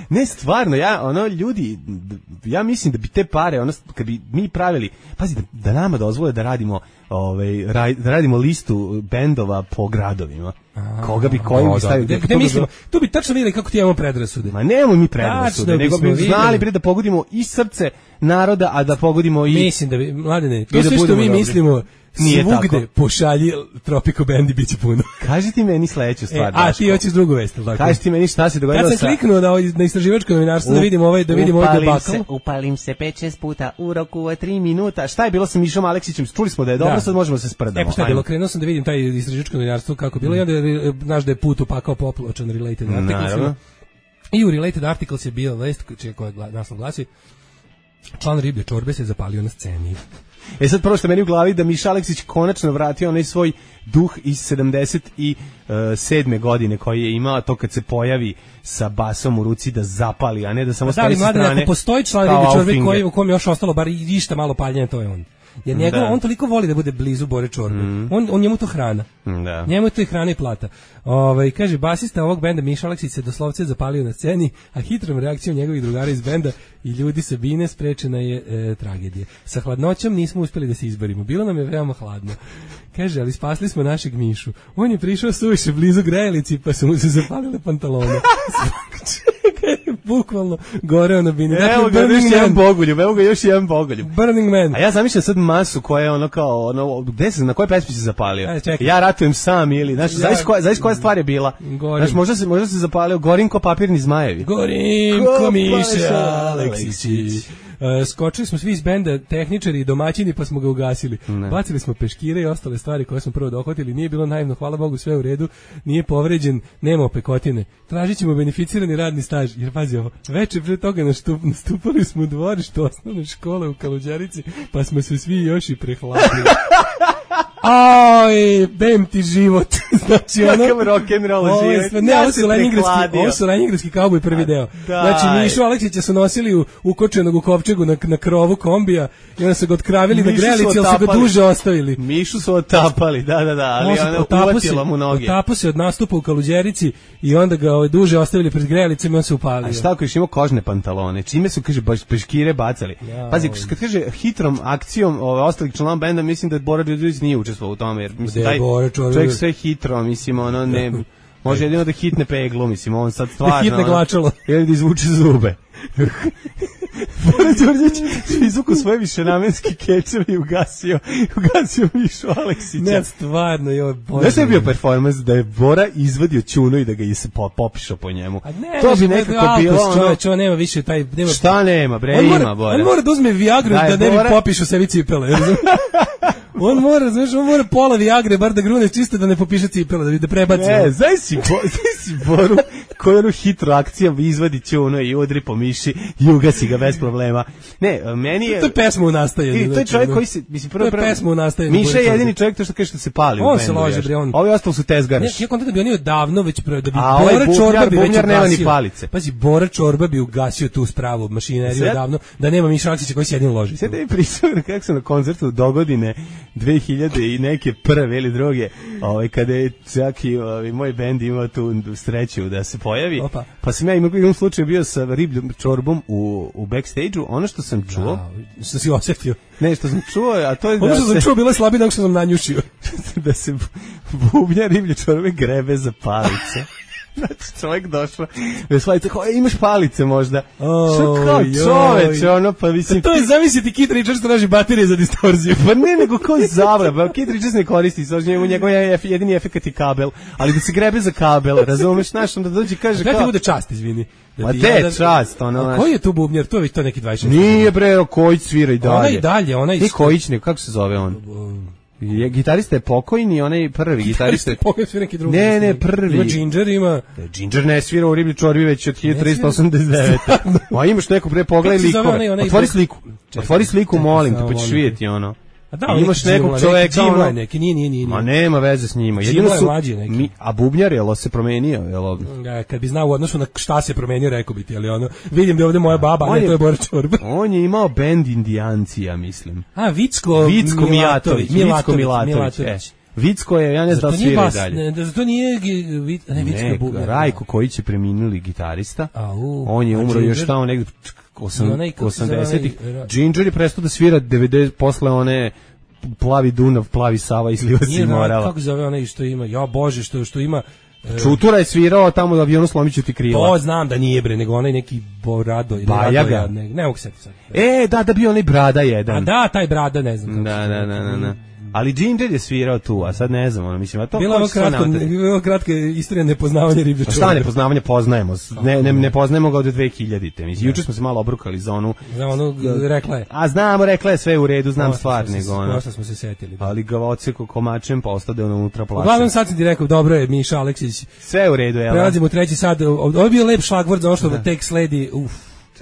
Ne, stvarno, ja, ono, ljudi, ja mislim da bi te pare, ono, kad bi mi pravili, pazi, da, da nama dozvole da radimo, ovaj, raj, da radimo listu bendova po gradovima. A, koga bi, koji bi stavio. Gde, gde mislimo, tu bi tačno vidjeli kako ti imamo predrasude. Ma nemamo mi predrasude, nego bi znali bre da pogodimo i srce naroda, a da pogodimo i... Mislim da bi, mladene, to sve što mi dobri. Mislimo... Nije svugde tako. Pošalji Tropico Band i bit će puno. Kaži ti meni sledeću stvar. E, a ti hoćeš drugu vest, tako? Kaži ti meni šta se dogodilo sa... Kad sam kliknuo na, na istraživačko novinarstvo da vidim ovaj, da vidim ovaj debakl. Upalim se pet šest puta u roku od tri minuta. Šta je bilo sa Mišom Aleksićem? Čuli smo da je dobro, da. Sad možemo se sprdamo. E, pa šta je bilo? Krenuo sam da vidim taj istraživačko novinarstvo kako bilo. Mm. I onda je, znaš da je put upakao popločan related articles. I u related articles je bio vest koja naslov glasi: član riblje čorbe se zapalio na sceni. E sad prvo što meni u glavi da Miša Aleksić konačno vratio onaj svoj duh iz sedamdeset sedme godine koji je imao to kad se pojavi sa basom u ruci da zapali, a ne da samo stoji sa strane. Da, ali mladen, ako postoji član riblje čorbe koji, u kom je još ostalo bar išta malo paljenja, to je on. Jer njegov, on toliko voli da bude blizu Bore Čorbe. Mm. On, on njemu to hrana. Da. Njemu to i hrana i plata. Ovaj kaže, basista ovog benda Miša Aleksić se doslovce zapalio na sceni, a hitrom reakcijom njegovih drugara iz benda i ljudi sa bine sprečena je e, tragedija. Sa hladnoćom nismo uspeli da se izborimo. Bilo nam je veoma hladno. Kaže, ali spasli smo našeg Mišu. On je prišao suviše blizu grejalici, pa su mu se zapalile pantalone. Bukvalno goreo na bini. Evo ga još jedan bogoljub, evo ga još jedan bogoljub. Burning Man. A ja zamišljam sad masu koja je ono kao, ono, gde se, na koje pesmi se zapalio? Ajde, čekaj. Ja ratujem sam ili, znaš, znaš koja, znaš koja stvar je bila? Gorim. Znaš, možda se, možda se zapalio Gorinko papirni zmajevi. Gorimko Miša Aleksić. Uh, skočili smo svi iz benda, tehničari i domaćini, pa smo ga ugasili. Ne. Bacili smo peškire i ostale stvari koje smo prvo dohvatili. Nije bilo naivno, hvala Bogu, sve u redu. Nije povređen, nema opekotine. Tražit ćemo beneficirani radni staž. Jer pazi ovo, večer pre toga nastup, nastupali smo u dvorištu osnovne škole u Kaluđerici, pa smo se svi još i prehladili. Aj, bem ti život. Znači ono kakav rock'n'roll život. Ne, ovo su leningradski, ovo su leningradski kauboj prvi deo. Znači Mišu Aleksića su nosili u ukočenog u kovčegu na, na krovu kombija i onda su ga otkravili na grelici, ali su ga duže ostavili. Mišu su otapali, da, da, da, ali ona uvatila mu noge. Otapo se od nastupa u Kaluđerici i onda ga ovaj, duže ostavili pred grelicom i on se upalio. A šta ako još imao kožne pantalone? Čime su, kaže, baš peškire bacali? Ja, pazi, kad kaže hitrom akcijom ove, ostalih članova benda, mislim da Bora Đorđević nije učestvovao u tome, jer mislim, taj čovjek sve hitro, mislim, ono, ne, može jedino da hitne peglu, mislim, on sad stvarno... Da hitne glačalo. Ili da izvuče zube. Bora Đorđević izvuku svoje višenamenski kečeve i ugasio, ugasio Mišu Aleksića. Ne, stvarno, joj, Bože. Znaš što je bio performans da je Bora izvadio ćunu i da ga se popišao po njemu? Ne, to bi nekako bilo ono... Čovječ, on nema više taj... Nema... Šta nema, bre, on ima mora, Bora. On mora da uzme Viagru da, da ne Bora... bi popišao sebi cipele. On mora, znaš, on mora pola Viagre, bar da grune čisto da ne popiše cipele, da bi da prebaci. Ne, znaš si, bo, znaš si Boru koju onu hitru akcijom izvadi ćunu i udri po Miši i ugasi ga bez problema. Ne, meni je... To je pesma u nastajanju. To je čovjek koji se... Mislim, prvo, to je pesma u nastajanju. Miša je jedini čovjek to što kaže što se pali on u bendu. Se lože, bre, on... Ovi ostali su tezgaraš. Ne, ja kontam da bi oni odavno već... Da bi a Bora ovaj Čorba bi već nema ni palice. Pazi, Bora Čorba bi ugasio tu spravu mašineriju odavno, da nema Miša Aleksića koji se jedin loži. Sve da mi pričao kako sam na koncertu dogodine dve hiljade i neke prve ili druge, ovaj, kada je čak i ovaj, moj bend imao tu sreću da se pojavi. Opa. Pa sam ja imao jednom slučaju bio sa ribljom čorbom u, u backstage-u. Ono što sam čuo... Ja, što si osjetio? Ne, što sam čuo, a to je da ono što se... sam čuo bilo je slabije nego što sam nanjušio. Da se bubnja riblje čorbe grebe za palice. Znači, čovjek došao, veselice, imaš palice možda? Oh, što kao čoveče, ono, pa mislim... To je, zamisliti, Kit Richards traži baterije za distorziju. Pa ne, nego kao zavra, pa Kit Richards ne koristi, njemu njegov jedini efekat je kabel, ali da se grebe za kabel, razumeš, znaš, onda dođe kaže kao... Da ti bude čast, izvini. Da ma te čast, ono, znaš. Koji je tu bubnjar? To je to neki dvadeset šest. Nije, bre, Kojić svira i dalje. Ona i dalje, ona i... Nije Kojić, nego, kako se zove on? Je, gitarista je pokojni, onaj prvi gitarista je pokojni, svira neki drugi. Ne, ne, prvi. Ima Ginger, ima. Ginger ne svira u Riblji čorbi već od hiljadu trista osamdeset devete. Ma imaš neku pre pogledaj likove. Otvori sliku. Otvori sliku, molim te, pa ćeš vidjeti ono. A da, imaš nekog čoveka, ono, je neki, nije, nije, nije. Ma nema veze s njima. Jedino su mlađi neki. Mi, a bubnjar je se promenio, jel? Ja, kad bi znao u odnosu na šta se promenio, rekao bi ti, ali ono, vidim da je ovde moja baba, a ne, to je Bora Čorba. On je imao bend Indijanci, ja mislim. A, Vicko, Vicko Mijatović. Vicko Milatović, e. Vicko je, ja ne znam da svira i dalje. Ne, zato nije, ne, Vicko je bubnjar. Rajko koji će preminuli gitarista. On je umro još tamo negdje osamdesetih. Ginger je prestao da svira devedeset posle one plavi Dunav, plavi Sava izliva si morala. Kako zove onaj što ima? Ja bože, što što ima Čutura je svirao tamo u avionu Slomiću ti krila. To znam da nije bre, nego onaj neki Borado ili Bajaga. Ne, ne mogu se sad. E, da, da bio onaj Brada jedan. A da, taj Brada, ne znam. Da, da, da, da, da. Ali Ginger je svirao tu, a sad ne znam, ono, mislim, a to... Bila ovo kratko, bila kratka istorija nepoznavanja riblje čorbe. Šta nepoznavanja, poznajemo, ne, ne, ne poznajemo ga od dve hiljadite, mislim, juče smo se malo obrukali za onu... Za onu, rekla je. A znamo, rekla je sve u redu, znam stvar, nego ono... Prosto smo se setili. Ali ga oceko komačem, pa ostade ono unutra plaća. Uglavnom sad sam ti rekao, dobro je, Miša Aleksić. Sve u redu, jel? Prelazimo u treći sad, ovo je bio lep šlagvord za ono što tek sledi, uf,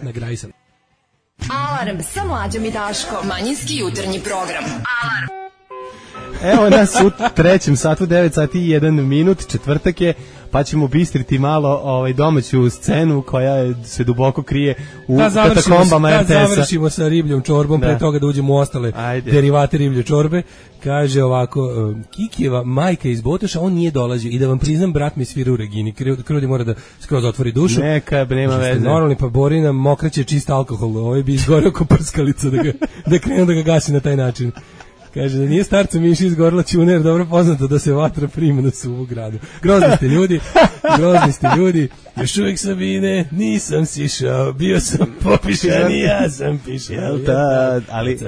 nagraji sam. Alarm sa Mlađom i Daškom, manjinski jutarnji program. Alarm. Evo nas u trećem satu, devet sati i jedan minut, četvrtak je, pa ćemo bistriti malo ovaj, domaću scenu koja se duboko krije u da katakombama R T S-a. Da završimo sa ribljom čorbom, da. Pre toga da uđemo u ostale Ajde. derivate riblje čorbe. Kaže ovako, Kikijeva majka iz Botoša, on nije dolazio i da vam priznam, brat mi svira u Regini, Krudi mora da skroz otvori dušu. Neka, nema veze. Normalni, pa Borina mokraće čist alkohol, ovaj bi izgorio ko prskalica da, ga, da krenu da ga gasi na taj način. Kaže da nije starcu Miši izgorila ćuna, jer dobro poznato da se vatra prima na suvu gradu. Grozni ste ljudi, grozni ste ljudi, još uvijek Sabine, nisam sišao, bio sam popišan i ja sam pišao. Jel ta, ali,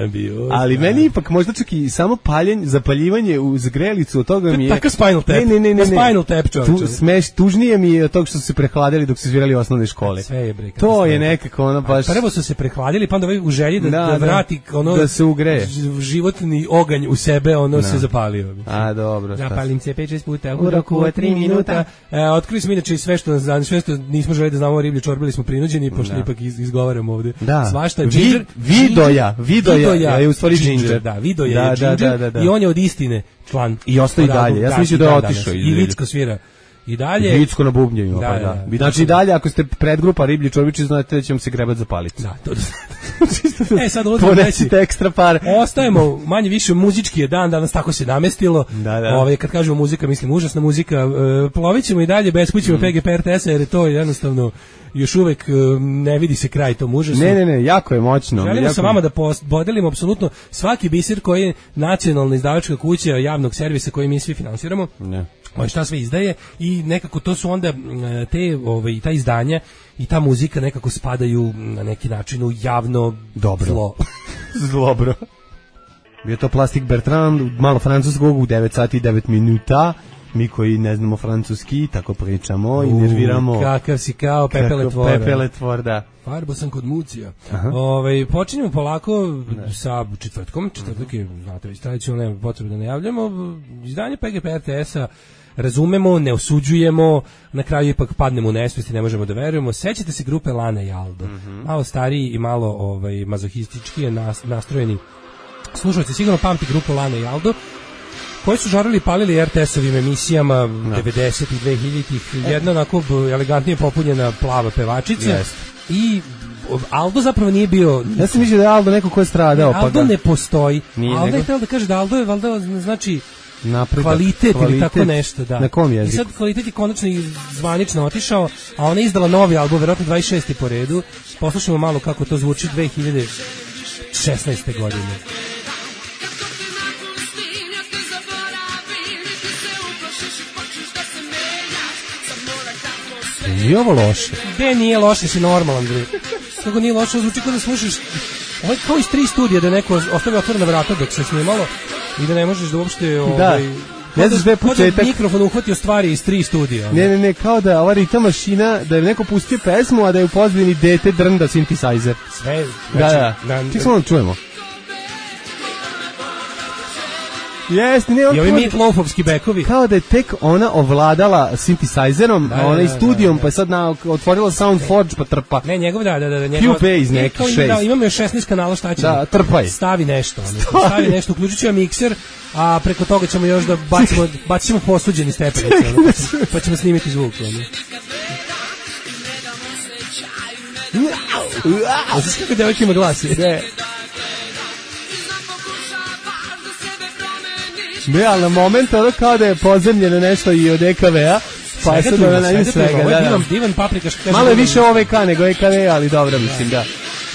ali meni ipak možda čak i samo paljenje, zapaljivanje u zgrelicu od toga mi je... Takav Spinal Tap, ne, ne, ne, ne, Spinal Tap čovječe. Tu, smeš, tužnije mi je od toga što su se prehladili dok su svirali u osnovne škole. Sve je bre. To je nekako ono baš... Prvo su se prehladili, pa onda u želji da, da, da vrati ono... Da se ugreje. Životni oganj u sebe, ono da. Se zapalio. A, dobro. Zapalim se pet šest puta u roku od tri minuta. E, otkrili smo inače sve što nas zanima, sve što nismo želi da znamo o riblji čorbi, bili smo prinuđeni, pošto da. Ipak iz, izgovaramo ovde. Da. Svašta, ginger, Vidoja, Vidoja, Vidoja je u stvari ginger. Da, Vidoja da, je ginger da, da, da. I on je od istine član. I ostaje dalje. Ja sam mislio da je otišao. I Vicko svira. I dalje Vicko na bubnjevima, da, pa da. da. Znači i dalje ako ste predgrupa Riblji čorbići, znate da ćemo se grebat zapaliti. Da, to. E sad ulazimo reći ekstra par. Ostajemo manje više muzički je dan, danas tako se namestilo. Da, da. Ove kad kažemo muzika, mislim užasna muzika. E, plovićemo i dalje bez kućemo mm. P G P R T S-a jer je to jednostavno još uvek ne vidi se kraj tom užasu. Ne, ne, ne, jako je moćno. Želimo jako... sa vama da podelimo apsolutno svaki biser koji je nacionalna izdavačka kuća javnog servisa koji mi svi finansiramo. Ne. On šta sve izdaje i nekako to su onda te ovaj ta izdanja i ta muzika nekako spadaju na neki način u javno dobro zlo. Zlobro. Bio to Plastic Bertrand, malo francuskog u devet sati i devet minuta. Mi koji ne znamo francuski, tako pričamo uh, i nerviramo. Kakav si kao pepeletvor. Pepeletvor, da. Farbo sam kod Mucija. Ovaj počinjemo polako ne. Sa četvrtkom. Četvrtak je, znate, već tradicionalno nema potrebe da najavljamo. Izdanje P G P R T S-a razumemo, ne osuđujemo, na kraju ipak padnemo u nesvest i ne možemo da verujemo. Sećate se grupe Lana i Aldo? Mm-hmm. Malo stariji i malo ovaj, mazohistički nas, nastrojeni slušalci sigurno pamti grupu Lana i Aldo, koji su žarili i palili R T S-ovim emisijama no. devedesetih i dvehiljaditih. Jedna onako elegantnije popunjena plava pevačica. Yes. I Aldo zapravo nije bio... Ja sam mislio da je Aldo neko ko je stradao. Ne, Aldo pa ga... ne postoji. Nije Aldo nego... je htio da kaže da Aldo je valjda znači... Napredak, kvalitet, kvalitet ili tako nešto, da. Na kom jeziku? I sad kvalitet je konačno i zvanično otišao, a ona je izdala novi album, verovatno dvadeset šesti po redu. Poslušamo malo kako to zvuči dve hiljade šesnaeste godine. Nije ovo loše. Gde nije loše, si normalan, bre. Kako nije loše, zvuči kao da slušaš ovo je kao iz tri studija da neko ostavio otvorena vrata dok se snimalo i da ne možeš da uopšte ovaj, ne znaš da je početak. Mikrofon uhvatio stvari iz tri studija. Ne, ne, ne, kao da ova ritam mašina, da je neko pustio pesmu, a da je u pozadini dete drnda synthesizer. Sve, znači, da, da. Ček samo da čujemo. Jeste, ne, on i ovi Meatloafovski bekovi. Kao da je tek ona ovladala synthesizerom, da, a ona i studijom, da, da. Pa je sad na, otvorila Soundforge, pa trpa. Ne, njegov, da, da, da. Njegov, Q P iz nekih šest. Da, imamo još šesnaest kanala, šta će? Da, trpaj. Stavi nešto. Stavi, stavi nešto, uključit ću ja mikser, a preko toga ćemo još da bacimo, bacit ćemo posuđeni stepenice, pa, pa ćemo snimiti zvuk. A znaš kako devojka ima glas? Ne. Ne, ali na moment ono kao da je pozemljeno nešto i od E K V-a, pa je sad ono na njim svega. Ovo je divan, divan paprikaš. Malo je više O V K nego E K V, ali dobro, mislim, da.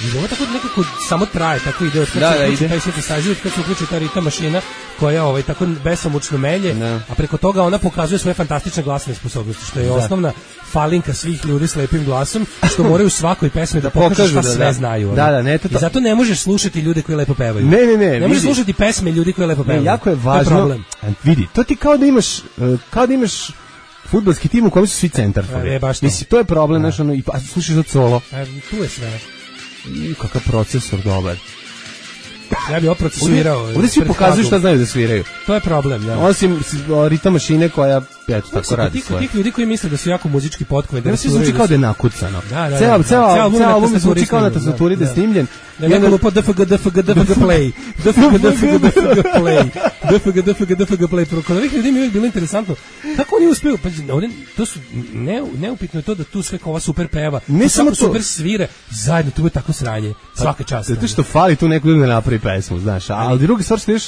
I ovo tako nekako samo traje, tako ide od kad da, se da, uključi taj synthesizer, kad se uključi ta ritam mašina koja ovaj, tako besomučno melje, no. A preko toga ona pokazuje svoje fantastične glasne sposobnosti, što je da. Osnovna falinka svih ljudi s lepim glasom, što moraju u svakoj pesmi da pokažu šta da, sve da. Znaju. Da, da, ne, to, to. I zato ne možeš slušati ljude koji lepo pevaju. Ne, ne, ne. Ne možeš slušati pesme ljudi koji lepo pevaju. Ne, jako je važno. To je problem. Vidi, to ti kao da imaš, kao da imaš fudbalski tim u kojem su svi centarfori. E, baš to. Mislim, to je problem, znaš, ono, i pa slušaš od solo. E, tu je sve. I kakav procesor dobar. Ja bih oprocesuirao. Ovdje svi pokazuju šta znaju da sviraju. To je problem, da. Osim ritam mašine koja, eto, tako radi svoje. Tih ljudi koji misle da su jako muzički potkovani. Da se zvuči kao da je nakucano. Da, da, ceo, ceo, ceo album zvuči kao na tastaturi da je snimljen. Da neko lupa D F G, D F G, D F G play. D F G, D F G, D F G play. D F G, D F G, D F G play. Kod ovih ljudi mi je bilo interesantno. Kako oni uspeju? Pa ovdje, to su, ne, neupitno je to da tu sve kao ova super peva. Ne samo super svire. Zajedno, tu je tako sranje. Svaka čast. Zato što fali tu neko da napravi pesmu, znaš. Ali drugi stvar što još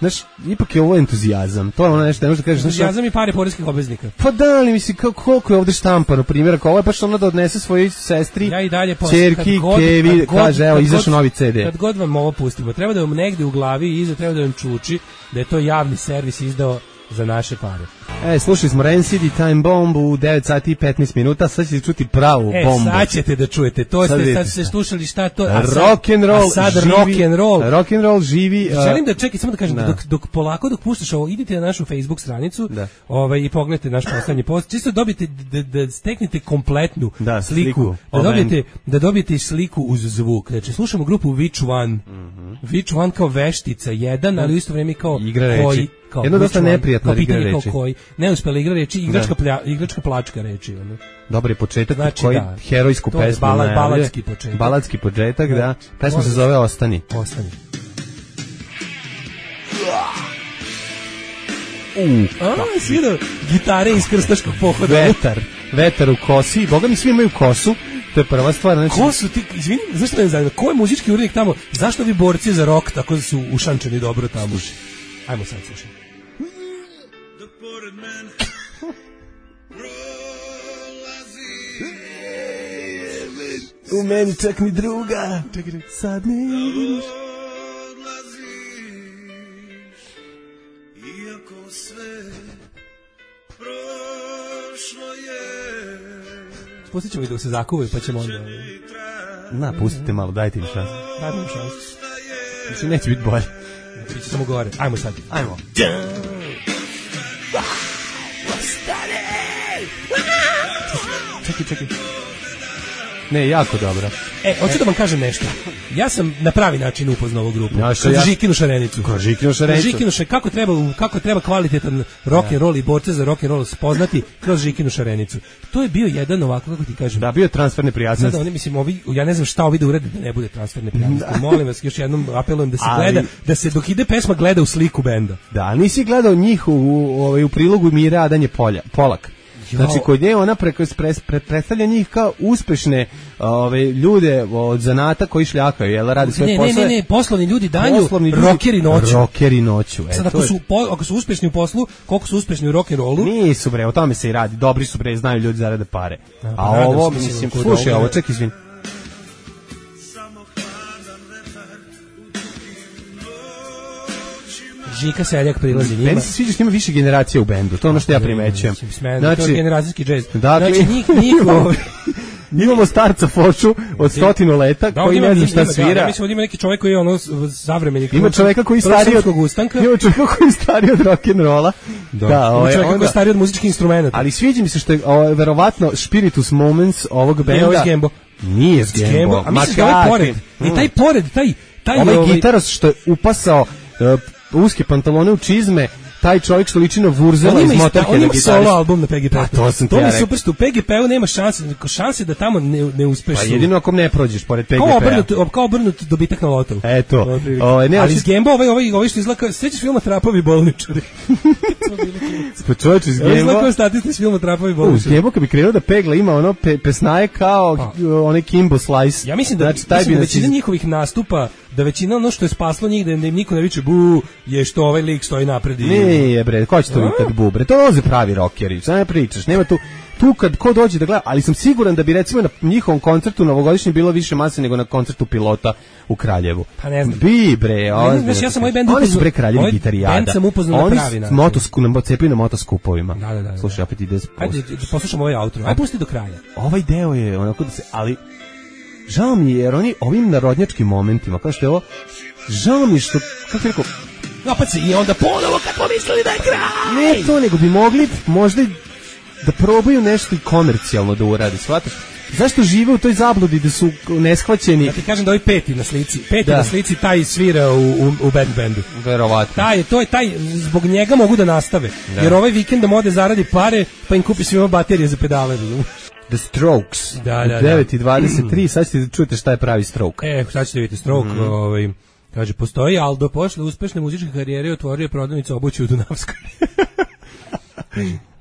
znaš, ipak je ovo entuzijazam. To je ono nešto, ne možeš da kažeš. Entuzijazam i pare poreskih obveznika. Pa da, ali mislim, koliko je ovde štampano, primjer, ako ovo je baš ono da odnese svojoj sestri, ja i dalje ćerki, Kevi, kaže, evo, izašao novi ce de. Kad god vam ovo pustimo, treba da vam negde u glavi i iza treba da vam čuči da je to javni servis izdao za naše pare. E, slušali smo Rancid i Time Bomb u devet sati i petnaest minuta, sad ćete čuti pravu e, bombu. E, sad ćete da čujete, to sad ste, sad ste slušali šta to, a sad, rock and roll, a sad živi, rock and roll. Rock and roll živi. Uh, Želim da čekaj, samo da kažem, da. dok, dok polako, dok puštaš ovo, idite na našu Facebook stranicu da. ovaj, i pogledajte naš poslednji post, čisto dobijete, da, da steknete kompletnu da, sliku, sliku da, dobijete, da dobijete sliku uz zvuk. Znači, slušamo grupu Which One, mm-hmm. Which One kao veštica, jedan, ali u isto vreme kao igra koji, reči. Kao, jedno dosta neprijatno igra reči. Koji, neuspela igra reči, igračka, plja, igračka plačka reči. Ono. Dobar je početak, znači, koji da, herojsku pesmu bala, najavlja. Baladski početak. Baladski početak, da. da. Pesma Možda se zove Ostani. Ostani. Uh, A, svira, gitare iz krstaškog pohoda. Vetar, vetar u kosi. Boga mi svi imaju kosu. To je prva stvar. Znači... Ko su ti, izvini, zašto ne znam, ko je muzički urednik tamo? Zašto vi borci za rock tako su ušančeni dobro tamo? Ajmo sad slušaj. U meni čak ni druga. Sad ne vidiš. Iako sve prošlo je. Pustit ćemo ih dok se zakuvaju, pa ćemo onda... Na, pustite malo, dajte im šansu. Dajmo im šansu. Mislim, neće biti bolje. Biće samo gore. Ajmo sad. Ajmo. Čekaj, čekaj. Ne, jako dobro. E, hoću da vam kažem nešto. Ja sam na pravi način upoznao ovu grupu. Ja, kroz ja... Žikinu šarenicu. Kroz Žikinu šarenicu. Žikinu šarenicu. Kako treba, kako treba kvalitetan rock and roll i borce za rock and roll spoznati kroz Žikinu šarenicu. To je bio jedan ovako, kako ti kažem. Da, bio je transferne prijatnosti. Sada oni, mislim, ovi, ja ne znam šta ovi da urede da ne bude transferne prijatnosti. Molim vas, još jednom apelujem da se ali... gleda, da se dok ide pesma gleda u sliku benda. Da, nisi gledao njih u, u, u, u prilogu Mire Adanje Polja, Polak. Znači, kod nje ona preko, pre, pre, predstavlja njih kao uspešne ove, ljude od zanata koji šljakaju, jel, radi svoje ne, posle. Ne, ne, ne, poslovni ljudi danju, rokeri noću. Rokeri noću. E, sad, ako su, po, ako su uspešni u poslu, koliko su uspešni u rock'n'rollu? Nisu, bre, o tome se i radi. Dobri su, bre, znaju ljudi zarade pare. A, A, A ovo, mislim, slušaj ovo, ček, izvin. Žika Seljak prilazi njima. Meni se sviđa što ima više generacija u bendu, to je ono što ja primećujem. Znači, to je generacijski džez. Dakle, znači, njih, njih imamo starca Foču od stotinu leta da, koji ne zna šta svira. Da, ja mislim da ima neki čovjek koji je ono savremenik. Ima čovjeka koji stari od ustanka. Ima čovjeka koji stari od rock'n'rolla. Da, da ima čovjeka onda, koji stari od muzičkih instrumenata. Ali sviđa mi se što je o, verovatno spiritus moments ovog benda. Ne, ovo je Gembo. Nije Gembo. A mislim da ovaj pored. I taj pored, taj taj ovaj gitaros što je upasao uh, uske pantalone u čizme, taj čovjek što liči na Vurzela iz Motorheada. On ima solo album na P G P. Pa to sam ti ja rekao. To mi super, što u P G P-u nema šanse, šanse da tamo ne, ne uspeš. Pa jedino ako ne prođeš pored P G P-a. Kao obrnut, kao obrnut dobitak na lotovu. Eto. O, ne, ali iz Gemba ovaj, ovaj, ovaj što izlaka, sećaš filma Trapovi bolničari? Pa čovječ iz Gemba. Izlaka statist iz filma Trapovi bolničari. U Gemba kad bi krenuo da pegla ima ono pe, pesnaje kao pa. Onaj Kimbo Slice. Ja mislim da, znači, taj mislim da većina iz... njihovih nastupa, da većina ono što je spaslo njih, da im niko ne viče bu, je što ovaj lik stoji napred i... Ne, bre, ko će to vikati bu, bre, to loze pravi rockeri, šta ne pričaš, nema tu, tu kad ko dođe da gleda, ali sam siguran da bi recimo na njihovom koncertu novogodišnjem bilo više mase nego na koncertu Pilota u Kraljevu. Pa ne znam. Bi, bre, ne znam, ja sam ovaj bend upoznao. Oni su bre kraljevi gitarijada. Bend sam upoznao na pravi način. Oni su na cepili na motoskupovima. Da, da, da. Slušaj, opet ide... Ajde, poslušamo ovaj outro, ajde pusti do kraja. Ovaj deo je onako da se, ali... Žao mi je, jer oni ovim narodnjačkim momentima, kao što je ovo, žao mi je što, kako je rekao, opet se i onda ponovo kako mislili da je kraj. Ne to, nego bi mogli možda da probaju nešto i komercijalno da uradi, shvataš? Zašto žive u toj zabludi da su neshvaćeni? Ja ti kažem da ovaj peti na slici, peti da. na slici taj svira u, u, u band bandu. Verovatno. Taj, to je taj, zbog njega mogu da nastave, da. Jer ovaj vikend da mode zaradi pare, pa im kupi svima baterije za pedale. The Strokes, da, da, devet i dvadeset tri, sad ćete da čujete šta je pravi Stroke. E, sad ćete vidjeti Stroke, mm. ovaj, kaže, postoji Aldo, posle uspešne muzičke karijere otvorio prodavnicu obuće u Dunavskoj.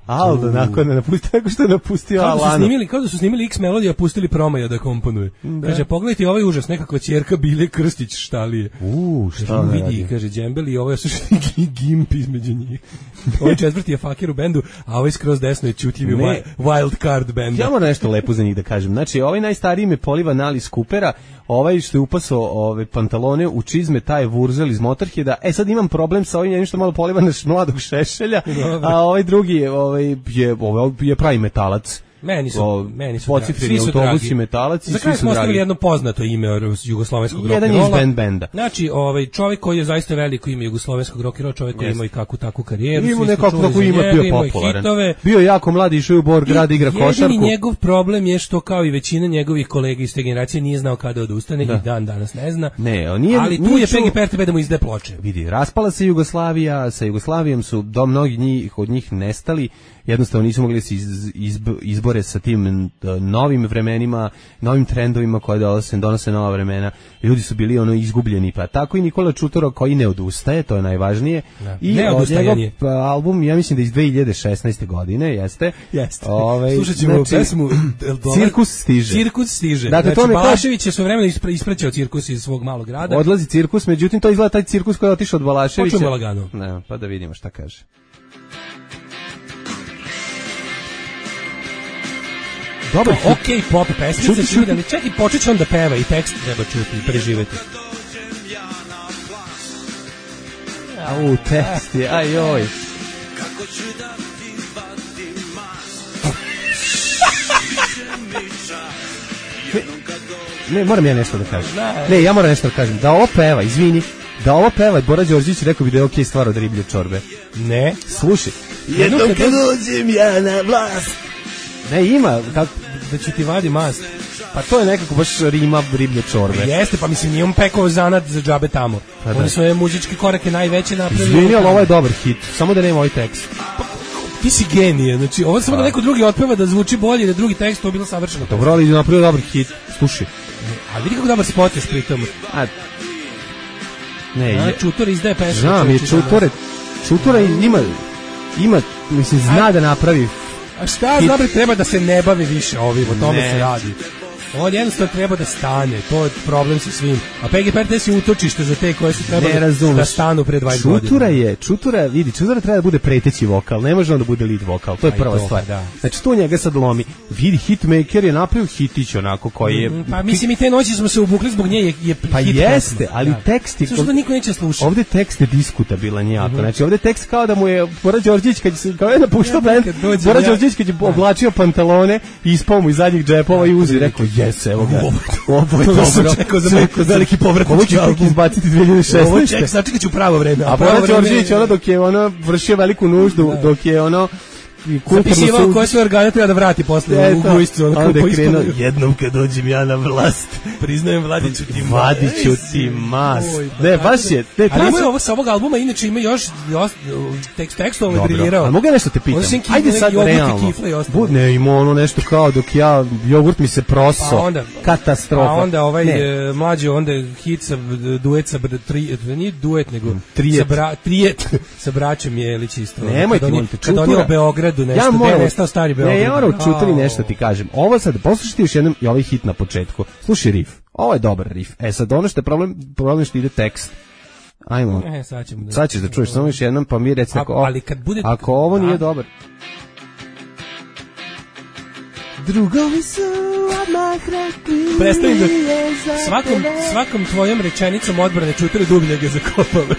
Aldo, nakon da napustio, tako što je napustio kao da Alano. su snimili, kao da su snimili X melodiju, a pustili Promaja da komponuje. Da. Kaže, pogledajte ovaj užas, nekakva ćerka Bile Krstić štalije. U, šta kaže, ne vidi, radi? kaže, džembeli i ovo je suštini gimp između njih. Ovaj četvrti je fakir u bendu, a ovaj skroz desno je čutljivi Ne. wild card benda. Ja moram nešto lepo za njih da kažem. Znači, ovaj najstariji me poliva Nali Skupera, ovaj što je upasao ove pantalone u čizme, taj je Vurzel iz Motorheada. E, sad imam problem sa ovim jednim što malo poliva naš mladog Šešelja, a ovaj drugi je, ovaj, je, ovaj je pravi metalac. Meni su, O, meni su Pocifreni dragi. autobus i metalac i Za svi kraj su smo ostavili dragi. jedno poznato ime jugoslovenskog rock Jedan and iz rolla. band benda. Znači, ovaj čovjek koji je zaista veliko ime jugoslovenskog rock and rolla, čovjek koji Jeste. ima i kakvu takvu karijeru, Ima svi smo nekako čuli kako za ima, njega, bio imao je popularan. hitove. Bio je jako mladi, išao je u Bor grad, igra košarku. Jedini njegov problem je što kao i većina njegovih kolega iz te generacije nije znao kada odustane Da. i dan danas ne zna. Ne, on nije, ali tu nije je čuo- P G P R T B da mu izde ploče. Vidi, raspala se Jugoslavija, sa Jugoslavijom su do mnogi njih, od njih nestali, jednostavno nisu mogli se iz, izb, izbore sa tim n- novim vremenima, novim trendovima koje donose, donose nova vremena. Ljudi su bili ono izgubljeni, pa tako i Nikola Čutoro koji ne odustaje, to je najvažnije. Da. I Ne od odustajanje. njegov pa, album, ja mislim da iz dve hiljade šesnaeste godine, jeste. Jeste. Ovaj, Slušat ćemo znači, pesmu El Dolar. Cirkus stiže. Cirkus stiže. Dakle, Znači, to ne kaže- Balašević je svojevremeno ispre, ispraćao cirkus iz svog malog grada. Odlazi cirkus, međutim to izgleda taj cirkus koji je otišao od Balaševića. Počujemo lagano. Ne, pa da vidimo šta kaže. Dobar hit. Ok, pop pesmica, Čuti, će čuti. ali čak i počet će on da peva i tekst treba čuti i preživeti. Au, tekst je, aj joj. Ne, ne, moram ja nešto da kažem. Ne, ja moram nešto da kažem. Da ovo peva, izvini, da ovo peva, Bora Đorđević rekao bi da je okej stvar od riblje čorbe. Ne. Slušaj. Jednom kad dođem ja na vlast. Ne, ima, kako, Da ću ti vadi mast. pa to je nekako baš rima riblje čorbe. Jeste, pa mislim, nije on pekao zanat za džabe tamo. Pa da. Oni svoje muzičke korake najveće napravili. Izvini, ali ovo je dobar hit, samo da nema ovaj tekst. Ti si genije, znači ovo samo da neko drugi otpeva da zvuči bolje, da drugi tekst, to je bilo savršeno. Dobro, ali je napravio dobar hit. Slušaj. A vidi kako dobar spot još pritom. A, ne, A, je, Čutor izdaje pesmu. znam je čovječe, Čutore, Čutora ima, ima, mislim, zna da napravi. A šta znam, treba da se ne bavi više ovim, o tome Ne. se radi. On jednostavno treba da stane, to je problem sa svim. A P G P R T si utočište za te koje su Ne trebali razumeš. da stanu pre dvadeset godina. Čutura je, Čutura, vidi, Čutura treba da bude preteći vokal, ne može on da bude lead vokal, to je Pa i prva to, stvar. pa da. Znači, to njega sad lomi. Vidi, hitmaker je napravio hitić onako koji je... Mm, Pa mislim i te noći smo se ubukli zbog nje je, je Pa hit jeste, pesma. ali Da. tekst je... Zato što niko neće slušati. Ovde tekst je diskutabilan jako. Mhm. Znači, ovde tekst kao da mu je Bora Đorđević, kad se, kao je napuštao Ja, band, kad dođem Bora ja- Đorđević kad je Da. oblačio pantalone i ispao mu iz zadnjih džepova i uzi, rekao, jes, evo ga. Ovo je To sam dobro. čekao za Sve- veliki- veliki povratnički Ovo ću tek album. izbaciti dve hiljade Ovo šesnaeste. ček, sačekat ću pravo vreme. A pravo Bora vreme- Đorđević, ono dok je ono vršio veliku nuždu, dok je ono i kulturno Zapisivao sud- koje sve organe treba da vrati posle u Eto, gujscu. Ono onda kao je krenuo, poispalo- jednom kad dođem ja na vlast, Priznajem, Vladiću ti Vladiću Ej, ti mas. Oj, pa Ne, tako baš da- je, ne, Ali treba ima se- ovo sa ovog albuma, inače ima još još tekst tekstualno je Dobro, briljirao. a mogu ja nešto te On pitam? sem kifle, Ajde neki sad jogurt i realno. kifle i ostalo. Bud, ne, ima ono nešto kao dok ja, jogurt mi se proso. Pa onda- Katastrofa. A onda ovaj Ne. e, mlađi onda hit sa duet sa br- tri, nije duet nego Trijet. sa bra, trijet sa braćom Jelić isto. Nemoj Kad ti oni- molim te, Kad oni Čutura. u Beogradu nešto, Ja gde moram, je nestao stari Beograd. Ne, ja moram Čuturi Au. nešto ti kažem. Ovo sad, poslušaj ti još jednom i ovaj hit na početku. Slušaj riff. Ovo je dobar riff. E sad, ono što je problem, problem je što ide tekst. Ajmo. E, sad ćemo da... Sad ćeš da čuješ samo još jednom, pa mi reci A- ako, ali kad bude- ako ovo Da. nije dobar. Drugovi su odmah rekli Prestani da je za svakom, tebe. svakom tvojom rečenicom odbrane Čutore dublje ga zakopavaš.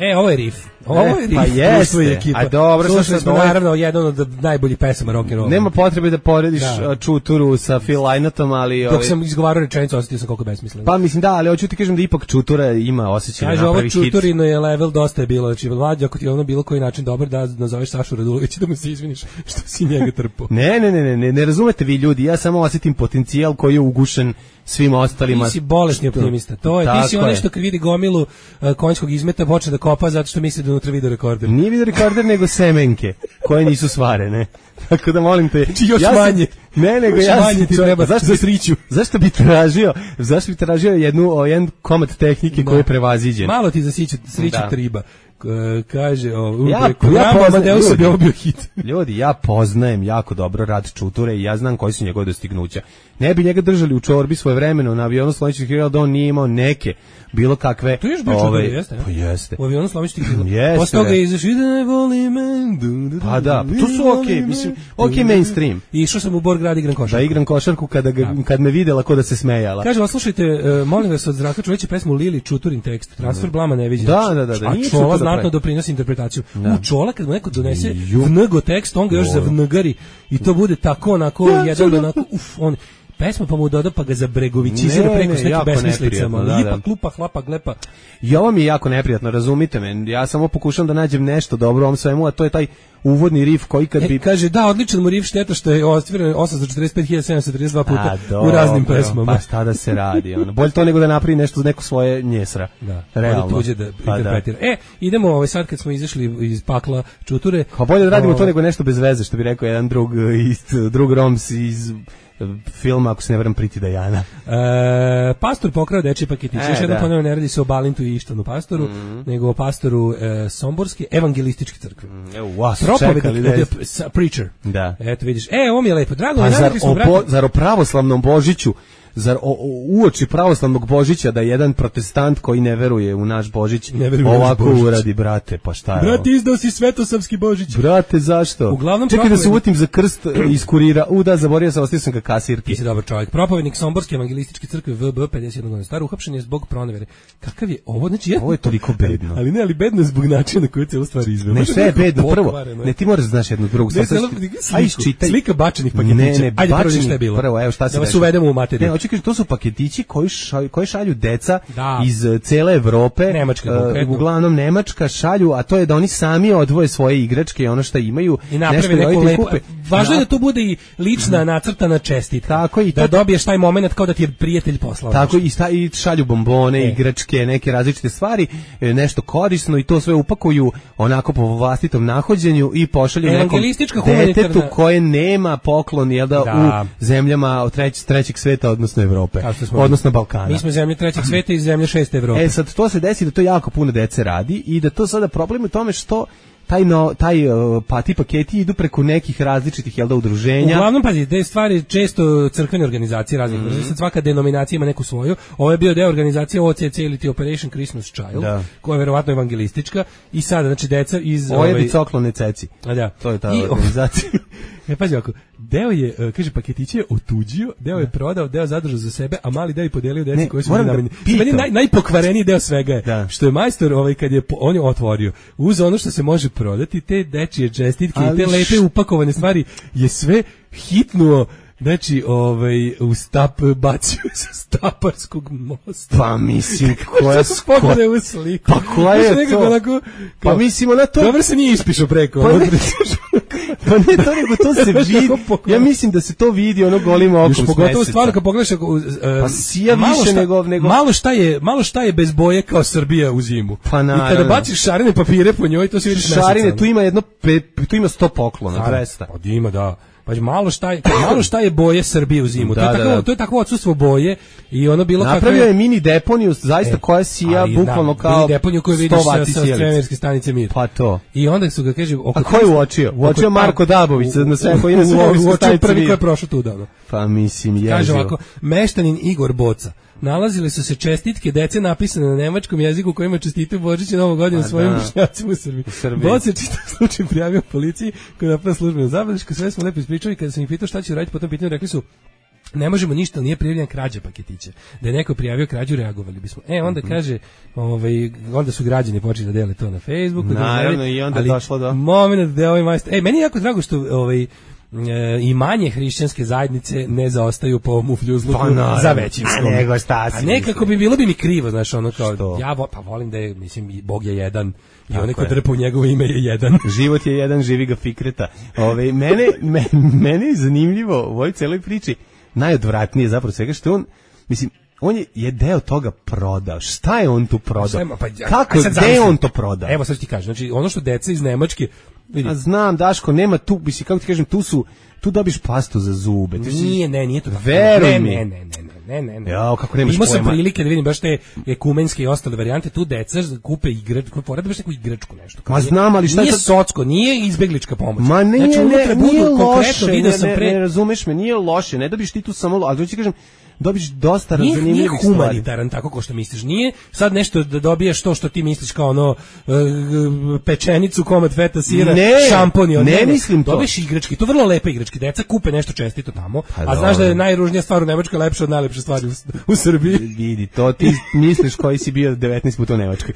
E, ovo je riff. Ovo E, je riff. pa jeste. Usvoji ekipa. A dobro, Slušali sad smo ovo je- naravno jedan od najboljih pesama rock and roll. Nema potrebe da porediš Da. a, Čuturu sa Phil Lynottom, ali... Dok ovaj, sam izgovarao rečenicu, osjetio sam koliko je besmisleno. Pa mislim da, ali hoću ti kažem da ipak Čutura ima osjećaj da Kaže, ovo napravi hit. Čuturino je level, dosta je bilo. Znači, Vlađe, ako ti je ono bilo koji način dobar, da nazoveš Sašu Radulovića da mu se izviniš što si njega trpao. Ne, ne, ne, ne, ne, ne razumete vi ljudi, ja samo osjetim potencijal koji je ugušen svim ostalima. Ti si bolesni optimista. To je, ti si Tako onaj je. što kad vidi gomilu uh, konjskog izmeta počne da kopa zato što misli da unutra vidi rekorder. Nije video rekorder, nego semenke, koje nisu svarene. Tako da molim te... Znači, još sam- manje. Ne, nego Još ja manje sam ti čovjek- treba zašto za bi- sriću. Zašto bi tražio, zašto bi tražio jednu, o, jedan komad tehnike Da. koji je prevaziđen? Malo ti za siću, sriću Da. triba. kaže, o, ja, preko ja Rama poznajem, Amadeusa bi ovo bio hit. Ljudi, ja poznajem jako dobro rad Čuture i ja znam koji su njegove dostignuća. Ne bi njega držali u čorbi svoje vremeno na avionu slovećih krila da on nije imao neke bilo kakve. To je još bio Čuture, jeste? Pa jeste. U avionu slovećih krila. Jeste. Posle toga je izašao i da ne voli men. Pa da, to su okej, okay, mislim, okej okay mainstream. I išao sam u Borgrad igram košarku. Da igram košarku kada ga, kad me videla ko da se smejala. Kaže, oslušajte, uh, molim vas od Zdravka Čolića pesmu Lili Čuturin tekst. Transfer blama ne viđe. Da, da, da, da. A Čola znatno doprinosi interpretaciju. Da. U Čola kad mu neko donese vnego tekst, on ga još zavngari i to bude tako onako ja, jedan onako uf, on pesma pa mu doda pa ga zabregovićizira preko s nekim besmislicama. Da, lipa, da. klupa, hlapa, glepa. I ovo mi je jako neprijatno, razumite me. Ja samo pokušam da nađem nešto dobro u ovom svemu, a to je taj uvodni rif koji kad e, bi... Kaže, da, odličan mu rif, šteta što je ostviren osamsto četrdeset pet hiljada sedamsto trideset dva puta a, u raznim pesmama. Pa šta da se radi, ono. Bolje to nego da napravi nešto neko svoje njesra. Da, realno. Tuđe da pa interpretira. Da. E, idemo ovaj, sad kad smo izašli iz pakla Čuture. Pa bolje da radimo o... to nego nešto bez veze, što bi rekao jedan drug, iz, drug Roms iz... filma, ako se ne varam, Priti Dajana. E, pastor pokrao dečji paketić. E, Još jednom ponovno ne radi se o Balintu i Ištanu pastoru, mm. nego o pastoru e, Somborske evangelističke crkve. Mm, evo, vas čekali. Da preacher. Da. Eto vidiš. E, ovo mi je lepo. Drago, pa mi zar, o, brate... zar o pravoslavnom Božiću, zar o, o, uoči pravoslavnog Božića da jedan protestant koji ne veruje u naš Božić ovako Božić. Uradi, brate, pa šta je brate, ovo? izdao si svetosavski Božić. Brate, zašto? Uglavnom čekaj propovednik... da se uvotim za krst iz kurira. U, da, zaborio sam, ostio sam ka kasirki. Ti si dobar čovjek. Propovednik Somborske evangelističke crkve V B pedeset jedan godina star, uhapšen je zbog pronevere. Kakav je ovo? Znači, ja... Ovo je toliko bedno. Ali ne, ali bedno je zbog načina na koji celu stvar izveo. Ne, sve je bedno. Prvo, ne, ti moraš da znaš jednu drugu stvar. Aj, čitaj. Slika bačenih paketića. Ne, ne, ajde prvo šta je bilo. Prvo, evo šta se da vas uvedemo u materiju. Ne, hoću kažem, to su paketići koji šalju, koji šalju deca da. iz cele Evrope, Nemačka, uh, uglavnom Nemačka šalju, a to je da oni sami odvoje svoje igračke i ono što imaju. I naprave neku lepu. Važno je da to bude i lična nacrtana čestitka. Tako i da dobiješ taj momenat kao da ti je prijatelj poslao. Tako i, sta, i šalju bombone, e. igračke, neke različite stvari, nešto korisno i to sve upakuju onako po vlastitom nahođenju i pošalju nekom detetu koje nema poklon jel da, da. u zemljama treć, trećeg sveta, odnosno Evrope, odnosno Balkana. Mi smo zemlje trećeg sveta i zemlje šeste Evrope. E sad to se desi da to jako puno dece radi i da to sada problem u tome što taj no, taj pa ti paketi idu preko nekih različitih jel da udruženja. Uglavnom pazi, te stvari često crkvene organizacije raznih. Mm -hmm. Svaka denominacija ima neku svoju. Ovo je bio deo organizacije O C C ili ti Operation Christmas Child, da. koja je verovatno evangelistička i sada znači deca iz Ovo je ovaj coklone ceci. A da. To je ta I, organizacija. E pazi ovako, deo je, kaže, paketiće je otuđio, deo je prodao, deo zadržao za sebe, a mali deo je podelio deci koji su bili namenjeni. Meni naj, najpokvareniji deo svega je, da. što je majstor, ovaj, kad je on je otvorio, uz ono što se može prodati, te dečije čestitke i te lepe upakovane stvari, je sve hitnuo. Znači, ovaj, u stap bacio sa Staparskog mosta. Pa mislim, koja skoro... u sliku. Pa koja je to? Onako, kao, pa mislim, ona to... Dobro se nije ispišao preko. Pa ne, pa ne to, nego to se vidi. Ja mislim da se to vidi ono golim okom s meseca. Pogotovo stvarno kad pogledaš... Uh, pa sija više šta, nego, nego... Malo šta, je, malo šta je bez boje kao Srbija u zimu. Pa naravno. I kada baciš šarene papire po njoj, to se vidi meseca. Šarene, tu ima jedno, tu ima sto poklona, dvesta. Pa ima, da. Pa malo šta je, malo šta je boje Srbije u zimu. Da, to je tako, da, da. to je takvo odsustvo boje i ono bilo kako napravio je mini deponiju zaista e, koja sija bukvalno kao mini deponiju koju vidiš sa, sa svemirske stanice Mir. Pa to. I onda su ga kaže oko a ko je uočio? Uočio Marko Dabović na sve koji na svemirske stanice prvi koji je prošao tu davno. Pa mislim je. Kaže ovako, meštanin Igor Boca. Nalazile su se čestitke dece napisane na nemačkom jeziku kojima čestitaju Božić i Novu godinu svojim vršnjacima u Srbiji. Boc je čitav slučaj prijavio policiji koja je napravila službenu zabelešku, sve smo lepo ispričali, kada sam ih pitao šta će raditi po tom pitanju, rekli su ne možemo ništa, nije prijavljena krađa paketića. Da je neko prijavio krađu, reagovali bismo. E, onda mm -hmm. kaže, ovaj, onda su građani počeli da dele to na Facebooku. Naravno, da i onda je došlo do... Moment da je ovaj majstor... E, meni je jako drago što ovaj, E, i manje hrišćanske zajednice ne zaostaju po mufljuzluku pa, za većinskom. A nego šta si? A nekako bi bilo bi mi krivo, znaš, ono kao, što? ja vo, pa volim da je, mislim, Bog je jedan i onaj ko drpa u njegovo ime je jedan. Život je jedan, živi ga Fikreta. Ove, mene, me, mene je zanimljivo u ovoj celoj priči, najodvratnije zapravo svega što on, mislim, on je, je deo toga prodao. Šta je on tu prodao? Pa, kako, gde je on to prodao? Evo sad ti kažem, znači ono što deca iz Nemačke vidi. A znam, Daško, nema tu, mislim, kako ti kažem, tu su, tu dobiš pastu za zube. Nije, ne, nije to. Veruj mi. Ne, ne, ne, ne. ne, ne, ne. Jao, kako nemaš Imao sam pojma. prilike da vidim baš te ekumenske i ostale varijante, tu deca kupe igračku, porade baš neku igračku nešto. Ma znam, ali šta je nije sad- socko, nije izbeglička pomoć. Ma ne, znači, ne, unutra budu nije konkretno, loše, video ne, sam ne, pre... ne razumeš me, nije loše, ne dobiš ti tu samo, ali to ti kažem, dobiš dosta Nije, nije zanimljivih stvari. humanitaran tako ko što misliš. Nije sad nešto da dobiješ to što ti misliš kao ono e, pečenicu, komad feta sira, Ne, šampon i od- ne mislim to. Dobiješ igračke, to vrlo lepe igračke. Deca kupe nešto čestito tamo, Pa a znaš dobro. da je najružnija stvar u Nemačkoj lepša od najlepše stvari u, u Srbiji. Vidi, to ti misliš koji si bio devetnaest puta u Nemačkoj.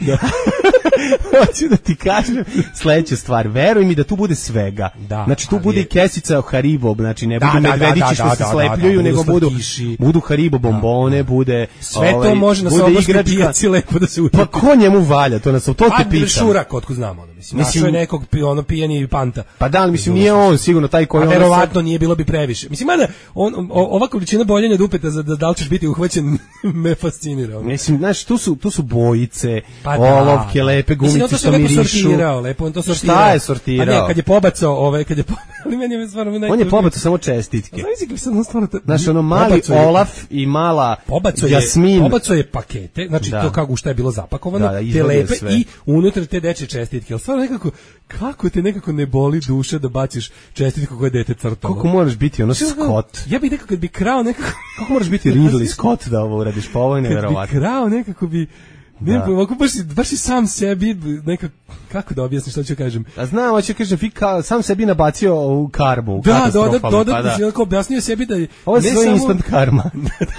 Hoću da ti kažem sledeću stvar. Veruj mi da tu bude svega. Da, znači tu ali bude je- i kesica Haribo, znači ne Da, budu da, da, medvedići da, što da, se da, slepljuju, da, da, nego budu budu slatkiši. budu Haribo bombone, bude Sve ovaj, to može na bude soboškoj igračka. pijaci lepo da se utrpi. Pa ko njemu valja to na to te A pitam. Šurak, otko znamo, ono, mislim. Mislim- Našao je nekog pi- ono pijeni panta. Pa da, ali mislim nije on sigurno taj koji A ono sad- verovatno nije, bilo bi previše. Mislim, mada on, o, ova količina boljenja dupeta za da, da li ćeš biti uhvaćen me fascinira. ono. Mislim, znaš, tu su, tu su bojice, Pa da, olovke, da. lepe Mislim, on gumice to što sve lepo mirišu. sortirao, lepo on to sortirao. Šta je sortirao? Pa ne, kad je pobacao, ovaj, kad je po... ali meni je stvarno On je najtužnije. pobacao samo čestitke. Znaš li sam stvarno... to- Znaš, ono mali Pobacao je- Olaf i mala Pobacao je, Jasmin. pobacao je pakete, znači Da. to kako u šta je bilo zapakovano, Da, da, te izvadio lepe sve. i unutra te dečje čestitke. Ali stvarno nekako, kako te nekako ne boli duša da baciš čestitku koje dete crtalo. Koliko moraš biti ono Scott? Ja bih nekako kad bi krao nekako... Kako moraš biti Ridley Scott da ovo uradiš? Pa ovo je Kad bi nevjerovatno. krao nekako bi... Ne, Da. ovako baš, si- baš si sam sebi nekako... Kako da objasnim što ću kažem? A znam, hoće kažem, vi ka, sam sebi nabacio u karmu. Da, dodat, katastrofalnu, dodat, pa da. da. Onako objasnio sebi da je... Ovo ne se zove samo- instant karma.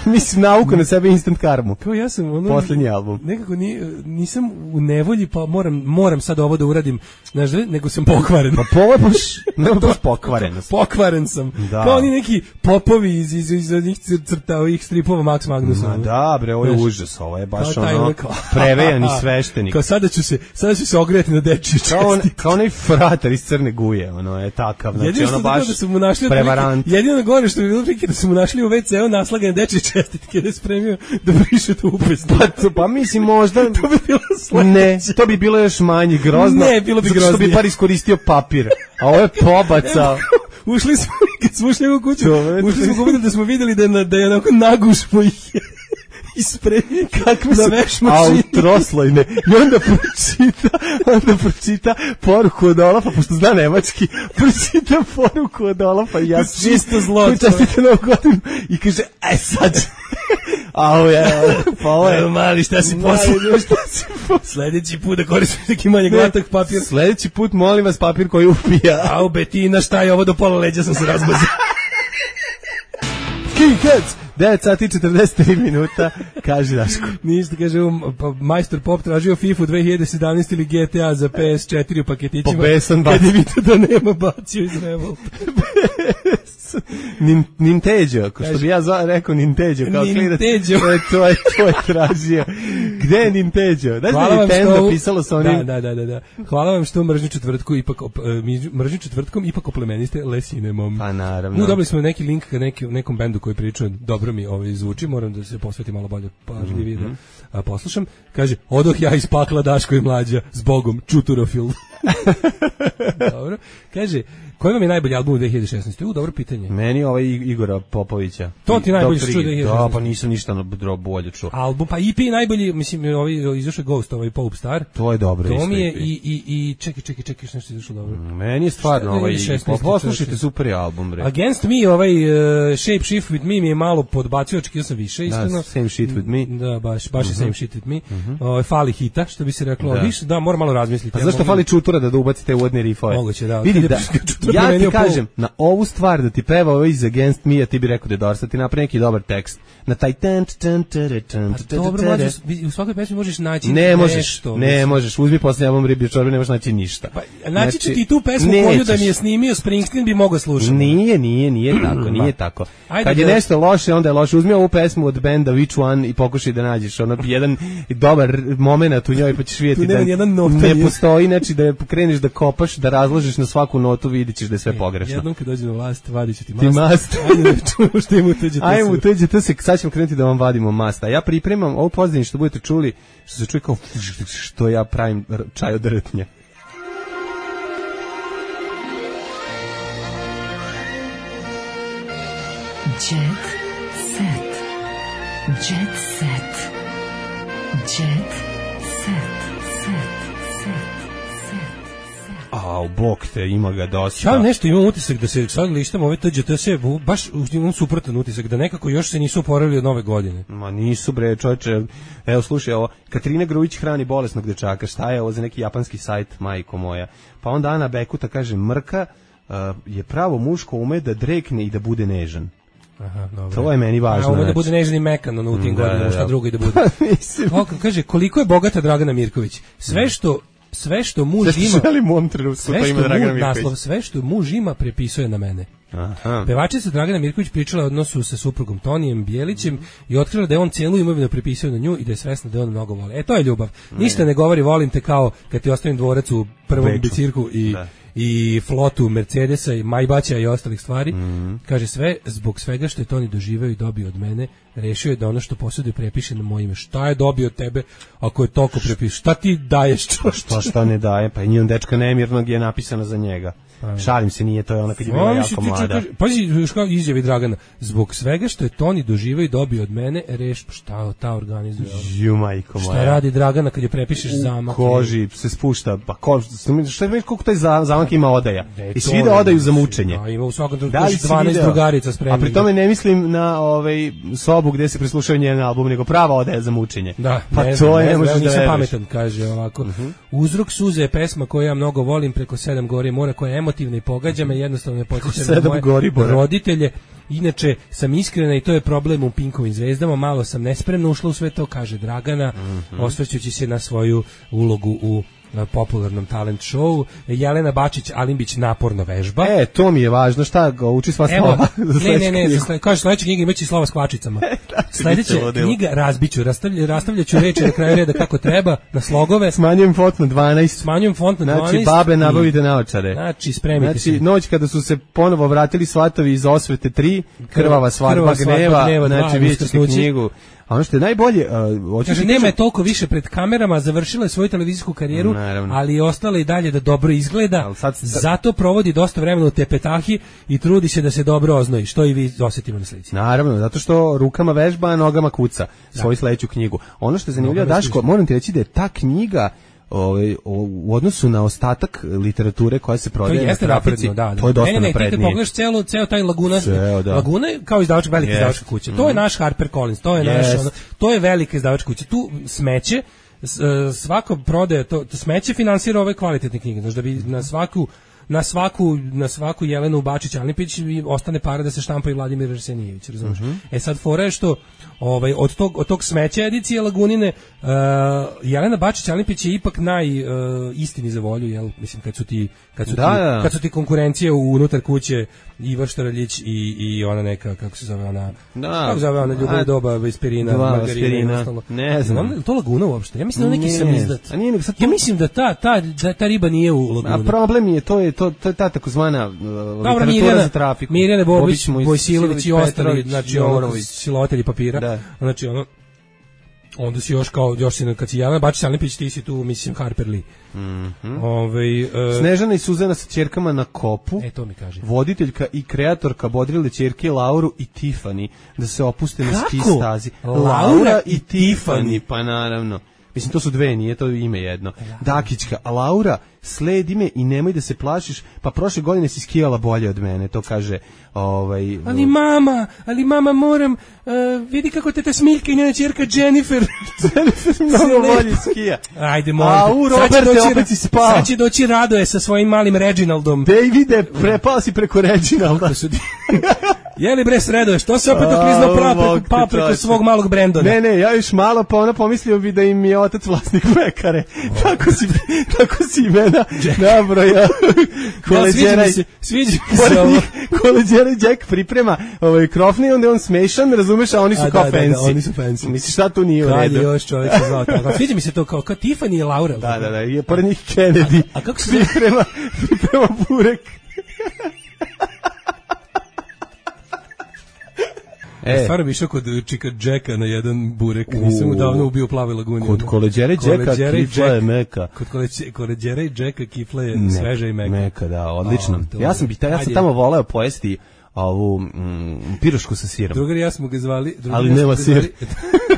Mislim, nauku na sebe instant karmu. Kao ja sam ono... Poslednji album. Nekako ni, nisam u nevolji, pa moram, moram sad ovo da uradim, znaš, da, nego sam pokvaren. Pa po ovo je baš, ne, baš pokvarenost. Pokvaren sam. Da. Kao oni neki popovi iz, iz, iz onih crta, ovih stripova Max Magnusa. Ma ono. da, bre, ovo je Znaš, užas, ovo je baš kao taj ono, ono kao- prevejani sveštenik. Kao sada ću se, sada ću se ogrejati na dečje Kao, on, čestitke. kao onaj fratar iz Crne Guje, ono je takav, znači Jedino ono što baš da su mu našli otprilike- prevarant. jedino gore što bi bilo prilike da su mu našli u ve ce u naslagane dečje čestitke da je spremio da briše to upisno. Pa, to- pa mislim možda... To bi bilo sledeće. Ne, to bi bilo još manje grozno. Ne, bilo bi zato što bi groznije. bar iskoristio papir. A ovo je pobacao. Ušli smo, kad smo ušli u kuću, Čoveče. ušli smo kubili da smo vidjeli da je, na, da je onako nagušmo ih je ispremio Kakve na su veš mašini. autroslojne. I onda pročita, onda pročita poruku od Olafa, pošto zna nemački, pročita poruku od Olafa i ja Čisto zlo, koji čestite novu godinu i kaže, e sad, a ovo je, pa ovo je, Evo mali, šta si Mali, poslao? šta si poslao? Sledeći put da koristiš neki manje glatak papir. Sledeći put molim vas papir koji upija. Au, Betina, šta je ovo, do pola leđa sam se razmazio. King Cats, devet sati i četrdeset tri minuta, kaže Daško. Ništa, kaže, um, pa, majstor Pop tražio FIFA dve hiljade sedamnaeste ili ge te a za pe es četiri u paketićima. Po besan Kad je bacio. vidio da nema, bacio iz Revolta. Nin, Ninteđo, ko što bi ja zva, rekao Ninteđo, kao klinac. Ninteđo. E, to je, to je tražio. Gde je Ninteđo? Znaš da je Nintendo pisalo sa onim... Da, da, da, da. Hvala vam što mržnju četvrtku ipak op, e, mi- mržnju četvrtkom ipak oplemeniste Lesinemom. Pa naravno. U, dobili smo neki link ka neki, nekom bendu koji priča, dobro mi ovaj zvuči, moram da se posvetim malo bolje pažljivije Mhm. da a, poslušam. Kaže, odoh ja iz pakla Daško i mlađa, s Bogom, čuturofil. Dobro. Kaže, koji vam je najbolji album u dve hiljade šesnaeste? U, dobro pitanje. Meni ovaj Igora Popovića. To ti najbolje Doktor čuo Igor. dve hiljade šesnaeste. Da, pa nisam ništa na dro bolje čuo. Album, pa i pe najbolji, mislim, ovaj, izašao je Ghost, ovaj Pope Star. To je dobro To isto mi je E P. i, i, i čekaj, čekaj, čekaj, što nešto izašlo dobro. Meni je stvarno Šta je ovaj... dve hiljade šesnaeste, Pa poslušajte, čoveče? super je album, bre. Against Me, ovaj uh, Shape Shift With Me mi je malo podbacio, očekio sam više, iskreno. Da, Same Shit With Me. Da, baš, baš je Same Shit With Me. Ovaj, fali hita, što bi se reklo. Da. Više, da, moram malo razmisliti. Pa Ja zašto mogu- fali čutura da da ubacite uvodne rifove? Moguće, da. Vidi, Kad je da, Čutura ja ti promenio pol- kažem, na ovu stvar da ti peva ovo iz Against Me, a ti bi rekao da je dosta, ti napravi neki dobar tekst. Na taj tan, tan, tere, tan, Pa dobro, mlađe, u svakoj pesmi možeš naći Ne možeš, nešto, ne mislim. možeš, uzmi posljednji album Riblje čorbe, ne možeš naći ništa. Pa, naći ću Znači, ti tu pesmu koju da nećeš. mi je snimio Springsteen bi mogao slušati. Nije, nije, nije tako, nije tako. Ajde Kad je da- nešto loše, onda je loše. Uzmi ovu pesmu od benda Which One i pokušaj da nađeš ono jedan dobar moment u njoj, pa ćeš vidjeti Tu nema da nijedan nota, ne nije. postoji, znači da je kreneš da kopaš, da razložiš na svaku notu, vidit ćeš da je sve pogrešno. Jednom kad dođe na vlast, vadit ću ti Ti mast. mast. Ajde da čujemo što ima u tuđe. Ajmo, tuđe, to se, sad ćemo krenuti da vam vadimo masta. Ja pripremam ovo pozadnje što budete čuli, što se čuje kao što ja pravim r- čaj od rtnja. Jet set. Jet set. Jet set. Set. A, u bok te, ima ga dosta. Ja nešto imam utisak da se sad lištam ove T Đ T sve, baš imam suprotan utisak, da nekako još se nisu oporavili od nove godine. Ma nisu bre, čoveče. Evo slušaj ovo, Katarina Grujić hrani bolesnog dečaka. Šta je ovo za neki japanski sajt, majko moja? Pa onda Ana Bekuta kaže, Mrka uh, je pravo muško, ume da drekne i da bude nežan. Aha, dobro. To je meni važno. A ume da znači. bude nežan i mekan, ono, u tim Da, godinama, da, šta da. drugo i da bude. Mislim. O, kaže, koliko je bogata Dragana Mirković? Sve što sve što muž Sve što ima, želim u ovom trenutku, sve to što ima Dragana muž, Mirković. naslov, sve što muž ima prepisuje na mene. Aha. Pevačica Dragana Mirković pričala o odnosu sa suprugom Tonijem Bijelićem i otkrila da je on cijelu imovinu prepisao na nju i da je svesna da je on mnogo voli. E, to je ljubav. Ništa ne govori volim te kao kad ti ostavim dvorac u prvom Beču. bicirku i Da. i flotu Mercedesa i Majbaća i ostalih stvari. Mm. Kaže, sve zbog svega što je Toni doživeo i dobio od mene, rešio je da ono što posjeduje prepiše na moje ime. Šta je dobio od tebe ako je toliko prepiše? Šta ti daješ? Čo? Šta šta ne daje? Pa i njun dečka nemirnog je napisana za njega. Šalim se, nije to je ona kad je bila Oni su jako ti mlada. čekaj, pazi, još kao izjavi Dragana. Zbog svega što je Toni doživeo i dobio od mene, reš, šta ta organizuje? Ju, majko moja. Šta radi Dragana kad je prepišeš zamak? Koži se spušta, pa ko, šta vidiš koliko taj za- zamak ima odaja? Ne, I to svi da je- odaju za mučenje. Da, ima u svakom trenutku Da li još si dvanaest video? drugarica spremnih. A pri tome ne mislim na ovaj sobu gde se preslušaju njen album, nego prava odaja za mučenje. Da, pa ne to znam, je, ne ne znam, možeš evo, da nisam veruješ. pametan, kaže ovako. Uzrok suze je pesma koju ja mnogo volim, Preko sedam gori i mora, koja je emotivna i pogađa me, jednostavno me podsjeća na Sedam moje gori, Bora. roditelje. Inače, sam iskrena i to je problem u Pinkovim zvezdama, malo sam nespremno ušla u sve to, kaže Dragana, osvrćući se na svoju ulogu u na popularnom talent show. Jelena Bačić Alimbić naporno vežba. E, to mi je važno, šta ga uči sva Evo, slova? za ne, ne, sledeću ne, knjigu? za sle, kaže sledeća knjiga imaće slova s kvačicama. Sledeća biće ludilo. knjiga razbiću, rastavlja, rastavljaću reči na kraju reda kako treba, na slogove, Smanjujem font na dvanaest. smanjujem font na dvanaest. Znači, babe, i- nabavite naočare. Znači, spremite Znači, se. noć kada su se ponovo vratili svatovi iz Osvete tri, Krvava svadba Krvava svadba gneva, gneva dva, znači vidjet ćete Uskrsnuće. knjigu. A ono što je najbolje, uh, hoću Kaže, ti nema je kažem- toliko više pred kamerama, završila je svoju televizijsku karijeru, Naravno. ali je ostala i dalje da dobro izgleda, Ali sad- zato provodi dosta vremena u tepetahi i trudi se da se dobro oznoji, što i vi osetimo na slici. Naravno, zato što rukama vežba, a nogama kuca svoju sledeću knjigu. Ono što je zanimljivo, Nogama Daško, stiže. moram ti reći da je ta knjiga ovaj, o- u odnosu na ostatak literature koja se To prodaje na jeste trafici, napredno, da, da. to je dosta ne, ne, ne, ti kad naprednije. pogledaš celo, ceo taj Laguna, Ceo, da. Laguna je kao izdavačka, velika Jest. izdavačka kuća. To je naš Harper Collins, to je naš, Jest. ono, to je velika izdavačka kuća. Tu smeće, s- e, svako prodaje, to, to smeće finansira ove kvalitetne knjige, znači da bi na svaku na svaku na svaku Jelenu Bačić Alimpić i ostane para da se štampa i Vladimir Arsenijević, razumeš? E sad fora je što ovaj od tog od tog smeća edicije Lagunine uh, Jelena Bačić Alimpić je ipak naj uh, istini za volju, jel? Mislim kad su ti kad su Da, ti da. kad su ti konkurencije unutar kuće Ivar Štaraljić i i ona neka kako se zove ona Da. kako se zove ona Ljubav A, doba Vesperina, dva Margarina i Vesperina. ostalo. Ne znam. Ona- to Laguna uopšte. Ja mislim da je neki Ne. samizdat. A nije nego sad Ja to- mislim da ta ta da ta riba nije u A Laguni. problem je, to je, to, to je ta takozvana uh, Dobro, literatura Mirjana, za trafiku. Mirjana Bobić, Moj- Bojsilović i ostali, Petrović, znači ono, Jovanović. silovatelji papira. Da. Znači ono, onda si još kao, još si, kad si Jelena Bačić Alimpić, ti si tu, mislim, Harper Lee. Mhm. Ovaj, e, Snežana i Suzana sa ćerkama na kopu. e, to mi kaže. Voditeljka i kreatorka bodrile ćerke Lauru i Tiffany da se opuste na Kako? ski stazi. Laura i i Tiffany, pa naravno. Mislim, to su dve, nije to ime jedno. Dakićka, a Laura, sledi me i nemoj da se plašiš, pa prošle godine si skijala bolje od mene, to kaže ovaj... Ali mama, ali mama moram, uh, vidi kako te ta Smiljka i njena ćerka Jennifer. mnogo lepo. bolje skija. Ajde, moram. A, te. u, Sad će Roberte, doći- opet si spao. Sad će doći Radoje sa svojim malim Reginaldom. Davide, prepao si preko Reginalda. Jeli bre sredo, što se opet A, oklizno pra Bog preko, te pa preko čoveče. svog malog Brendona? Ne, ne, ja još malo, pa ona pomislio bi da im je otac vlasnik pekare. Tako si, tako si imena nabroja. Da, sviđa Koleđera mi i- se, sviđa mi se Pored ovo. njih Koleđera i Jack priprema ovaj krofni i onda je on smešan, razumeš, a oni su A, kao da, da, da, fancy. oni su fancy. Misliš, šta tu nije u Kad je redu? još čovjek se zvao tako. Sviđa mi se to kao, kao Tiffany i Laura. Da, da, da, i pored njih Kennedy. A kako se zove? priprema, priprema burek. E, stvarno bi išao kod Čika Jacka na jedan burek. Nisam mu davno ubio u Plavoj laguni. Kod Koleđera i Jacka Koleđera i kifla je Jack. meka. Kod Koleđe- Koleđera i Jacka kifla je Meka, sveža i meka. Meka, da, odlično. A, dobro. Ja sam bi ta, ja sam Ajde. tamo voleo pojesti ovu mm, pirošku sa sirom. Drugar ja smo ga zvali, ali nema sir.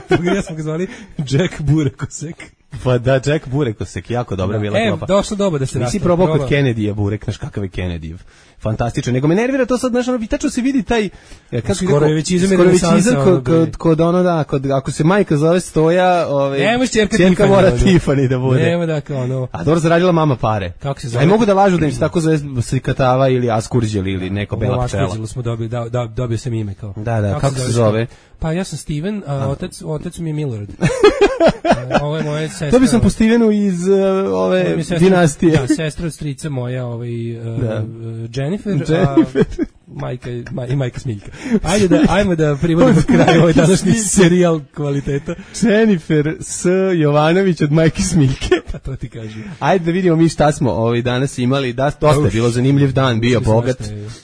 Drugar ja smo ga zvali Jack Burekosek. Pa da, Jack Burekosek, jako dobra bila e, klopa. E, došlo doba da se rastao. Nisi probao kod Kennedyja burek, znaš kakav je Kennedyjev. Fantastično, nego me nervira to sad, znaš, ono, tačno se vidi taj, kako skoro je već izam kod, kod, kod ono da, kod, ako se majka zove Stoja, ove, Nemo čerka čerka mora Tiffany da bude. Nemo da, kao ono. A dobro zaradila mama pare. Kako se zove? Aj mogu da lažu da im se tako zove Slikatava ili Askurđel ili neko Bela pčela. Askurđelu smo dobili, da, da, dobio sam ime kao. Da, da, kako, kako se zove? Pa ja sam Steven, a otac, otac mi je Millard. Ovo je moja sestra. To bi sam po Stevenu iz uh, ove sestra, dinastije. Da, sestra od strica moja, ovaj, uh, da. Jennifer, Jennifer. A majka, maj, i majka Smiljka. Ajde da, ajmo da privodimo kraj ovaj današnji serijal kvaliteta. Jennifer S. Jovanović od majke Smiljke. Pa to ti kažem. Ajde da vidimo mi šta smo ovaj danas imali. Da, dosta je bilo zanimljiv dan, bio bogat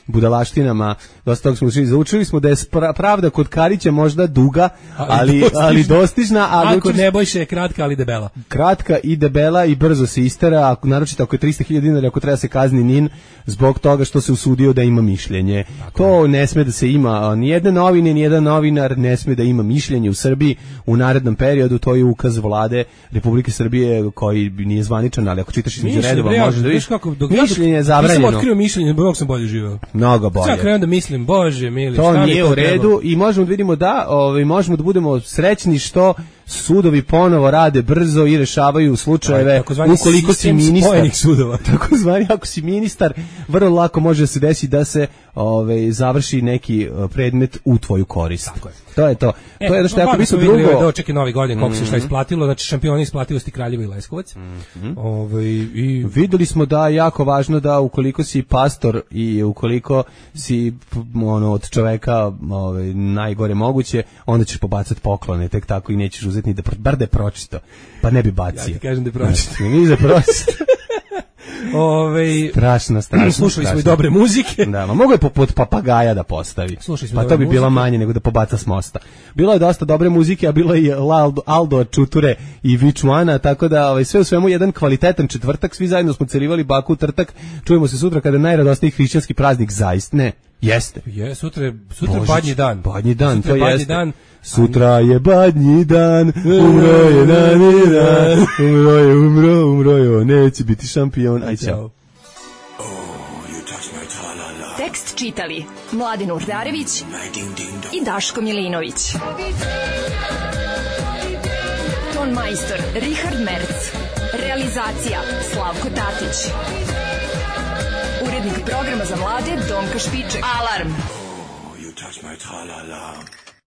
budalaštinama. Dosta toga smo učili. Zaučili smo da je pravda kod Karića možda duga, ali, ali dostižna. Ali a kod Nebojše je kratka, ali debela. Kratka i debela i brzo se istera, ako, naročito ako je trista hiljada dinara, ako treba se kazni Nin, zbog toga što se usudio da ima mišljenje. Tako. To ne sme da se ima, nijedne novine, nijedan novinar ne sme da ima mišljenje u Srbiji u narednom periodu, to je ukaz vlade Republike Srbije koji nije zvaničan, ali ako čitaš između redova možeš da vidiš kako mišljenje je zabranjeno. Nisam otkrio mišljenje, bog sam bolje živeo. Mnogo bolje. Sad krenem da mislim, bože mili, to šta nije to u redu treba? I možemo da vidimo da, ovaj, možemo da budemo srećni što sudovi ponovo rade brzo i rešavaju slučajeve ukoliko si ministar sudova. Takozvani ako si ministar, vrlo lako može da se desi da se ovaj završi neki predmet u tvoju korist. Tako je. To je to. E, to je da što ako bi se drugo drugo dočeki novi godin koliko mm-hmm. se šta isplatilo, znači šampioni isplativosti Kraljevo i Leskovac. Mm-hmm. Ovaj i videli smo da je jako važno da ukoliko si pastor i ukoliko si ono od čoveka ovaj najgore moguće, onda ćeš pobacati poklone, tek tako i nećeš uzeti ni da bar da je pročito. Pa ne bi bacio. Ja ti kažem da je pročito. Znači, ni da pročito. Ove, strašno, strašno. Slušali strašno. smo i dobre muzike. Da, ma mogu je poput papagaja da postavi. Pa to bi muzike. Bilo manje nego da pobaca s mosta. Bilo je dosta dobre muzike, a bilo je i Aldo, Aldo Čuture i Vičuana, tako da ovaj, sve u svemu jedan kvalitetan četvrtak, svi zajedno smo celivali baku trtak. Čujemo se sutra kada je najradosniji hrišćanski praznik, zaista ne. Jeste. Je, sutra je sutra Božić, badnji dan. Badnji dan, sutra to badnji jeste. Dan. Sutra je badnji dan, umro je dani dan, umro je, umro, umro je, neće biti šampion. Aj, čao. Tekst čitali Mladin Urdarević i Daško Milinović. Ton majstor Richard Merc. Realizacija Slavko Tatić. Urednik programa za mlade Donka Špiček. Alarm! Oh, you touch my tra-la-la.